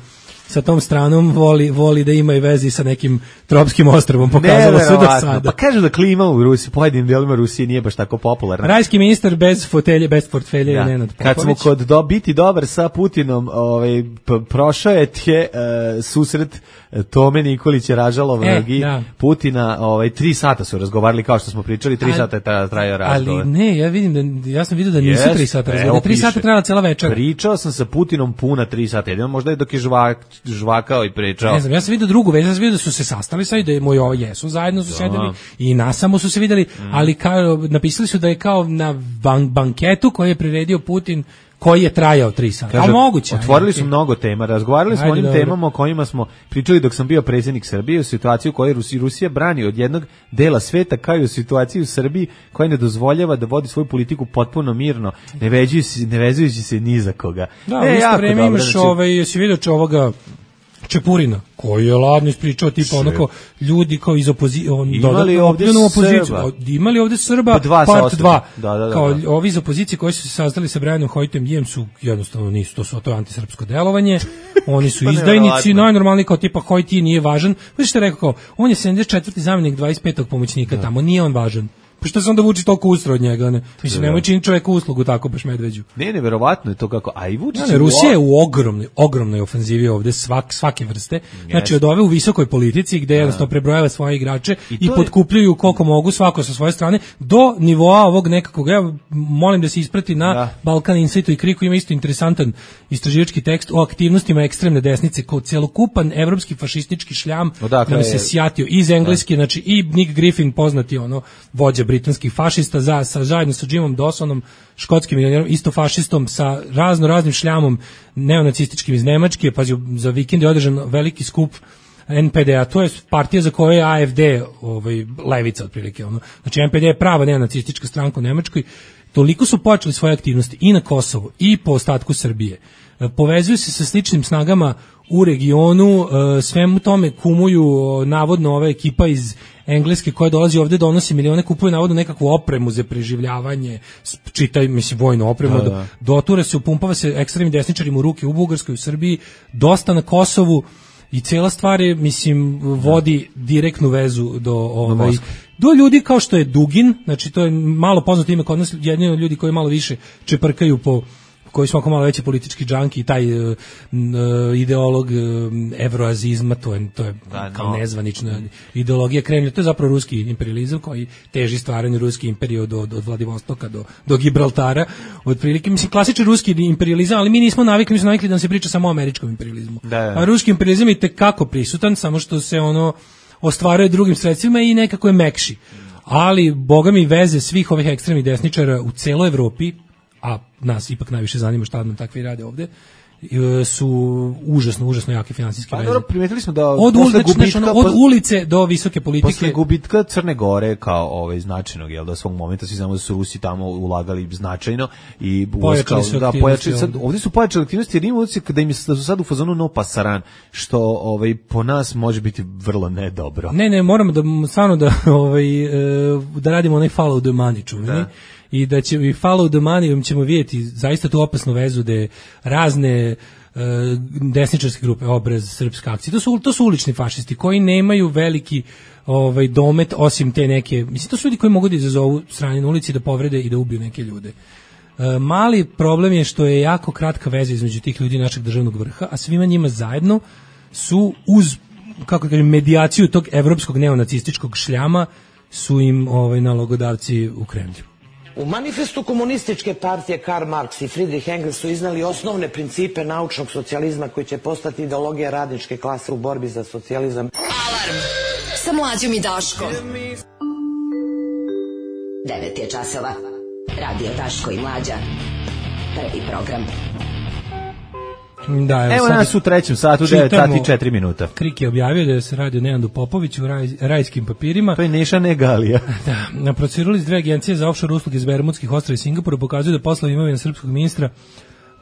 sa tom stranom voli, voli da ima i vezi sa nekim tropskim ostrvom, pokazalo se do sada. Pa kažu da klima u Rusiji, pojedinim delima Rusije nije baš tako popularna. Rajski ministar bez fotelje, bez portfelja je Nenad Popović. Kad smo kod do, biti dobar sa Putinom, ovaj, prošao je tje uh, susret Tome Nikolića Ražalovnog e, i da. Putina, ovaj, tri sata su razgovarali, kao što smo pričali, tri ali, sata je trajao razgovor. Ali ne, ja vidim da, ja sam vidio da nisu yes, tri sata razgovor, tri sata trajala cela večera. Pričao sam sa Putinom puna tri sata, jedino možda je dok je žvak, žvakao i pričao. Ne znam, ja sam vidio drugu već, ja sam vidio da su se sastali sa i da je moj ovo jesu, zajedno su sedeli i nasamo su se videli, mm. ali kao, napisali su da je kao na ban, banketu koji je priredio Putin, koji je trajao tri sata. Kaže, a moguće. Otvorili su mnogo tema, razgovarali smo o onim dobro. temama o kojima smo pričali dok sam bio predsjednik Srbije, u situaciji u kojoj Rusija, Rusija brani od jednog dela sveta, kao i u situaciji u Srbiji koja ne dozvoljava da vodi svoju politiku potpuno mirno, ne vezujući se, ne vezujući se ni za koga. Da, e, u isto vreme imaš znači... ovaj, jesi vidio če ovoga Čepurina, koji je ladno ispričao tipa onako ljudi kao iz opozicije, on imali ovdje opoziciju, imali ovdje Srba dva part dva, da, da, da, kao da. ovi iz opozicije koji su se sazdali sa Brianom Hojtem Dijem su jednostavno nisu, to su to je antisrpsko delovanje, oni su izdajnici, najnormalniji kao tipa Hojti nije važan, znači što je rekao kao, on je sedamdeset četvrti zamjenik dvadeset petog pomoćnika da. tamo, nije on važan. Pa što se onda vuči toliko ustra od njega, ne? Mislim, nemoj činiti čovjeku uslugu tako baš Medveđu. Ne, ne, verovatno je to kako, a i Vučić... Ne, Rusija je u ogromnoj, ogromnoj ofenzivi ovde svak, svake vrste. Yes. Znači, od ove u visokoj politici, gde jednostavno prebrojava svoje igrače i, i potkupljuju koliko mogu, svako sa svoje strane, do nivoa ovog nekakvog, ja molim da se isprati na da. Balkan Insightu i Kriku, ima isto interesantan istraživački tekst o aktivnostima ekstremne desnice, kao celokupan evropski fašistički šljam, Odakle da se je... sjatio iz engleske, da. Znači i Nick Griffin, poznati ono, vođa britanskih fašista za, sa, zajedno sa Jimom Dawsonom, škotskim milionerom, isto fašistom, sa razno raznim šljamom neonacističkim iz Nemačke, pazi, za vikend je održan veliki skup N P D-a, to je partija za koju je A F D, ovaj, levica otprilike, ono. Znači N P D je prava neonacistička stranka u Nemačkoj, toliko su počeli svoje aktivnosti i na Kosovu i po ostatku Srbije. Povezuju se sa sličnim snagama u regionu, svemu tome kumuju navodno ova ekipa iz Engleske koja dolazi ovde, donosi milione, kupuje navodno nekakvu opremu za preživljavanje, čitaj, mislim, vojnu opremu, da, da. dotura se, upumpava se ekstremnim desničarima u ruke u Bugarskoj, u Srbiji, dosta na Kosovu i cijela stvar je, mislim, vodi direktnu vezu do ovaj, do ljudi kao što je Dugin, znači to je malo poznato ime kod nas, jedni od ljudi koji malo više čeprkaju po koji su oko malo veći politički džanki i taj uh, ideolog uh, evroazizma, to je, to je da, kao no. nezvanična ideologija Kremlja, to je zapravo ruski imperializam koji teži stvaranju ruske imperije od, od Vladivostoka do, do Gibraltara, otprilike, mislim, klasični ruski imperializam, ali mi nismo navikli, mi smo navikli da nam se priča samo o američkom imperializmu. Da, da. A ruski imperializam je tekako prisutan, samo što se ono ostvaruje drugim sredstvima i nekako je mekši. Ali, boga mi, veze svih ovih ekstremnih desničara u celoj Evropi, a nas ipak najviše zanima šta nam takvi rade ovde, su užasno, užasno jake finansijske veze. Pa dobro, primetili smo da od, posle gubitka, znači, ono, od ulice do visoke politike. Posle gubitka Crne Gore kao ovaj značajnog, jel da svog momenta svi znamo da su Rusi tamo ulagali značajno i pojačali su da pojačali sad, ovdje su pojačali aktivnosti jer ima utisak da im da su sad u fazonu no pasaran, što ovaj po nas može biti vrlo nedobro. Ne, ne, moramo da stvarno da ovaj da radimo onaj follow the money, čuveni. i da će i follow the money ćemo vidjeti zaista tu opasnu vezu da razne uh, desničarske grupe, Obraz, Srpska akcija, to su, to su ulični fašisti koji nemaju veliki ovaj, domet osim te neke, mislim to su ljudi koji mogu da izazovu sranje na ulici, da povrede i da ubiju neke ljude. Uh, mali problem je što je jako kratka veza između tih ljudi i našeg državnog vrha, a svima njima zajedno su uz, kako kažem, medijaciju tog evropskog neonacističkog šljama su im ovaj, nalogodavci u Kremlju. U manifestu komunističke partije Karl Marx i Friedrich Engels su iznali osnovne principe naučnog socijalizma koji će postati ideologija radničke klase u borbi za socijalizam. Alarm sa Mlađom i Daškom. devet je časova. Radio Daško i Mlađa. Prvi program. Da, evo, evo nas u trećem satu, devet sati i četiri minuta. Krik je objavio da se radi o Nenadu Popoviću u raj, rajskim papirima. To je Neša Negalija. Da, procedurali s dve agencije za offshore usluge iz Bermudskih ostrva i Singapura pokazuju da poslovi imovine srpskog ministra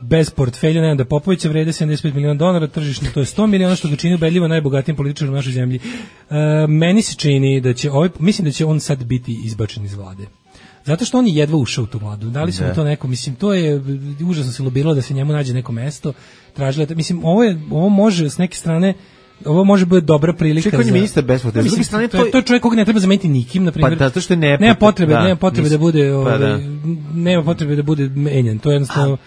bez portfelja Nenada Popovića vrede sedamdeset pet miliona dolara, tržišno to je sto miliona, što ga čini ubedljivo najbogatijim političarom u našoj zemlji. E, meni se čini da će ovaj, mislim da će on sad biti izbačen iz vlade. Zato što on je jedva ušao u tu vladu. Da li su mu to neko, mislim, to je užasno se lobiralo da se njemu nađe neko mesto. Tražila, mislim, ovo je ovo može s neke strane, ovo može biti dobra prilika. Čekaj, on je ministar bez portfelja. S druge strane to je to je čovjek koga ne treba zameniti nikim, na primjer. Pa zato što ne nema potrebe, da, nema potrebe nis, da bude, pa ovaj, da. nema potrebe da bude menjan. To je jednostavno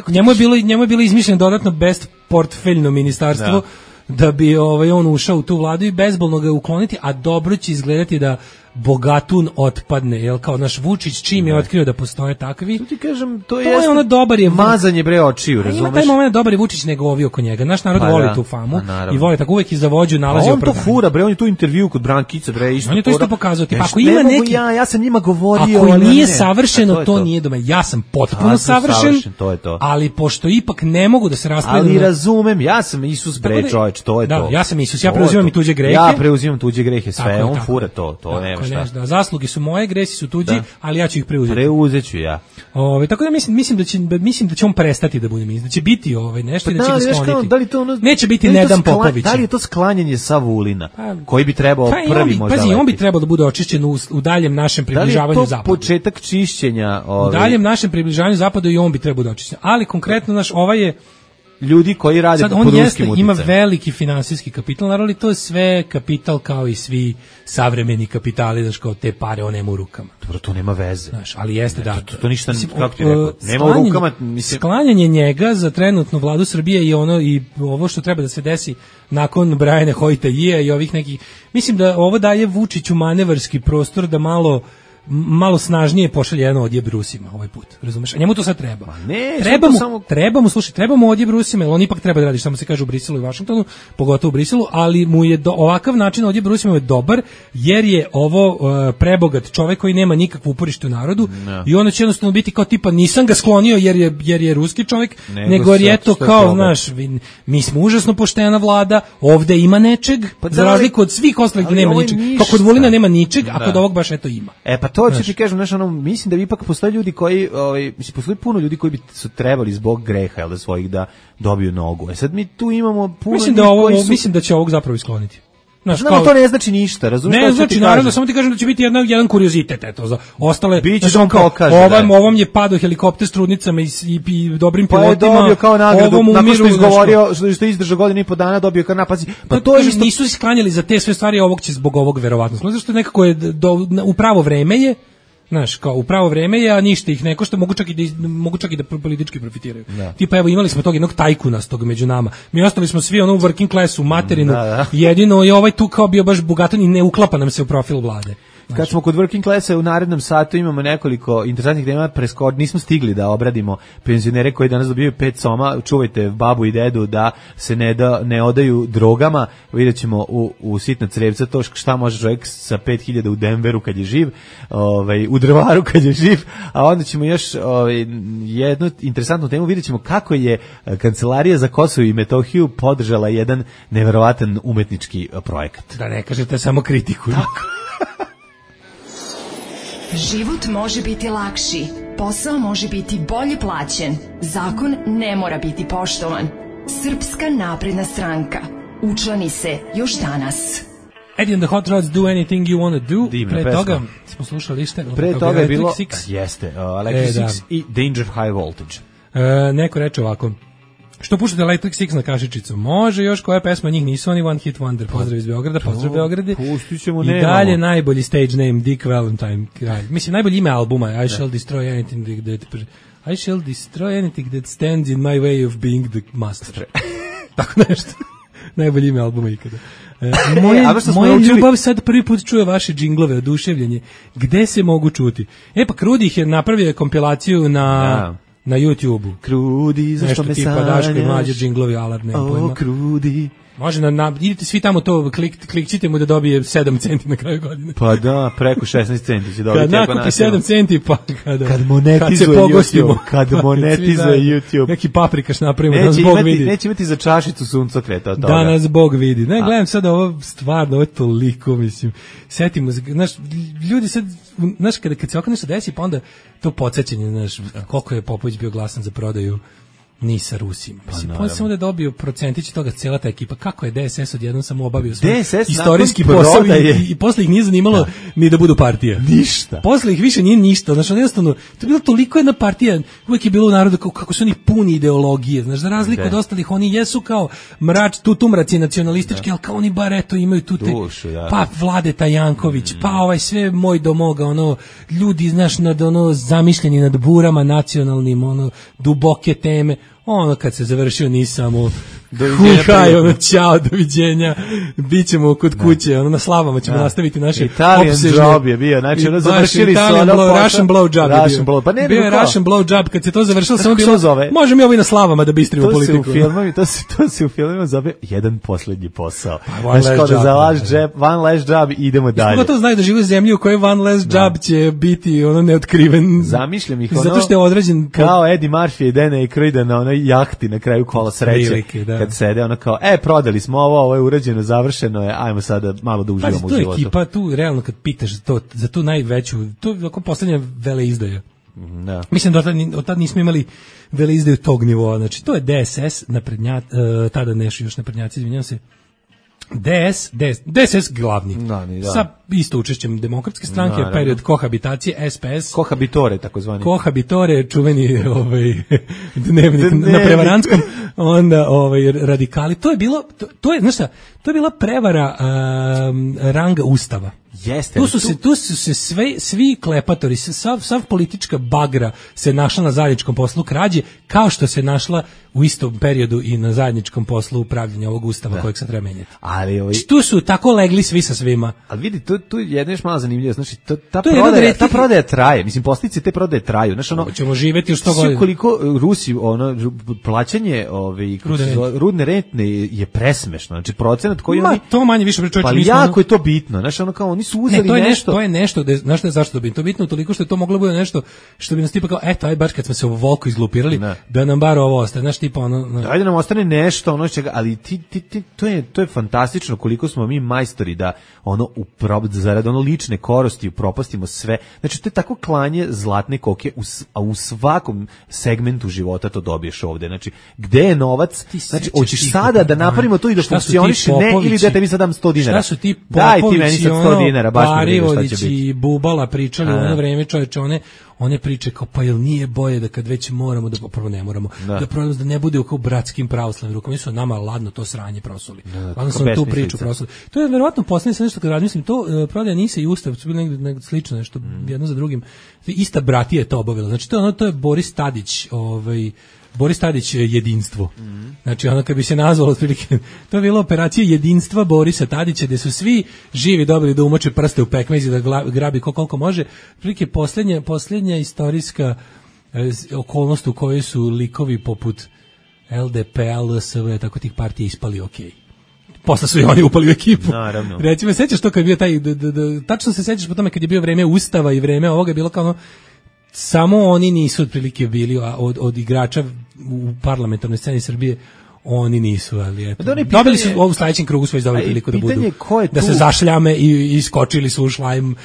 njemu je bilo njemu je bilo izmišljeno dodatno best portfeljno ministarstvo. Da. da bi ovaj on ušao u tu vladu i bezbolno ga ukloniti, a dobro će izgledati da bogatun otpadne, jel kao naš Vučić čim je otkrio da postoje takvi. To ti kažem, to, to je ono dobar je mazanje bre očiju, razumeš? Ima taj moment dobar je Vučić nego ovi oko njega. Naš narod Ma voli da, tu famu i voli tako uvek i za vođu nalazi opravdanje. On to fura bre, on je tu intervju kod Brankice bre isto. On je to isto pokazao, tipa ako ima neki ja, ja sam njima govorio, ako nije ne, savršeno, to, to, to nije doma. Ja sam potpuno ja sam savršen, savršen, to je to. Ali pošto ipak ne mogu da se raspravljam. Ali razumem, ja sam Isus bre, čoveč, to je da, to. Ja sam Isus, ja preuzimam i tuđe grehe. Ja preuzimam tuđe grehe, sve, on fura to, to nema šta. Da, zasluge su moje, gresi su tuđi, da. Ali ja ću ih preuzeti. Preuzeću ja. Ove, tako da mislim, mislim da će mislim da će on prestati da bude ministar, da će biti ovaj nešto pa i da, da će ga skloniti. Da li to ono, neće biti Nedan Popović. Da li je to sklanjanje sa Vulina, pa, koji bi trebao pa, prvi bi, možda. Pazi, on bi trebao da bude očišćen u, u daljem našem približavanju zapadu. Da li je to početak čišćenja? Ovaj... U daljem našem približavanju zapadu i on bi trebao da očišćen. Ali konkretno naš ovaj je ljudi koji rade sad, pod ruskim uticajem. Ima veliki finansijski kapital, naravno to je sve kapital kao i svi savremeni kapitali, znaš, kao te pare on nema u rukama. Dobro, to nema veze. Znaš, ali jeste da. To, to ništa, mislim, kako ti rekao, nema u rukama. Mislim... Sklanjanje njega za trenutnu vladu Srbije i ono i ovo što treba da se desi nakon Brajana Hojtajija i ovih nekih, mislim da ovo daje Vučiću manevarski prostor da malo malo snažnije pošalje jedan odjeb Rusima ovaj put, razumeš? A njemu to sad treba. Ne, treba, mu, samo... treba mu, slušaj, treba mu odjeb Rusima, jer on ipak treba da radi, samo se kaže u Briselu i Vašingtonu, pogotovo u Briselu, ali mu je do, ovakav način odjeb Rusima je dobar, jer je ovo uh, prebogat čovek koji nema nikakvu uporište u narodu no. I onda će jednostavno biti kao tipa nisam ga sklonio jer je, jer je ruski čovek, nego, nego jer je to kao, znaš, mi smo užasno poštena vlada, ovde ima nečeg, pa za razliku od svih ostalih nema ničeg. Kao kod Vulina nema ničeg, da. A kod ovog baš eto ima. E pa to ću ti kažem, znaš, ono, mislim da bi ipak postoje ljudi koji, ovaj, mislim, postoji puno ljudi koji bi su trebali zbog greha, jel da svojih da dobiju nogu. E sad mi tu imamo puno mislim da ovo, su... mislim da će ovog zapravo iskloniti. Znaš, no, kao... to ne znači ništa, razumiješ? Ne znači, naravno, samo ti kažem da će biti jedna, jedan kuriozitet, eto, za ostale... Biće što on kao kaže, ovom, ovom je padao helikopter s trudnicama i, i, i dobrim pilotima. Pa je dobio kao nagradu, nakon umiru, što je izgovorio, što, što je izdržao godinu i po dana, dobio kao napazi. Pa to, to je isto... Nisu isklanjali za te sve stvari, ovog će zbog ovog verovatno. Znači što nekako je do, u pravo vreme je, znaš, kao u pravo vreme je, a ništa ih ne košta, mogu čak i da, mogu čak i da politički profitiraju. Da. Tipa, evo, imali smo tog jednog tajkunastog među nama. Mi ostali smo svi ono u working classu, materinu, da, da. Jedino je ovaj tu kao bio baš bogatan i ne uklapa nam se u profil vlade. Znači. Kad smo kod working classa u narednom satu imamo nekoliko interesantnih tema, presko nismo stigli da obradimo penzionere koji danas dobijaju pet soma, čuvajte babu i dedu da se ne, da, ne odaju drogama, vidjet ćemo u, u sitna crevca to šta može čovjek sa pet hiljada u Denveru kad je živ, ovaj, u Drvaru kad je živ, a onda ćemo još ovaj, jednu interesantnu temu, vidjet ćemo kako je Kancelarija za Kosovo i Metohiju podržala jedan neverovatan umetnički projekat. Da ne kažete samo kritiku. Tako. Život može biti lakši, posao može biti bolje plaćen, zakon ne mora biti poštovan. Srpska napredna stranka. Učlani se još danas. Eddie and the Hot Rods, Do Anything You Wanna Do. Divna Pre pesma. toga smo slušali šta. Pre toga je bilo, Six. jeste, uh, Electric e, da. Six i Danger High Voltage. E, neko reče ovako, što puštate Electric Six na kašičicu? Može još koja pesma, njih nisu oni One Hit Wonder. Pozdrav iz Beograda, pozdrav Beograde. Pustit ćemo, I nemamo. dalje najbolji stage name, Dick Valentine. Mislim, najbolji ime albuma, I shall destroy anything that... I shall destroy anything that stands in my way of being the master. Tako nešto. Najbolji ime albuma ikada. E, moje e, moje učili... ljubav sad prvi put čuje vaše džinglove, oduševljenje. Gde se mogu čuti? E pa Krudi ih je napravio kompilaciju na... Ja. Na YouTube-u. Krudi, zašto me sanjaš? Nešto tipa Daško i Mlađe džinglovi, alarm, nema pojma. O, Krudi. Može, na, na, idite svi tamo to, klik, klikćite mu da dobije sedam centi na kraju godine. Pa da, preko šesnaest centi će dobiti. Kad nakupi sedam centi, pa kada, kad monetizuje kad YouTube. Kad monetizuje YouTube. Neki paprikaš napravimo, neće da nas Bog imati, vidi. Neće imati za čašicu suncokreta od toga. Da nas Bog vidi. Ne, gledam sada ovo stvarno, ovo je toliko, mislim. Setimo, znaš, ljudi sad, znaš, kada, kad se ovako nešto desi, pa onda to podsjećanje, znaš, koliko je Popović bio glasan za prodaju Nisa Rusima. Mislim, pa samo da je dobio procentić toga cela ta ekipa. Kako je D S S odjednom samo obavio svoj istorijski posao i, i posle ih nije zanimalo da. Ni da budu partija. Ništa. Posle ih više nije ništa. Znači, jednostavno, to je bilo toliko jedna partija, uvijek je bilo u narodu kako, kako su oni puni ideologije. Znači, za razliku od ostalih, oni jesu kao mrač, tu tumraci nacionalistički, ali kao oni bar eto imaju tu te, dušu, da. Pa Vladeta Janković, mm. pa ovaj sve moj do moga, ono, ljudi, znaš, nad, ono, zamišljeni nad burama nacionalnim, ono, duboke teme. Ono kad se završio nisamo haj, ono ćao, doviđenja, bit ćemo kod kuće, ono na slavama ćemo da. nastaviti naše Italian opsežne. Job je bio, znači ono završili su ono blow, Russian blow job je bio. Blow, pa ne, bio je kao. Russian blow job, kad se to završilo samo bilo, možemo i ovo i na slavama da bistrimo to politiku. Se u filmovima, to, se, to se u filmovima zove jedan posljednji posao. Pa, one znači kao da za last job, one last job idemo dalje. Isko to znaju da žive u zemlji u kojoj one last job da. će biti ono neotkriven. Zamišljam ih ono, zato što je određen kao Eddie Murphy i Dana Aykroyda na onoj jahti na kraju kola sreće. Prilike, da. Kad sede ono kao, e, prodali smo ovo, ovo je urađeno, završeno je, ajmo sada malo da uživamo u životu. Pa, to je ekipa, tu realno kad pitaš to, za tu najveću, to je oko poslednja veleizdaja. Da. Mislim da od tad, od tad nismo imali veleizdaju tog nivoa, znači to je D S S, naprednjat, uh, tada nešto još naprednjaci, izvinjam se, D S, D S, D S S glavni, da, da. sa isto učešćem demokratske stranke, da, period kohabitacije, S P S. Kohabitore, takozvani. Kohabitore, čuveni ovaj, dnevnik Dnevnik. na Prevarantskom, onda ovaj, radikali. To je bilo, to, to je, znaš šta, to je bila prevara um, ranga ustava. Jeste, tu su tu... se tu su se sve svi klepatori, sav sav politička bagra se našla na zajedničkom poslu krađe, kao što se našla u istom periodu i na zajedničkom poslu upravljanja ovog ustava da. kojeg se treba menjati. Ali ovaj... tu su tako legli svi sa svima. Ali vidi, tu tu jedno još malo zanimljivo, znači to, ta to prodaja, ta prodaja traje, mislim posledice te prodaje traju, znači ono ćemo živeti još sto godina. Koliko Rusi ono plaćanje ove rudne, rudne rente je presmešno, znači procenat koji Ma, oni to manje više pričaju. Pa jako je to bitno, znači ono kao oni su uzeli ne, to je nešto. nešto, to je nešto, da znaš šta je zašto to bitno? To je bitno toliko što je to moglo biti nešto što bi nas tipa kao eto aj baš kad smo se u volku izglupirali ne. da nam bar ovo ostane, znaš tipa ono, no. Ajde nam ostane nešto ono čega, ali ti, ti, ti to je to je fantastično koliko smo mi majstori da ono u prob zarad ono lične koristi upropastimo sve. Znači to je tako klanje zlatne koke u, a u svakom segmentu života to dobiješ ovde. Znači gde je novac? Znači hoćeš sada da napravimo to i da funkcioniše ne ili da te mi sad dam sto dinara. Šta su ti Daj ti meni sad sto dinara, baš mi vidiš šta će biti. I Bubala pričali u ono vreme, čoveče, one one priče kao pa jel nije bolje da kad već moramo da prvo ne moramo da, da probamo da ne bude kao bratskim pravoslavnim rukama, oni su nama ladno to sranje prosuli. Ladno sam tu priču prosuli. To je verovatno poslednje sa nešto kad razmislim, to uh, prodaja Nise i Ustav su bili negde, negde slično nešto mm. jedno za drugim. Ista bratija je to obavila. Znači to je ono to je Boris Tadić, ovaj Boris Tadić jedinstvo. Mm. Znači ono kad bi se nazvalo otprilike, to je bila operacija jedinstva Borisa Tadića, gde su svi živi dobili da umoče prste u pekmez i da grabi koliko može. Otprilike poslednja, poslednja istorijska eh, okolnost u kojoj su likovi poput L D P, L S V, tako tih partija ispali okej. Okay. Posle su i oni upali u ekipu. Naravno. Recimo, sećaš to kad je bio taj, d, d, d, tačno se sećaš po tome kad je bio vreme Ustava i vreme ovoga, je bilo kao ono, samo oni nisu otprilike bili od, od igrača u parlamentarnoj sceni Srbije, Oni nisu, ali eto. Da, pitanje, dobili su u sledećem krugu svoj dobili priliku da budu. Da se zašljame i iskočili su u šlajm i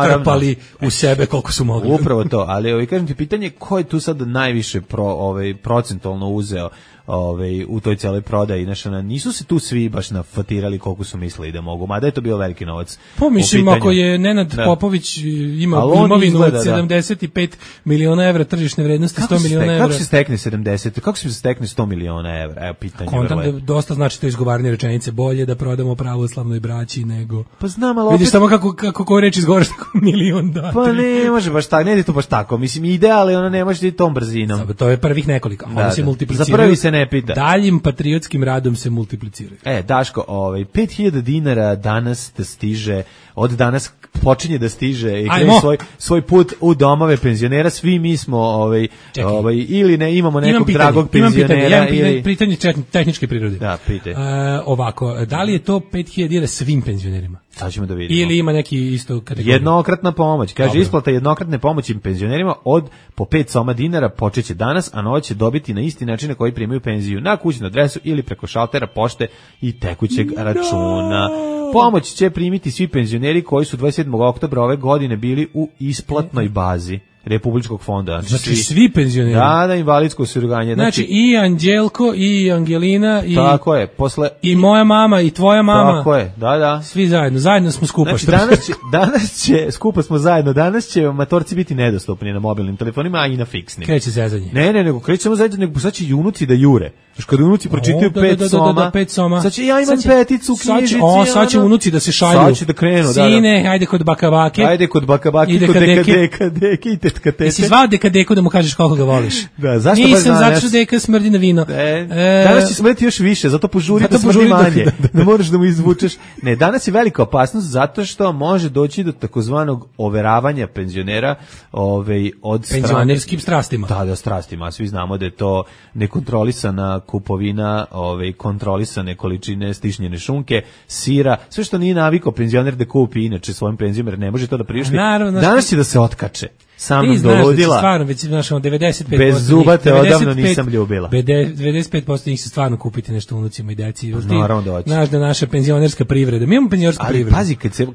krpali u sebe koliko su mogli. Upravo to, ali ovaj kažem ti pitanje ko je tu sad najviše pro, ovaj procentualno uzeo ovaj u toj celoj prodaji, znači nisu se tu svi baš nafatirali koliko su mislili da mogu, mada je to bio veliki novac. Pa mislim ako je Nenad da. Popović ima imovinu od sedamdeset pet miliona evra tržišne vrednosti, sto miliona evra. Kako se stekne sedamdeset? Kako se stekne sto miliona evra? Evo pitanje. Kontam da dosta znači to izgovaranje rečenice, bolje da prodamo pravoslavnoj braći nego. Pa znam, ali vidiš samo kako kako ko reč izgovaraš tako milion da. Pa ne može baš tako, ne ide to baš tako. Mislim ideal je, ona ne može ići tom brzinom. Sada, to je prvih nekoliko, a onda se multipliciraju. Za prvi se ne pita. Daljim patriotskim radom se multipliciraju. E, Daško, ovaj pet hiljada dinara danas da stiže, od danas počinje da stiže i krene svoj svoj put u domove penzionera. Svi mi smo ovaj ovaj ili ne imamo nekog imam dragog pitanje, penzionera imam pitanje, ili pitanje tehničke prirode. Da, pitaj. Uh, ovako, da li je to pet hiljada dinara svim penzionerima? Sad ćemo da vidimo. Ili ima neki isto kategorija? Jednokratna pomoć. Kaže, dobro. Isplata jednokratne pomoći penzionerima od po pet soma dinara počeće danas, a novac će dobiti na isti način na koji primaju penziju, na kućnu adresu ili preko šaltera pošte i tekućeg no. računa. Pomoć će primiti svi penzioneri koji su dvadeset sedmog oktobra ove godine bili u isplatnoj bazi Republičkog fonda. Znači, znači svi penzioneri. Da, da, invalidsko osiguranje. Znači, znači i Anđelko i Angelina i tako je, posle i moja mama i tvoja mama. Tako je. Da, da. Svi zajedno, zajedno smo skupa. Znači, danas će, danas će skupa smo zajedno. Danas će matorci biti nedostupni na mobilnim telefonima, a i na fiksnim. Kreće zezanje. Ne, ne, nego krećemo zajedno, nego sad će i unuci da jure. Znaš, kada unuci pročitaju da, pet, da, da, soma, da, da, pet soma, sad će ja imam će, peticu u knjižici. O, sad će unuci da se šalju. Sad će da krenu, da, da. Sine, ajde kod bakabake. Ajde kod bakabake, kod dekadeka, deke i tetka tete. Jesi zvao dekadeku da mu kažeš koliko ga voliš? Da, zašto baš Nisam, zato što deka smrdi na vino. E, e, danas će smrti još više, zato požuri zato da smrdi manje. Da, da, da. Ne moraš da mu izvučeš. Ne, danas je velika opasnost zato što može doći do takozvanog overavanja penzionera ovaj, od penzionerskim strastima. Da, da, strastima. Svi znamo da je to nekontrolisana kupovina ove kontrolisane količine stišnjene šunke, sira, sve što nije navikao penzioner da kupi inače svojim penzijom, jer ne može to da priušti. Danas će da se otkače. Sam nam dovodila. Da stvarno, već znaš, devedeset pet posto bez zuba te odavno nisam ljubila. devedeset pet posto njih se stvarno kupiti nešto unucima i deci. Naravno da hoće. Znaš da naša penzionerska privreda. Mi imamo penzionersku ali, privredu. Ali pazi, kad se,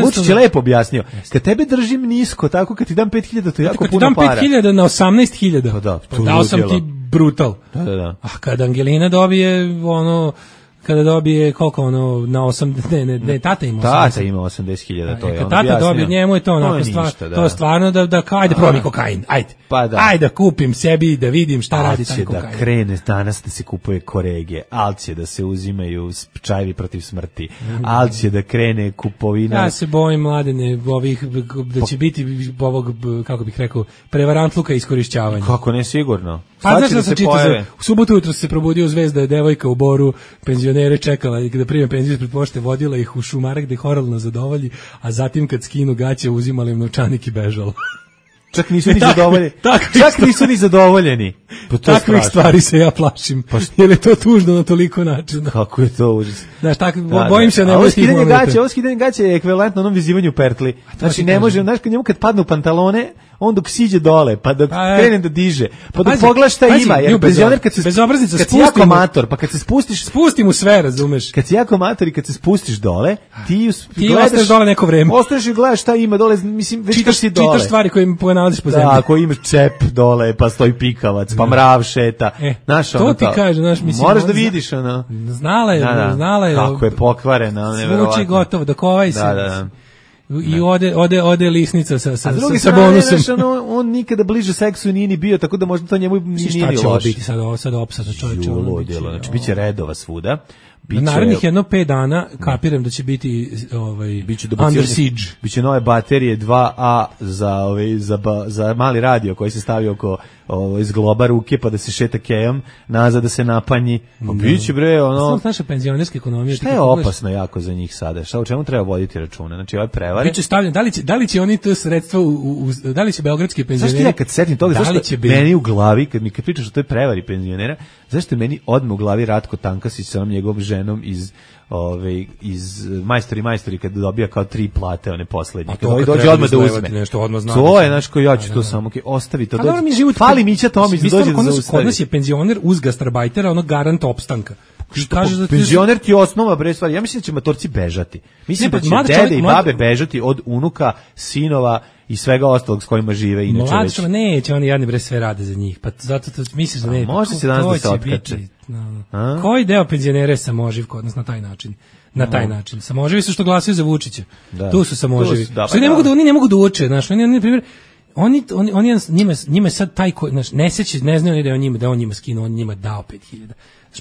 Vučić je lepo objasnio, kad tebe držim nisko, tako kad ti dam pet hiljada, to je jako puno para. Kad ti dam pet hiljada na osamnaest hiljada, pa da, dao sam ti brutal. Da, da, da. A kad Angelina dobije ono kada dobije koliko ono na osam ne ne ne tata ima tata ima osamdeset hiljada, to je on tata dobije, njemu je to onako stvar to je stvarno da da ajde probi kokain ajde pa da ajde da kupim sebi da vidim šta radi taj kokain da krene danas da se kupuje korege alće da se uzimaju čajevi protiv smrti alće da krene kupovina. Ja se bojim mladene ovih da će biti ovog kako bih rekao prevarantluka i iskorišćavanja. Kako ne sigurno. Pa znaš da se čita u subotu jutro se probudio Zvezda je devojka u Boru penzionere čekala i kada prime penziju ispred pošte vodila ih u šumarak gde ih oralno zadovolji, a zatim kad skinu gaće uzimali im novčanik i bežalo. Čak nisu ni zadovoljeni. Čak nisu ni zadovoljeni. Pa to takvih stvari se ja plašim. Pa jer je to tužno na toliko načina. Kako je to užas. Znaš, tako da, bojim se ne može skidanje gaće, ovo skidanje gaće je ekvivalentno onom vizivanju pertli. Znači ne može, znaš, kad njemu kad padnu pantalone, on dok siđe dole, pa dok pa, krene da diže, pa dok pogledaš šta pazi, ima, jer penzioner kad se bezobraznica spusti jako mator, pa kad se spustiš, spusti mu sve, razumeš? Kad si jako mator i kad se spustiš dole, ti ti ostaješ dole neko vreme. Ostaješ i gledaš šta ima dole, mislim, već čitaš, si dole. Čitaš stvari koje im ponalaziš po zemlji. Da, ako imaš čep dole, pa stoji pikavac, pa mrav šeta. E, znaš, to ti kaže, znaš, mislim, moraš da vidiš ona. Znala je, da, da. znala je. Kako je pokvarena, neverovatno. Zvuči gotovo, dok ovaj se. Da, da. I ode ode ode lisnica sa sa sa, sa bonusem. Znaš, on, on nikada bliže seksu nije ni bio, tako da možda to njemu nije ni loše. Biti sad ovo sad opsada čoveče, znači biće redova svuda. Biće, narednih jedno pet dana kapiram da će biti ovaj biće Under Siege. Biće nove baterije dva A za ovaj za za mali radio koji se stavi oko ovaj iz globa ruke pa da se šeta kejom, nazad da se napanji. Pa biće bre ono. Samo naša penzionerska ekonomija. Šta je opasno jako za njih sada? Šta o čemu treba voditi računa? Znači ovaj prevari. Biće stavljeno da li će da li će oni to sredstva u, u, u da li će beogradski penzioneri. Zašto ja kad setim toga, zašto meni u glavi kad mi kad pričaš o toj prevari penzionera, zašto meni odmah u glavi Ratko Tankasić sa onom njegovom ženom iz ove iz majstori majstori kad dobija kao tri plate one poslednje. A to kad dođe odmah da uzme nešto odmah zna. To je znači ko ja ću to samo ke ostavi to dođe. Mi život fali Mića Tomić dođe da zaustavi. Kod nas je penzioner uz gastarbajtera, ono garant opstanka. Što kaže da penzioner ti je osnova bre stvari. Ja mislim da će matorci bežati. Mislim da će dede i babe bežati od unuka, sinova i svega ostalog s kojima žive inače. Mlad što neće, oni jadni bre sve rade za njih. Pa zato to misliš da ne. Može se danas da se otkače. No. Koji deo penzionera je samoživ kod nas na taj način? Na taj no. način. Samoživi su što glasaju za Vučića. Da. Tu su samoživi. Da, što ne mogu da oni ne mogu da uče, znači oni na primjer oni oni oni njima njima sad taj ko znači ne seća ne znaju da je on njima da on njima skinuo, on njima dao pet hiljada.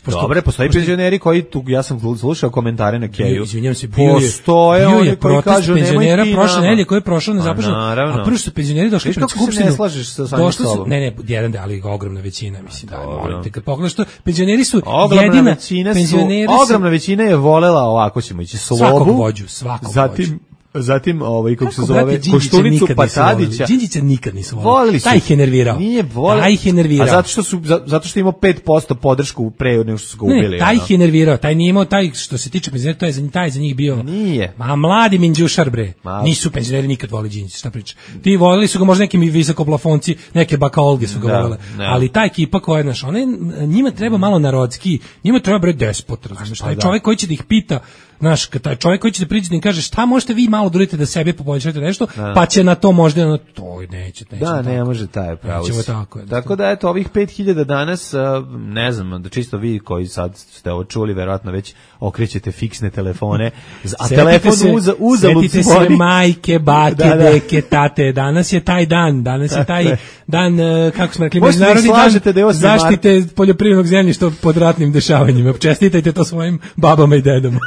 Dobre, postoji penzioneri koji tu, ja sam slušao komentare na Keju. Izvinjavam se, bio postoje je, bio oni koji kažu penzionera prošle nedelje koji je prošao nezaposleno. A, a prvo su penzioneri došli pred skupštinu. Ne slažeš sa samim sobom. Ne, ne, jedan da, ali ogromna većina, mislim da, molim te, kad pogledaš to, penzioneri su ogromna jedina većina penzioneri su, ogromna većina je volela ovako ćemo ići slobu. Svakog vođu, svakog zatim vođu. Zatim ovaj kako se zove Koštunicu Patadića. Đinđića nikad nisu voleli. Taj ih je nervirao. Nije voleo. Taj ih je nervirao. A zato što su zato što ima pet posto podršku pre nego što su ga ubili. Ne, taj ih je nervirao. Taj nije imao taj što se tiče penzionera, to je za taj za njih bio. Nije. Ma mladi minđušar bre. Ma, nisu penzioneri nikad voleli Đinđića, šta priča. Ti voleli su ga možda neki visokoplafonci, neke bakaolge su ga da, volele. Ne. Ali ta ekipa koja je naš, one njima treba malo narodski, njima treba bre despot, razumeš? Taj čovjek koji će da ih pita, znaš, taj čovjek koji će da priđe da im kaže šta možete vi malo da uradite da sebe poboljšate nešto, da. Pa će na to možda na to neće, neće. Da, ne može taj pravo. Tako, tako da eto ovih pet hiljada danas, ne znam, da čisto vi koji sad ste ovo čuli, verovatno već okrećete fiksne telefone, a telefon uza uzalud setite se majke, bake, da, da. deke, tate, danas je taj dan, danas je taj dan, kako smo rekli, međunarodni dan zaštite poljoprivrednog zemljišta pod ratnim dešavanjima. Čestitajte to svojim babama i dedama.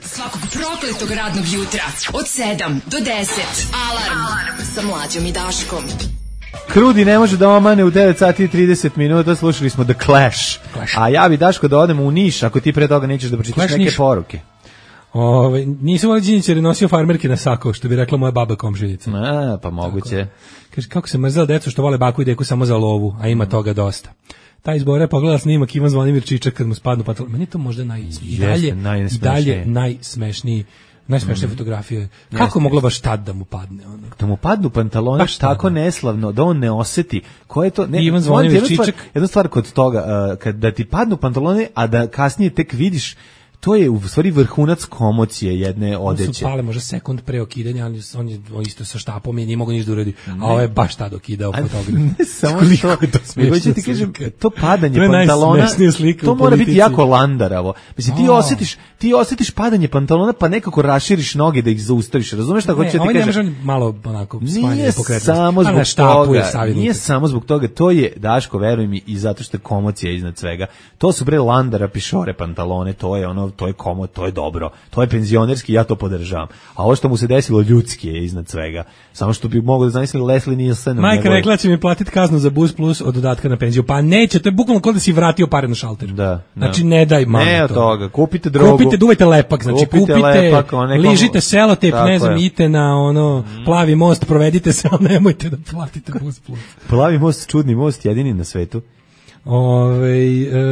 Svakog prokletog radnog jutra od sedam do deset. Alarm, Alarm. Sa Mlađom i Daškom. Krudi ne može da omane u devet sati i trideset minuta, slušali smo The Clash. Clash. A ja bi Daško da odemo u Niš, ako ti pre toga nećeš da pročitaš neke Niš. Poruke. Ove, nisam volio Đinđić jer je nosio farmerke na sako, što bi rekla moja baba komšinica. A, pa moguće. Kaže, kako se mrzela decu što vole baku i deku samo za lovu, a ima toga dosta. Taj izbore pogledala snimak Ivan Zvonimir Čičak kad mu spadnu pantalon. Meni to možda naj, i dalje, i dalje najsmešniji, najsmešnije mm. fotografije. Kako je moglo baš tad da mu padne? Ono? Da mu padnu pantalone tako neslavno, da on ne oseti. Ko je to? Ne, Ivan Zvonimir jedna Čičak. Stvar, jedna stvar kod toga, uh, kad da ti padnu pantalone, a da kasnije tek vidiš, to je u stvari vrhunac komocije jedne odeće. On su pale možda sekund pre okidanja, ali on je isto sa štapom i nije mogao ništa da uradi. A ovo je baš tad okidao fotograf. Ne samo što, nego ću ti kažem, to padanje to pantalona, to mora biti jako landaravo. Mislim, ti osjetiš, ti osjetiš padanje pantalona, pa nekako raširiš noge da ih zaustaviš. Razumeš šta hoće ti kažem? Ne, ovaj ne može malo onako smanjiti pokretnost. Samo zbog toga, nije samo zbog toga, to je, Daško, veruj mi, i zato što je komocija iznad svega. To su bre landara pišore pantalone, to je ono, to je komo, to je dobro, to je penzionerski, ja to podržavam. A ovo što mu se desilo ljudski je iznad svega. Samo što bi mogao da zamisli Leslie Nielsen. Majka rekla će mi platiti kaznu za bus plus od dodatka na penziju. Pa neće, to je bukvalno kao da si vratio pare na šalter. Da, da. Znači ne daj mamu ne to. Toga, kupite drogu. Kupite, duvajte lepak, znači kupite, kupite lepak, nekom... ližite selotep, ne znam, idite na ono mm. plavi most, provedite se, ali nemojte da platite bus plus. Plavi most, čudni most, jedini na svetu. Ove,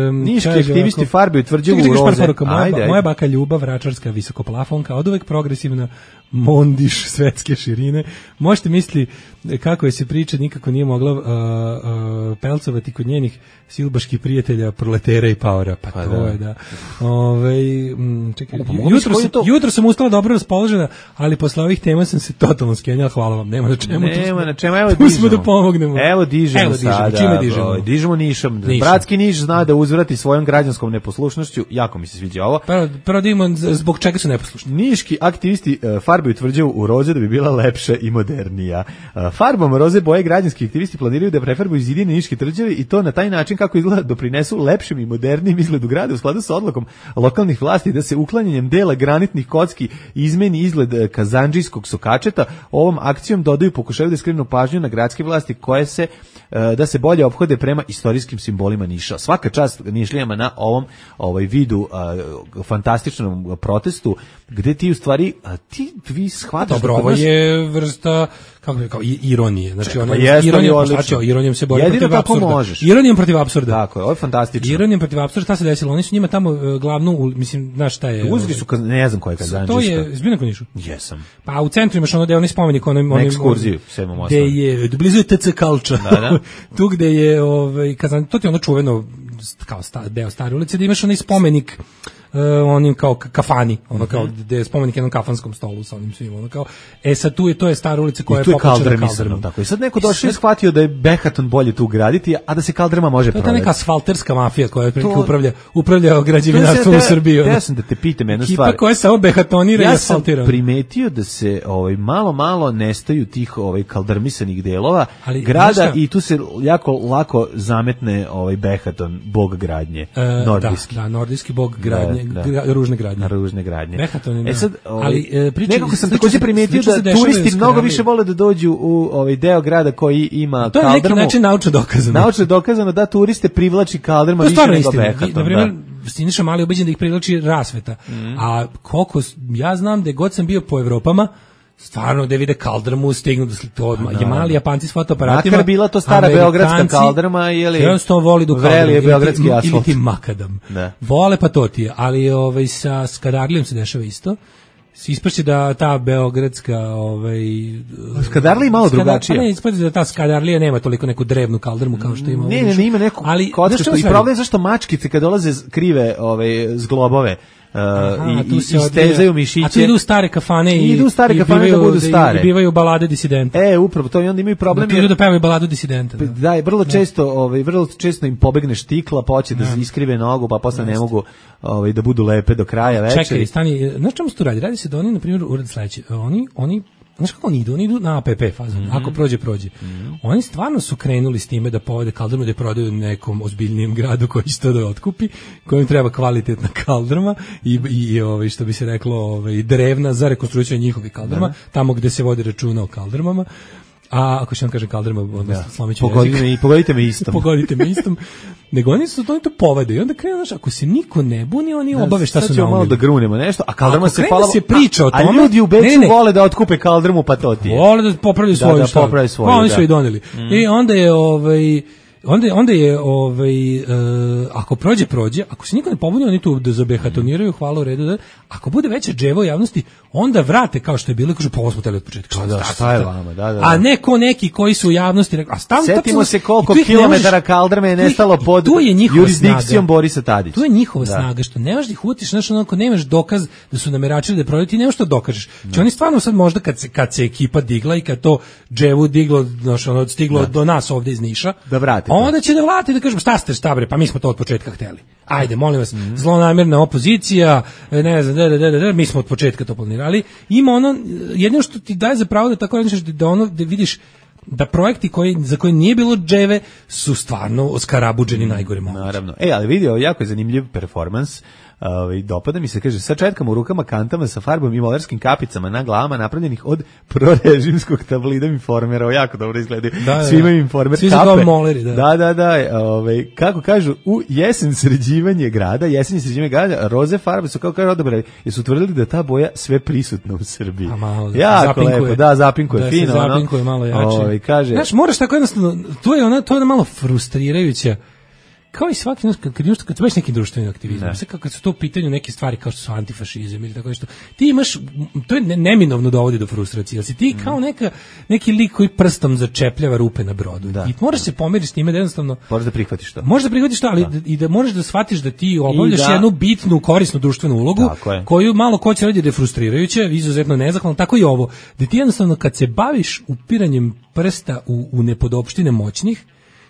um, Niški aktivisti farbe utvrđuju u roze. Moja, ajde, moja baka Ljubav, vračarska visokoplafonka, od uvek progresivna, mondiš svetske širine. Možete misliti kako je se priča nikako nije mogla uh, uh, pelcovati kod njenih silbaških prijatelja, proletera i paora. Pa, pa to da. je da. Ove, m, čekaj, jutro, sam, jutro sam ustala dobro raspoložena, ali posle ovih tema sam se totalno skenjala. Hvala vam, nema na čemu. Nema na čemu, evo dižemo. Da pomognemo. Evo dižemo, evo dižemo sada. Čime dižemo? Dižemo Nišom. Nišom. Bratski Niš zna da uzvrati svojom građanskom neposlušnošću. Jako mi se sviđa ovo. Prvo, prvo da imamo zbog čega su neposlušni. Niški aktivisti uh, farbe utvrđuju u roze da bi bila lepša i modernija. Uh, farbom roze boje građanski aktivisti planiraju da prefarbuju zidine niške tvrđave i to na taj način kako izgleda doprinesu lepšem i modernim izgledu grada u skladu sa odlukom lokalnih vlasti da se uklanjanjem dela granitnih kocki izmeni izgled kazandžijskog sokačeta. Ovom akcijom dodaju pokušaju da skrenu pažnju na gradske vlasti koje se da se bolje ophode prema istorijskim simbolima Niša. Svaka čast Nišlijama na ovom ovaj vidu uh, fantastičnom protestu gde ti u stvari uh, ti vi shvataš dobro, ovo je vrsta kako bi rekao, ironije. Znači ona ironija, ironijom se bori protiv apsurda. Možeš. Ironijom protiv apsurda. Tako je, ovo je fantastično. Ironijom protiv apsurda, šta se desilo? Oni su njima tamo uh, glavnu, mislim, znaš šta je? Uzeli su, ne znam koja je Kazanđiška. To je, zbio na Nišu? Jesam. Pa u centru imaš ono da je onaj spomenik, onim onim ekskurziju, sedmom osam. Gde je blizu je T C Kalča. Da, da. Tu gde je ovaj Kazan, to ti ono čuveno kao sta, deo stare ulice, da imaš onaj spomenik uh, onim kao kafani, ono kao gde je spomenik jednom kafanskom stolu sa onim svim, ono kao, e sad tu je, to je stara ulica koja je popločena kaldrmom. Tako. I sad neko došao i shvatio da je Behaton bolje tu graditi, a da se kaldrma može prodati. To je ta neka asfalterska mafija koja to... upravlja, upravlja građevinarstvom u Srbiji. Ja sam da te pitam jednu stvar. Ekipa koja samo behatonira ja i asfaltira. Ja sam primetio da se ovaj, malo, malo nestaju tih ovaj, kaldrmisanih delova ali, grada nešta... i tu se jako lako zametne ovaj, Behaton, bog gradnje, e, nordijski. Da, da, nordijski bog gradnje, da, da. Gra, ružne gradnje. Ružne gradnje. Behaton, e sad, ovaj, ali e, priča, nekako sam takođe primetio da turisti mnogo više vole da dođu u ovaj deo grada koji ima to kaldrmu. To je neki način naučno dokazano. Naučno dokazano da turiste privlači kaldrma više nego Behaton. Na primjer, Siniša Mali ubeđen da ih privlači rasveta. Mm. A koliko, ja znam da god sam bio po Evropama, stvarno da vide kaldrmu, stignu do slika odmah. Je mali Japanci s fotoaparatima. Makar bila to stara beogradska kaldrma ili jednostavno voli do kaldrma ili beogradski asfalt. Ili ti makadam. Da. Vole pa to ti je, ali ovaj, sa Skadarlijom se dešava isto. Ispašće da ta beogradska ovaj Skadarlija malo drugačije. Pa ne, ispašće da ta Skadarlija nema toliko neku drevnu kaldrmu kao što ima. Ne, ne, ne, ima neku ali kockastu i problem je zašto mačkice kad dolaze krive ovaj zglobove Uh, Aha, i, i istezaju mišiće. A tu idu u stare kafane i, idu u stare kafane da budu stare. I bivaju balade disidenta. E, upravo to i onda imaju problem. Da, da pevaju baladu disidenta. Da, da je vrlo često, ovaj vrlo često im pobegne štikla, pa hoće da iskrive nogu, pa posle ne mogu ovaj da budu lepe do kraja večeri. Čekaj, stani, znaš čemu se tu radi? Radi se da oni na primjer urade sledeće. Oni oni znaš kako oni idu? Oni idu na A P P fazu. Mm -hmm. Ako prođe, prođe. Mm -hmm. Oni stvarno su krenuli s time da povede kaldrmu, da je prodaju nekom ozbiljnijem gradu koji će to da otkupi, kojem treba kvalitetna kaldrma i, i ovaj, što bi se reklo ovaj, drevna za rekonstrukciju njihovih kaldrma, da. Tamo gde se vodi računa o kaldrmama. A ako što vam kaže kaldrma, onda ja. Slomiću Pogodite me, pogodite me istom. Pogodite me istom. Nego oni su to, oni to povede i onda krenu, znaš, ako se niko ne buni, oni obave šta su naumili. Malo da grunemo nešto, a kaldrma se pala... se priča o tome... A ljudi u Beču ne, ne. vole da otkupe kaldrmu, pa to ti je. Vole da popravljaju svoju da, da, popravljaju svoju, pa oni da. su i doneli. Mm. I onda je, ovaj... Onda, onda je, ovaj, uh, ako prođe, prođe, ako se niko ne pobuni, oni tu da zabehatoniraju, hvala u redu, da, ako bude veća dževa javnosti, onda vrate kao što je bilo, kažu, pa ovo smo teli od početka. Šta, da, šta je vama, da, da. A ne ko neki koji su u javnosti, rekao, a stavno... Setimo se koliko kilometara kaldrme je nestalo pod jurisdikcijom Borisa Tadića. Tu je njihova da. snaga, što ne možeš da ih utiš, znaš, onako, nemaš dokaz da su nameračili da prodaju, ti nemaš što dokažeš. Znači, oni stvarno sad možda kad se, kad se ekipa digla i kad to dževu diglo, znaš, ono, stiglo da. do nas ovde iz Niša, da vrate. Onda će da vrati da kažemo šta ste šta bre, pa mi smo to od početka hteli. Ajde, molim vas, mm-hmm. zlonamerna opozicija, ne znam, da, da, da, da, mi smo od početka to planirali. Ima ono, jedino što ti daje za pravo da tako radiš, da ono, da vidiš da projekti koji, za koje nije bilo dževe su stvarno oskarabuđeni najgore moguće. Naravno. E, ali vidi, ovo jako je zanimljiv performans. Uh, dopada mi se, kaže, sa četkama u rukama, kantama, sa farbom i molarskim kapicama na glavama napravljenih od prorežimskog tablida informera. O, jako dobro izgledaju. Da, da, Svi imaju informer Svi kape. Svi moleri, da. Da, da, da. Ovaj, kako kažu, u jesen sređivanje grada, jesen sređivanje grada, roze farbe su, kako kažu, odabrali, jer su tvrdili da ta boja sve prisutna u Srbiji. A malo, jako zapinkuje. Lepo, da, zapinkuje, da, fino. Da, zapinkuje malo jače. Ovaj, kaže, znaš, moraš tako jednostavno, to je ona, to je ona malo frustrirajuća, kao i svaki kad kad imaš kad imaš neki društveni aktivizam, sve kako su to u pitanju neke stvari kao što su antifašizam ili tako nešto. Ti imaš, to je neminovno dovodi do frustracije. Jel si ti mm. kao neka neki lik koji prstom začepljava rupe na brodu. Da. I moraš se pomeriti s time da jednostavno moraš da prihvatiš to. Možeš da prihvatiš to, ali da. i da možeš da shvatiš da ti obavljaš da. jednu bitnu, korisnu društvenu ulogu koju malo ko će raditi da je frustrirajuće, izuzetno nezahvalno, tako i ovo. Da ti jednostavno kad se baviš upiranjem prsta u, u nepodopštine moćnih,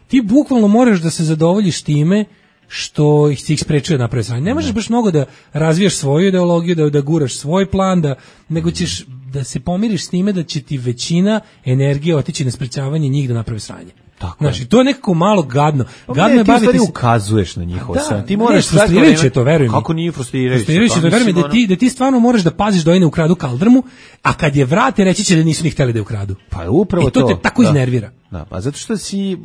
ti bukvalno moraš da se zadovoljiš time što ih ih sprečuje da naprave sranje. Ne možeš baš mnogo da razvijaš svoju ideologiju, da, da guraš svoj plan, da, nego ćeš da se pomiriš s time da će ti većina energije otići na sprečavanje njih da naprave sranje. Tako znači, to je nekako malo gadno. Gadno ne, je baviti se... ukazuješ na njihovo da, sranje. Ti moraš frustrirajuće to, verujem. Kako nije frustrirajuće? Frustrirajuće, verujem da ti da ti stvarno moraš da paziš da oni ne ukradu kaldrmu, a kad je vrate reći će da nisu ni hteli da je ukradu. Pa upravo I to. to te tako da. iznervira. Da, pa zato što si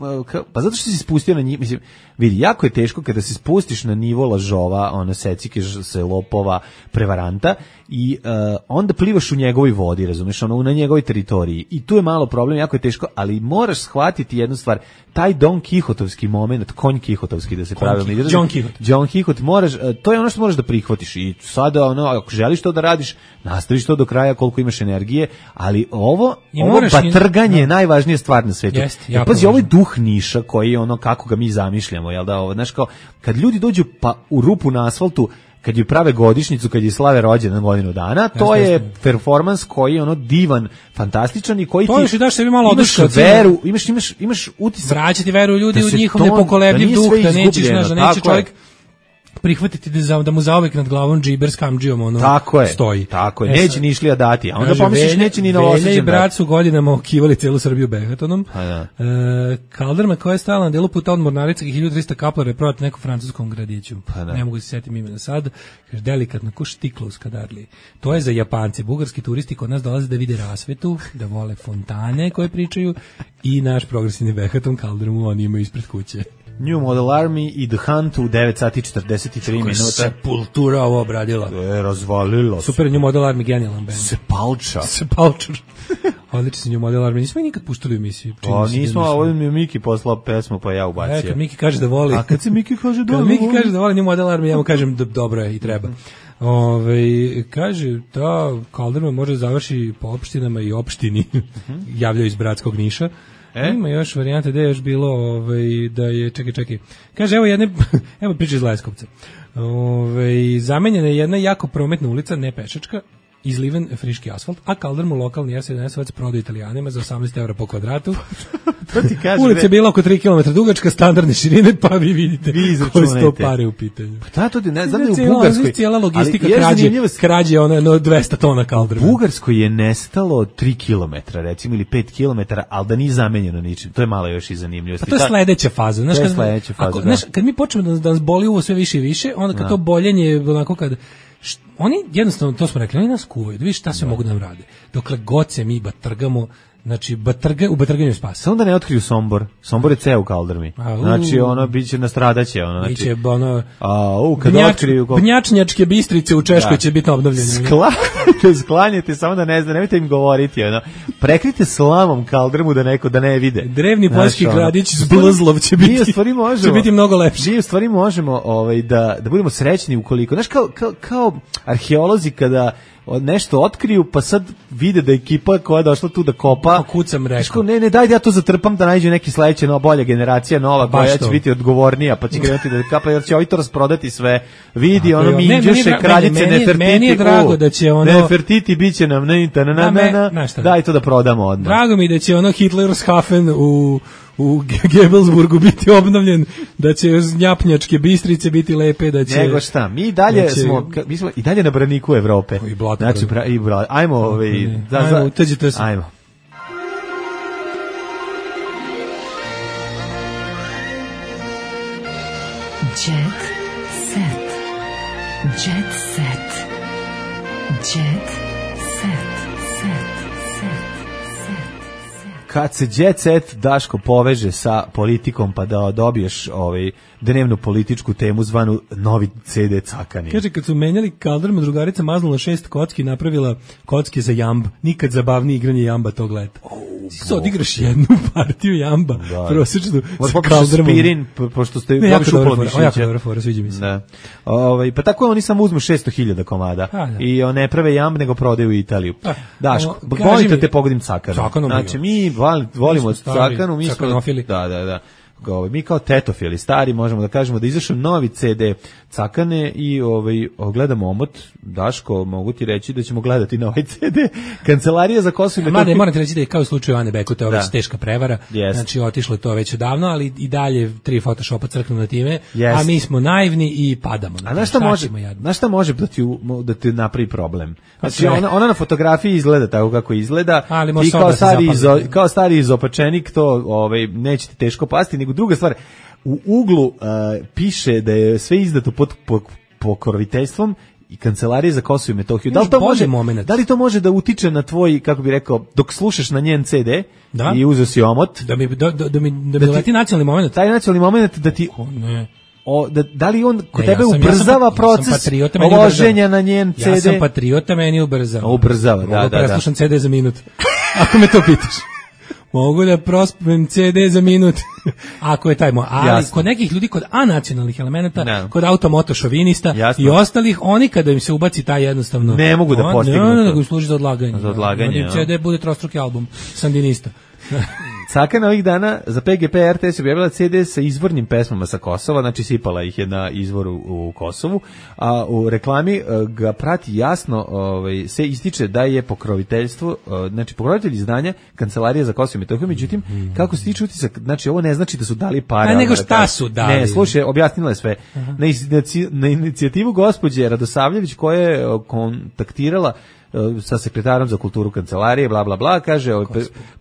pa zato što si spustio na njih, mislim, vidi, jako je teško kada se spustiš na nivo lažova, ono secike se lopova, prevaranta i uh, onda plivaš u njegovoj vodi, razumeš, ono na njegovoj teritoriji. I tu je malo problem, jako je teško, ali moraš shvatiti jednu stvar, taj Don Kihotovski moment, konj Kihotovski da se pravilno izrazi. John Kihot. John Kihot, moraš, to je ono što moraš da prihvatiš i sada ono, ako želiš to da radiš, nastaviš to do kraja koliko imaš energije, ali ovo, I ovo batrganje i, je najvažnija stvar na svetu. Jest, ja, pazi, ovo je duh Niša koji je ono kako ga mi zamišljamo, jel da, ovo, znaš kao, kad ljudi dođu pa u rupu na asfaltu, kad ju prave godišnjicu, kad je slave rođendan godinu dana, to jasne, je jasne. performans koji je ono divan, fantastičan i koji to ti još i daš sebi malo imaš oduška, veru, imaš, imaš, imaš utisak. Vraćati veru ljudi da u njihov to, nepokolebljiv da duh, da nećeš, izgubljeno, znaš, da neće čovjek je. prihvatiti da, za, da mu zauvek nad glavom džiber s kamdžijom ono tako je, stoji. Tako je, E, neće ni Išlija dati, a onda kaže, pomisliš Velja- neće ni Velja Novosađan i dati. brat su godinama okivali celu Srbiju behatonom. Pa da. E, Kalderma koja je stajala na delu puta od Mornarice i hiljadu trista kaplara je prodati nekom francuskom gradiću. Pa da. Ne mogu se setiti imena sad. Kaže, delikatno, ko štiklo u Skadarliji. To je za Japance. Bugarski turisti kod nas dolaze da vide rasvetu, da vole fontane koje pričaju i naš progresivni behaton Kaldermu oni imaju ispred kuće. New Model Army i The Hunt u devet sati četrdeset tri minuta. Sepultura ovo obradila. E, razvalilo. Super, New Model Army, genijalan band. Sepalča. Sepalča. Odlični su New Model Army. Nismo ih nikad puštali u emisiji. Pa nismo, a ovdje mi je Miki poslao pesmu, pa ja ubacio. E, kad Miki kaže da voli. A kad se Miki kaže da kad voli. Miki kaže da voli New Model Army, ja mu kažem da dobro je i treba. Ove, kaže, ta Kalderma može završi po opštinama i opštini, javljaju iz Bratskog Niša. E? Ima još varijante da je još bilo ovaj, da je, čekaj, čekaj, kaže, evo jedne, evo priča iz Leskovca. Ove, zamenjena je jedna jako prometna ulica, ne pešačka, izliven friški asfalt, a Kaldermu lokalni er sedamnaest prodao Italijanima za osamnaest evra po kvadratu. To ti kaže, ulica je bila oko tri kilometra dugačka, standardne širine, pa vi vidite vi koje su to pare u pitanju. Pa da, to ti ne znam da je u cijela, Bugarskoj. Cijela logistika ali krađe, zanimljivo... krađe ono, no, dvesta tona Kalderma. U Bugarskoj je nestalo tri kilometra, recimo, ili pet kilometara, ali da nije zamenjeno ničim. To je malo još i zanimljivosti. Pa to je sledeća faza. Znaš, to je kad, sledeća faza, ako, da. Znaš, kad mi počnemo da, da nas boli uvo sve više i više, onda kad da. to boljenje, onako kad... Št, oni jednostavno, to smo rekli, oni nas kuvaju, da vidiš šta sve da. mogu da nam rade. Dokle god se mi batrgamo, znači batrga, u batrganju spasa. Samo da ne otkriju Sombor. Sombor je ceo u Kaldermi. A, znači ono biće nastradaće, ono znači. Biće ono a u kad Bnjač, otkriju kol... Bnjačnjačke Bistrice u Češkoj da. će biti obnovljene. Sklanjate, sklanjate samo da ne zna, nemojte im govoriti, ono. Prekrite slamom Kaldermu da neko da ne vide. Drevni poljski gradić z Blzlov će biti. Mi stvari možemo. Će biti mnogo lepše. Mi stvari možemo, ovaj da da budemo srećni ukoliko, znaš, kao kao, kao arheolozi kada nešto otkriju, pa sad vide da ekipa koja je došla tu da kopa, kucam rekao. Ne, ne, daj da ja to zatrpam da nađe neki sledeće, no, bolja generacija, nova, koja će biti odgovornija, pa će krenuti da kapa, jer će ovi to rasprodati sve. Vidi, a, ono, minđuše, kraljice, Nefertiti. Meni je drago da će ono... Nefertiti bit će nam, ne, na, na, na, na, daj to da prodamo odmah. Drago mi da će ono Hitlershafen u... u Gebelsburgu biti obnovljen, da će Njapnjačke Bistrice biti lepe, da će... Nego šta, mi dalje da će, smo, mi smo i dalje na braniku Evrope. I blato. Znači, pra, i bra, ajmo, ovaj, da, ajmo, za, utađite se. Ajmo. Jet set. Jet set. Jet set. Set. Kad se Jet Set Daško poveže sa politikom pa da dobiješ ovaj dnevnu političku temu zvanu novi ce de Cakani. Kaže, kad su menjali Kalderma, drugarica maznula šest kocki, napravila kocke za jamba. Nikad zabavnije igranje jamba tog leta. Oh, ti se odigraš jednu partiju jamba, da. prosječnu sa Kaldermom. Spirin, pošto ste ne, jako dobro fora, jako dobro fora, sviđa mi se. Da. Ovaj, pa tako oni samo uzmu šesto hiljada komada A, da. i ne prave jamb, nego prodaju u Italiju. A, Daško, volite te pogodim Cakanu. Cakanu znači, mi volimo Cakanu, mi smo... Da, da, da. Mi kao tetofili stari možemo da kažemo da izašao novi ce de Cakane i ovaj gledamo omot. Daško, mogu ti reći da ćemo gledati na ovaj ce de. Kancelarija za Kosovo i Metohiju. Mada moram ti reći da je kao u slučaju Ane Bekuta već teška prevara. Yes. Znači otišlo to već davno, ali i dalje tri Photoshopa crknu na time, yes. a mi smo naivni i padamo. A na šta može, na šta može da ti, da ti napravi problem? Znači ona, ona na fotografiji izgleda tako kako izgleda. Ali ti kao stari, izo, kao stari izopačenik to ovaj, neće ti teško pasti, nego druga stvar, u uglu uh, piše da je sve izdato pod pokroviteljstvom i Kancelarije za Kosovo i Metohiju. Da li to može moment? Da li to može da utiče na tvoj, kako bi rekao, dok slušaš na njen ce de da? I uzeo si omot, da mi da, da, da mi da, da mi leti nacionalni moment. Taj nacionalni moment da ti o, ne. O, da, da li on kod ne, tebe ja sam, ubrzava ja sam, proces ja patriota, uloženja na njen ce de? Ja sam patriota, meni ubrzava. Ubrzava, da, da, da. Mogu preslušam ce de za minut. Ako me to pitaš. Mogu da prospem ce de za minut. Ako je taj moj. Ali jasno. Kod nekih ljudi, kod anacionalnih elemenata, no. Kod automoto šovinista jasno. I ostalih, oni kada im se ubaci taj jednostavno... Ne mogu da postignu. Ne, ne, nego služi za odlaganje. Za odlaganje, ja. ce de bude trostruki album, sandinista. Cakana ovih dana za P G P R T S objavila ce de sa izvornim pesmama sa Kosova, znači sipala ih je na izvoru u Kosovu, a u reklami ga prati jasno, ovaj, se ističe da je pokroviteljstvo, znači pokrovitelj izdanja Kancelarija za Kosovo i Metohiju, međutim, mm. kako se tiče utisak, znači ovo ne znači da su dali pare. A nego šta su dali? Ne, slušaj, objasnila je sve. Na, na inicijativu gospođe Radosavljević koja je kontaktirala sa sekretarom za kulturu kancelarije, bla, bla, bla, kaže,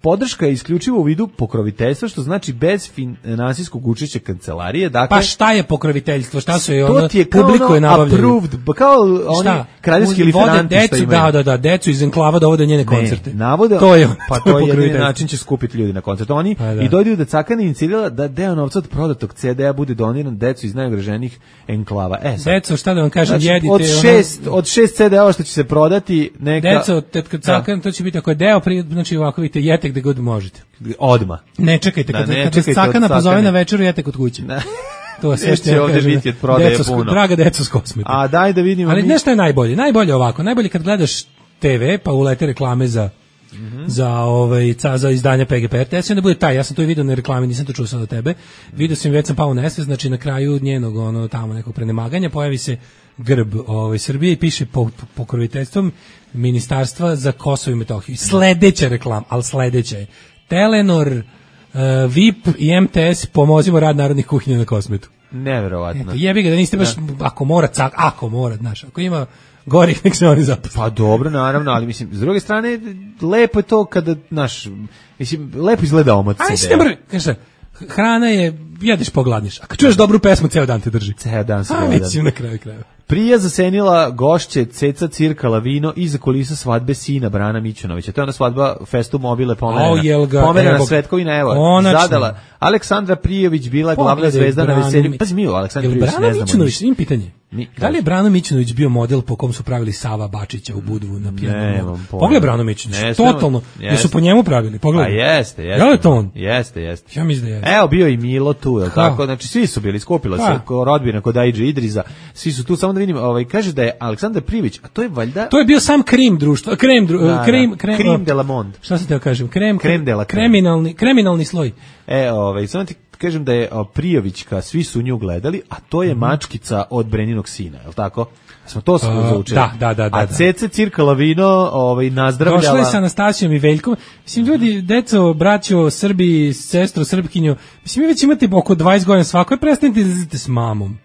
podrška je isključivo u vidu pokroviteljstva, što znači bez finansijskog učešća kancelarije. Dakle, pa šta je pokroviteljstvo? Šta su je ono, publiko je nabavljaju? Kao oni kraljevski liferanti što imaju. Da, da, da, decu iz enklava dovode njene koncerte. Ne, navoda, to je, pa to je jedini način će skupiti ljudi na koncert. Oni pa, da. I dojdu da Cakana inicirala da deo novca od prodatog ce de-a bude doniran decu iz najugroženijih enklava. E, sad, deco, šta da vam kažem, znači, jedite... Od šest, ono, od šest ce de-a što će se prodati, neka... Deco, tetka Cakana, to će biti ako je deo, pri, znači ovako vidite, jete gde god možete. Odma. Ne čekajte, kad, da, ne, kad vas Cakana pozove na večeru, jete kod kuće. Da. To je sve što ja ovdje biti od prodaje puno. Draga deco s kosmeti. A daj da vidimo. Ali mi... nešto je najbolje, najbolje ovako, najbolje kad gledaš te ve, pa ulete reklame za Mm-hmm. za ovaj ca za izdanje P G P R T S, onda bude taj, ja sam to i video na reklami, nisam to čuo sad od tebe. Video sam, već sam pao u nesvest, znači na kraju njenog ono tamo nekog prenemaganja pojavi se grb ovaj Srbije i piše po, po, pokroviteljstvom Ministarstva za Kosovo i Metohiju. Sledeća reklama, al sledeća je Telenor, uh, V I P i M T S pomozimo rad narodnih kuhinja na Kosmetu. Neverovatno. Eto, jebi ga da niste baš, da. Ako mora cak, ako mora, znaš, ako ima gorih, nek se oni zaposle. Pa dobro, naravno, ali mislim, s druge strane, lepo je to kada, znaš, mislim, lepo izgleda omot ce de-a. Ajde, kaže, hrana je, jedeš pogladniš, a kad čuješ dobru pesmu, ceo dan te drži. Ceo dan se gleda. A, mislim, na kraju kraja. Prija zasenila gošće, ceca cirkala vino iza kulisa svadbe sina Brana Mićunovića. To je ona svadba Festu Mobile pomerena. Pomerena Svetkovina, evo, konačno. Zadala. Aleksandra Prijović bila glavna zvezda na veselju. Pazi mi, Aleksandra Prijović ne znamo. Brana Mićunović, im pitanje. Ni, da li je Brano Mićunović bio model po kom su pravili Sava Bačića u Budvu na pijanu? Pogledaj Brano Mićunović, totalno, jer su po njemu pravili, pogledaj. A jeste, jeste. Je li to on? Jeste, jeste. Ja mislim da jeste. Evo, bio i Milo tu, je tako? Znači, svi su bili, skupila se rodbina kod Aidže Idriza, svi su tu, samo da vidimo, ovaj, kaže da je Aleksandar Prijović, a to je valjda... To je bio sam krim društva, krem, dru, da, krem, da. krem, krem de la monde. Šta se teo kažem? Krem, krem de la krem. Kriminalni, kriminalni sloj. E, ovaj, samo ti kažem da je o, Prijovićka, svi su nju gledali, a to je mm. mačkica od Breninog sina, je li tako? Smo to smo uh, zaučili. Da, da, da, da. A Cece cirkala vino, ovaj, nazdravljala. Došla je sa Anastasijom i Veljkom. Mislim, ljudi, deco, braćo, Srbi, sestro, Srpkinju, mislim, mi već imate oko dvadeset godina svako, prestanite da izlazite s mamom.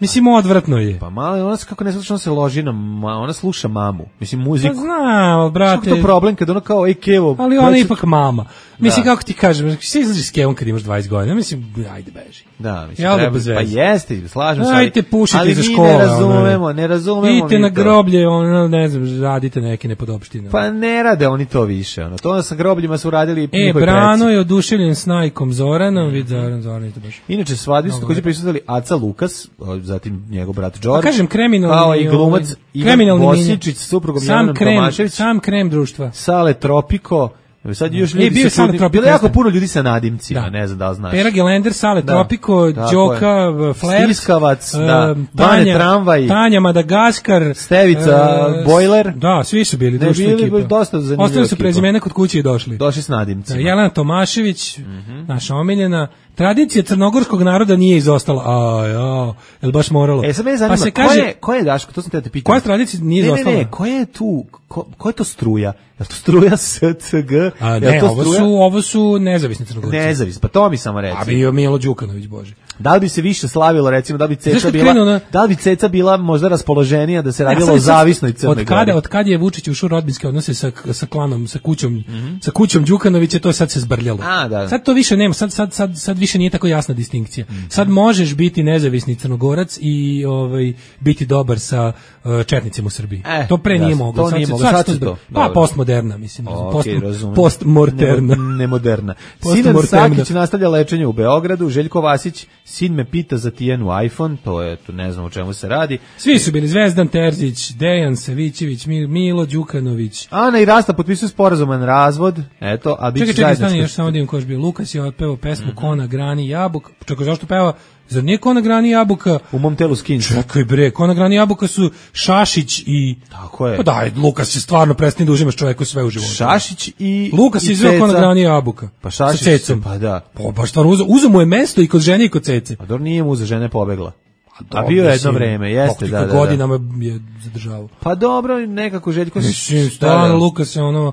Mislim, odvratno je. Pa malo, ona se kako ne sluša, ona se loži na, ma, ona sluša mamu. Mislim, muziku. Pa znam, brate. Što to problem kad ona kao, ej, Kevo. Ali ona je ipak mama. Mislim, da. Kako ti kažem, se izlaziš s Kevom kad imaš dvadeset godina, mislim, ajde beži. Da, mislim, ja, treba, pa jeste, slažem se. Ajde, pušite za školu. Ali mi ne razumemo, ne razumemo. Idite na groblje, ono, ne znam, radite neke nepodopštine. Pa ne rade oni to više, ono. To sa grobljima su radili e, njihovi preci. E, Brano je oduševljen s Najkom Zoranom, vid Zoran, Zoran, to baš. Inače, svadbi su također prisutili Aca Lukas, zatim njegov brat Đorđe. Pa kažem, kriminalni, kao i glumac Ivan Bosičić s suprugom Jelenom Tomašević. Sam krem društva. Sale Tropiko. Sad još ljudi e, se čudi, bilo jako puno ljudi sa nadimcima, da. Ne znam da li znaš. Pera Gelender, Sale da. Tropiko, Đoka, Flair, Stiskavac, uh, da. Bane Tramvaj, Tanja Madagaskar, Stevica, uh, Bojler. Da, svi su bili, društva ekipa. Bili dosta zanimljiva. Ostali su prezimena kod kuće i došli. Došli s nadimcima. Da, Jelena Tomašević, mm-hmm. naša omiljena. Tradicija crnogorskog naroda nije izostala. A, ja, jel baš moralo? E, sad me zanima, pa se kaže, ko je, ko je Daško, to sam te da te pitam. Koja tradicija nije izostala? Ne, ne, ne, ko je tu, ko, ko je to struja? Je to struja S C G? A, ne, to ovo, struja? Su, ovo su nezavisni crnogorci. Nezavisni, pa to mi samo reci. A bio Milo Đukanović, bože. Da li bi se više slavilo, recimo, da bi Ceca bila, na... da li bi Ceca bila možda raspoloženija da se radilo ja, o zavisnoj Crnoj Gori? Od kada, od kada je Vučić ušao u rodbinske odnose sa, sa klanom, sa kućom, mm-hmm. sa kućom Đukanovića, to sad se zbrljalo. A, da. Sad to više nema, sad, sad, sad, sad više nije tako jasna distinkcija. Mm-hmm. Sad možeš biti nezavisni Crnogorac i ovaj, biti dobar sa uh, četnicima u Srbiji. Eh, to pre jasno, nije moglo. To sad, nije sad, moglo. sad, sad sad to. Pa, postmoderna, mislim. Okay, post, postmorterna. Nemoderna. Sinan Sakić nastavlja lečenje u Beogradu, Željko Vasić, sin me pita za Tijenu iPhone, to je, tu ne znam o čemu se radi. Svi su bili Zvezdan Terzić, Dejan Savićević, Milo Đukanović. Ana i Rasta potpisuju sporazuman razvod, eto, a biće zajedničko. Čekaj, čekaj, stani, još samo da im ko je bio. Lukas je otpevao pesmu mm-hmm. Kona, grani, jabuka. Čekaj, zašto peva? Zar nije Kona, grani, jabuka? U mom telu skinca. Čekaj bre, Kona, grani, jabuka su Šašić i... Tako je. Pa daj, Lukas je stvarno prestani da užimaš čoveku sve u životu. Šašić i... Lukas je izveo Kona, grani, jabuka. Pa Šašić, sa Cecom. Pa da. Pa baš stvarno, uzo, uzo mu je mesto i kod žene i kod Cece. A dobro, nije mu za žene pobegla. A, a bio je jedno vreme, jeste, da, da, da. godinama je zadržavao. Pa dobro, nekako Željko... Mislim, stvarno, Lukas je ono...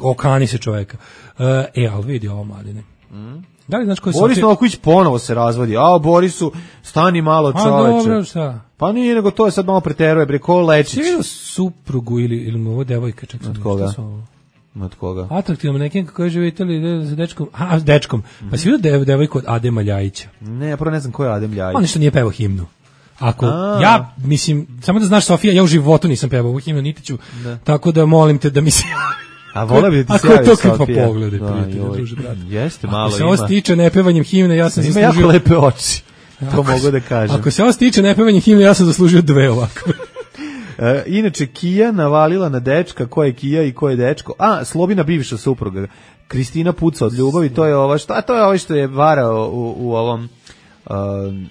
Okani se čoveka. Uh, e, ali vidi ovo, mladine. Mm. Da li znaš ko je Boris Sofija... Novaković ponovo se razvodi. A, Borisu, stani malo, čoveče. A, dobro, šta? Pa nije, nego to je sad malo preteruje, bre, ko Lečić. Si vidio suprugu ili, ili mu ovo devojka? Čak od koga? Od koga? Atraktivno nekim kako je živi Italiji sa dečkom. A, s dečkom. Mm-hmm. Pa si vidio dev, devojku od Adema Ljajića? Ne, ja prvo ne znam ko je Adem Ljajić. On što nije pevao himnu. Ako A. ja, mislim, samo da znaš, Sofija, ja u životu nisam pevao ovu himnu, niti ću, da. Tako da molim te da mi se... A vola bi da ti se javi Sofija. Ako je to kad pa pogledaj, prijatelj, druže, brate. Jeste, malo ima. Ako se ima. ovo stiče nepevanjem himne, ja sam ima zaslužio... Ima jako lepe oči, to ako mogu da kažem. Ako se ovo stiče nepevanjem himne, ja sam zaslužio dve ovakve. E, inače, Kija navalila na dečka, ko je Kija i ko je dečko. A, Slobina bivša supruga, Kristina puca od ljubavi, to je ova, šta, to je ovaj što je varao u, u ovom... Uh,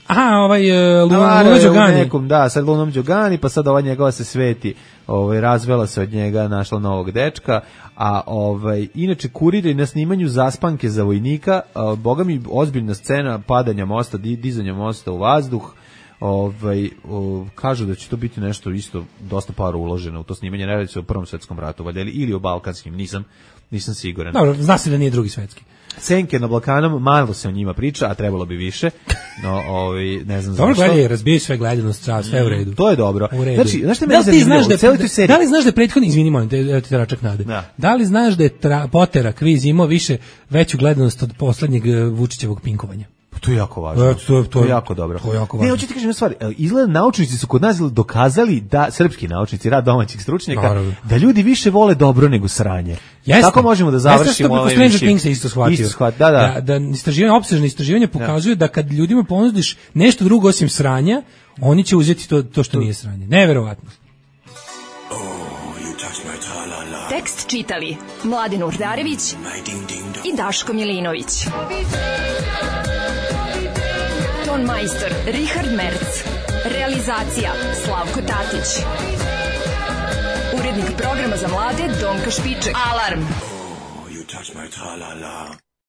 Aha, ovaj uh, Luna Đogani. Nekom, da, sad Lunom Đogani, pa sad ova njegova se sveti, ovaj, razvela se od njega, našla novog dečka, a ovaj, inače kurir je na snimanju zaspanke za vojnika, uh, boga mi ozbiljna scena padanja mosta, dizanja mosta u vazduh, ovaj, uh, kažu da će to biti nešto isto, dosta para uloženo u to snimanje, ne radi se o Prvom svetskom ratu, valjda, ili o Balkanskim, nisam, nisam siguran. Dobro, zna se da nije Drugi svetski. Senke na Balkanom, malo se o njima priča, a trebalo bi više. No, ovi, ne znam dobro, zašto. Dobro, gledaj, razbije sve gledanost, sve u redu. To je dobro. U redu. Znači, znaš šta da mene zanimljivo? Znaš da, u celoj da li znaš da je prethodni, izvini, molim te, evo ti tračak nade. Da. da li znaš da je tra, Potera kviz imao više, veću gledanost od poslednjeg Vučićevog pinkovanja? To je jako važno. E, to, to, to je jako dobro. To je jako važno. Ne, hoću ti kažem stvari, izgleda naučnici su kod nas dokazali da, srpski naučnici, rad domaćih stručnjaka, naravno, da ljudi više vole dobro nego sranje. Jeste. Tako možemo da završimo ovaj Stranger Things se isto shvatio. Isto shvat, da, da. Da, da istraživanje, opsežne istraživanje pokazuje da. da kad ljudima ponudiš nešto drugo osim sranja, oni će uzeti to, to što to. nije sranje. Neverovatno. Tekst čitali Mladin Urdarević i Daško Milinović. Ton majstor Richard Merc. Realizacija Slavko Tatić. Urednik programa za mlade Donka Špiček. Alarm! Oh, you touch my tra-la-la.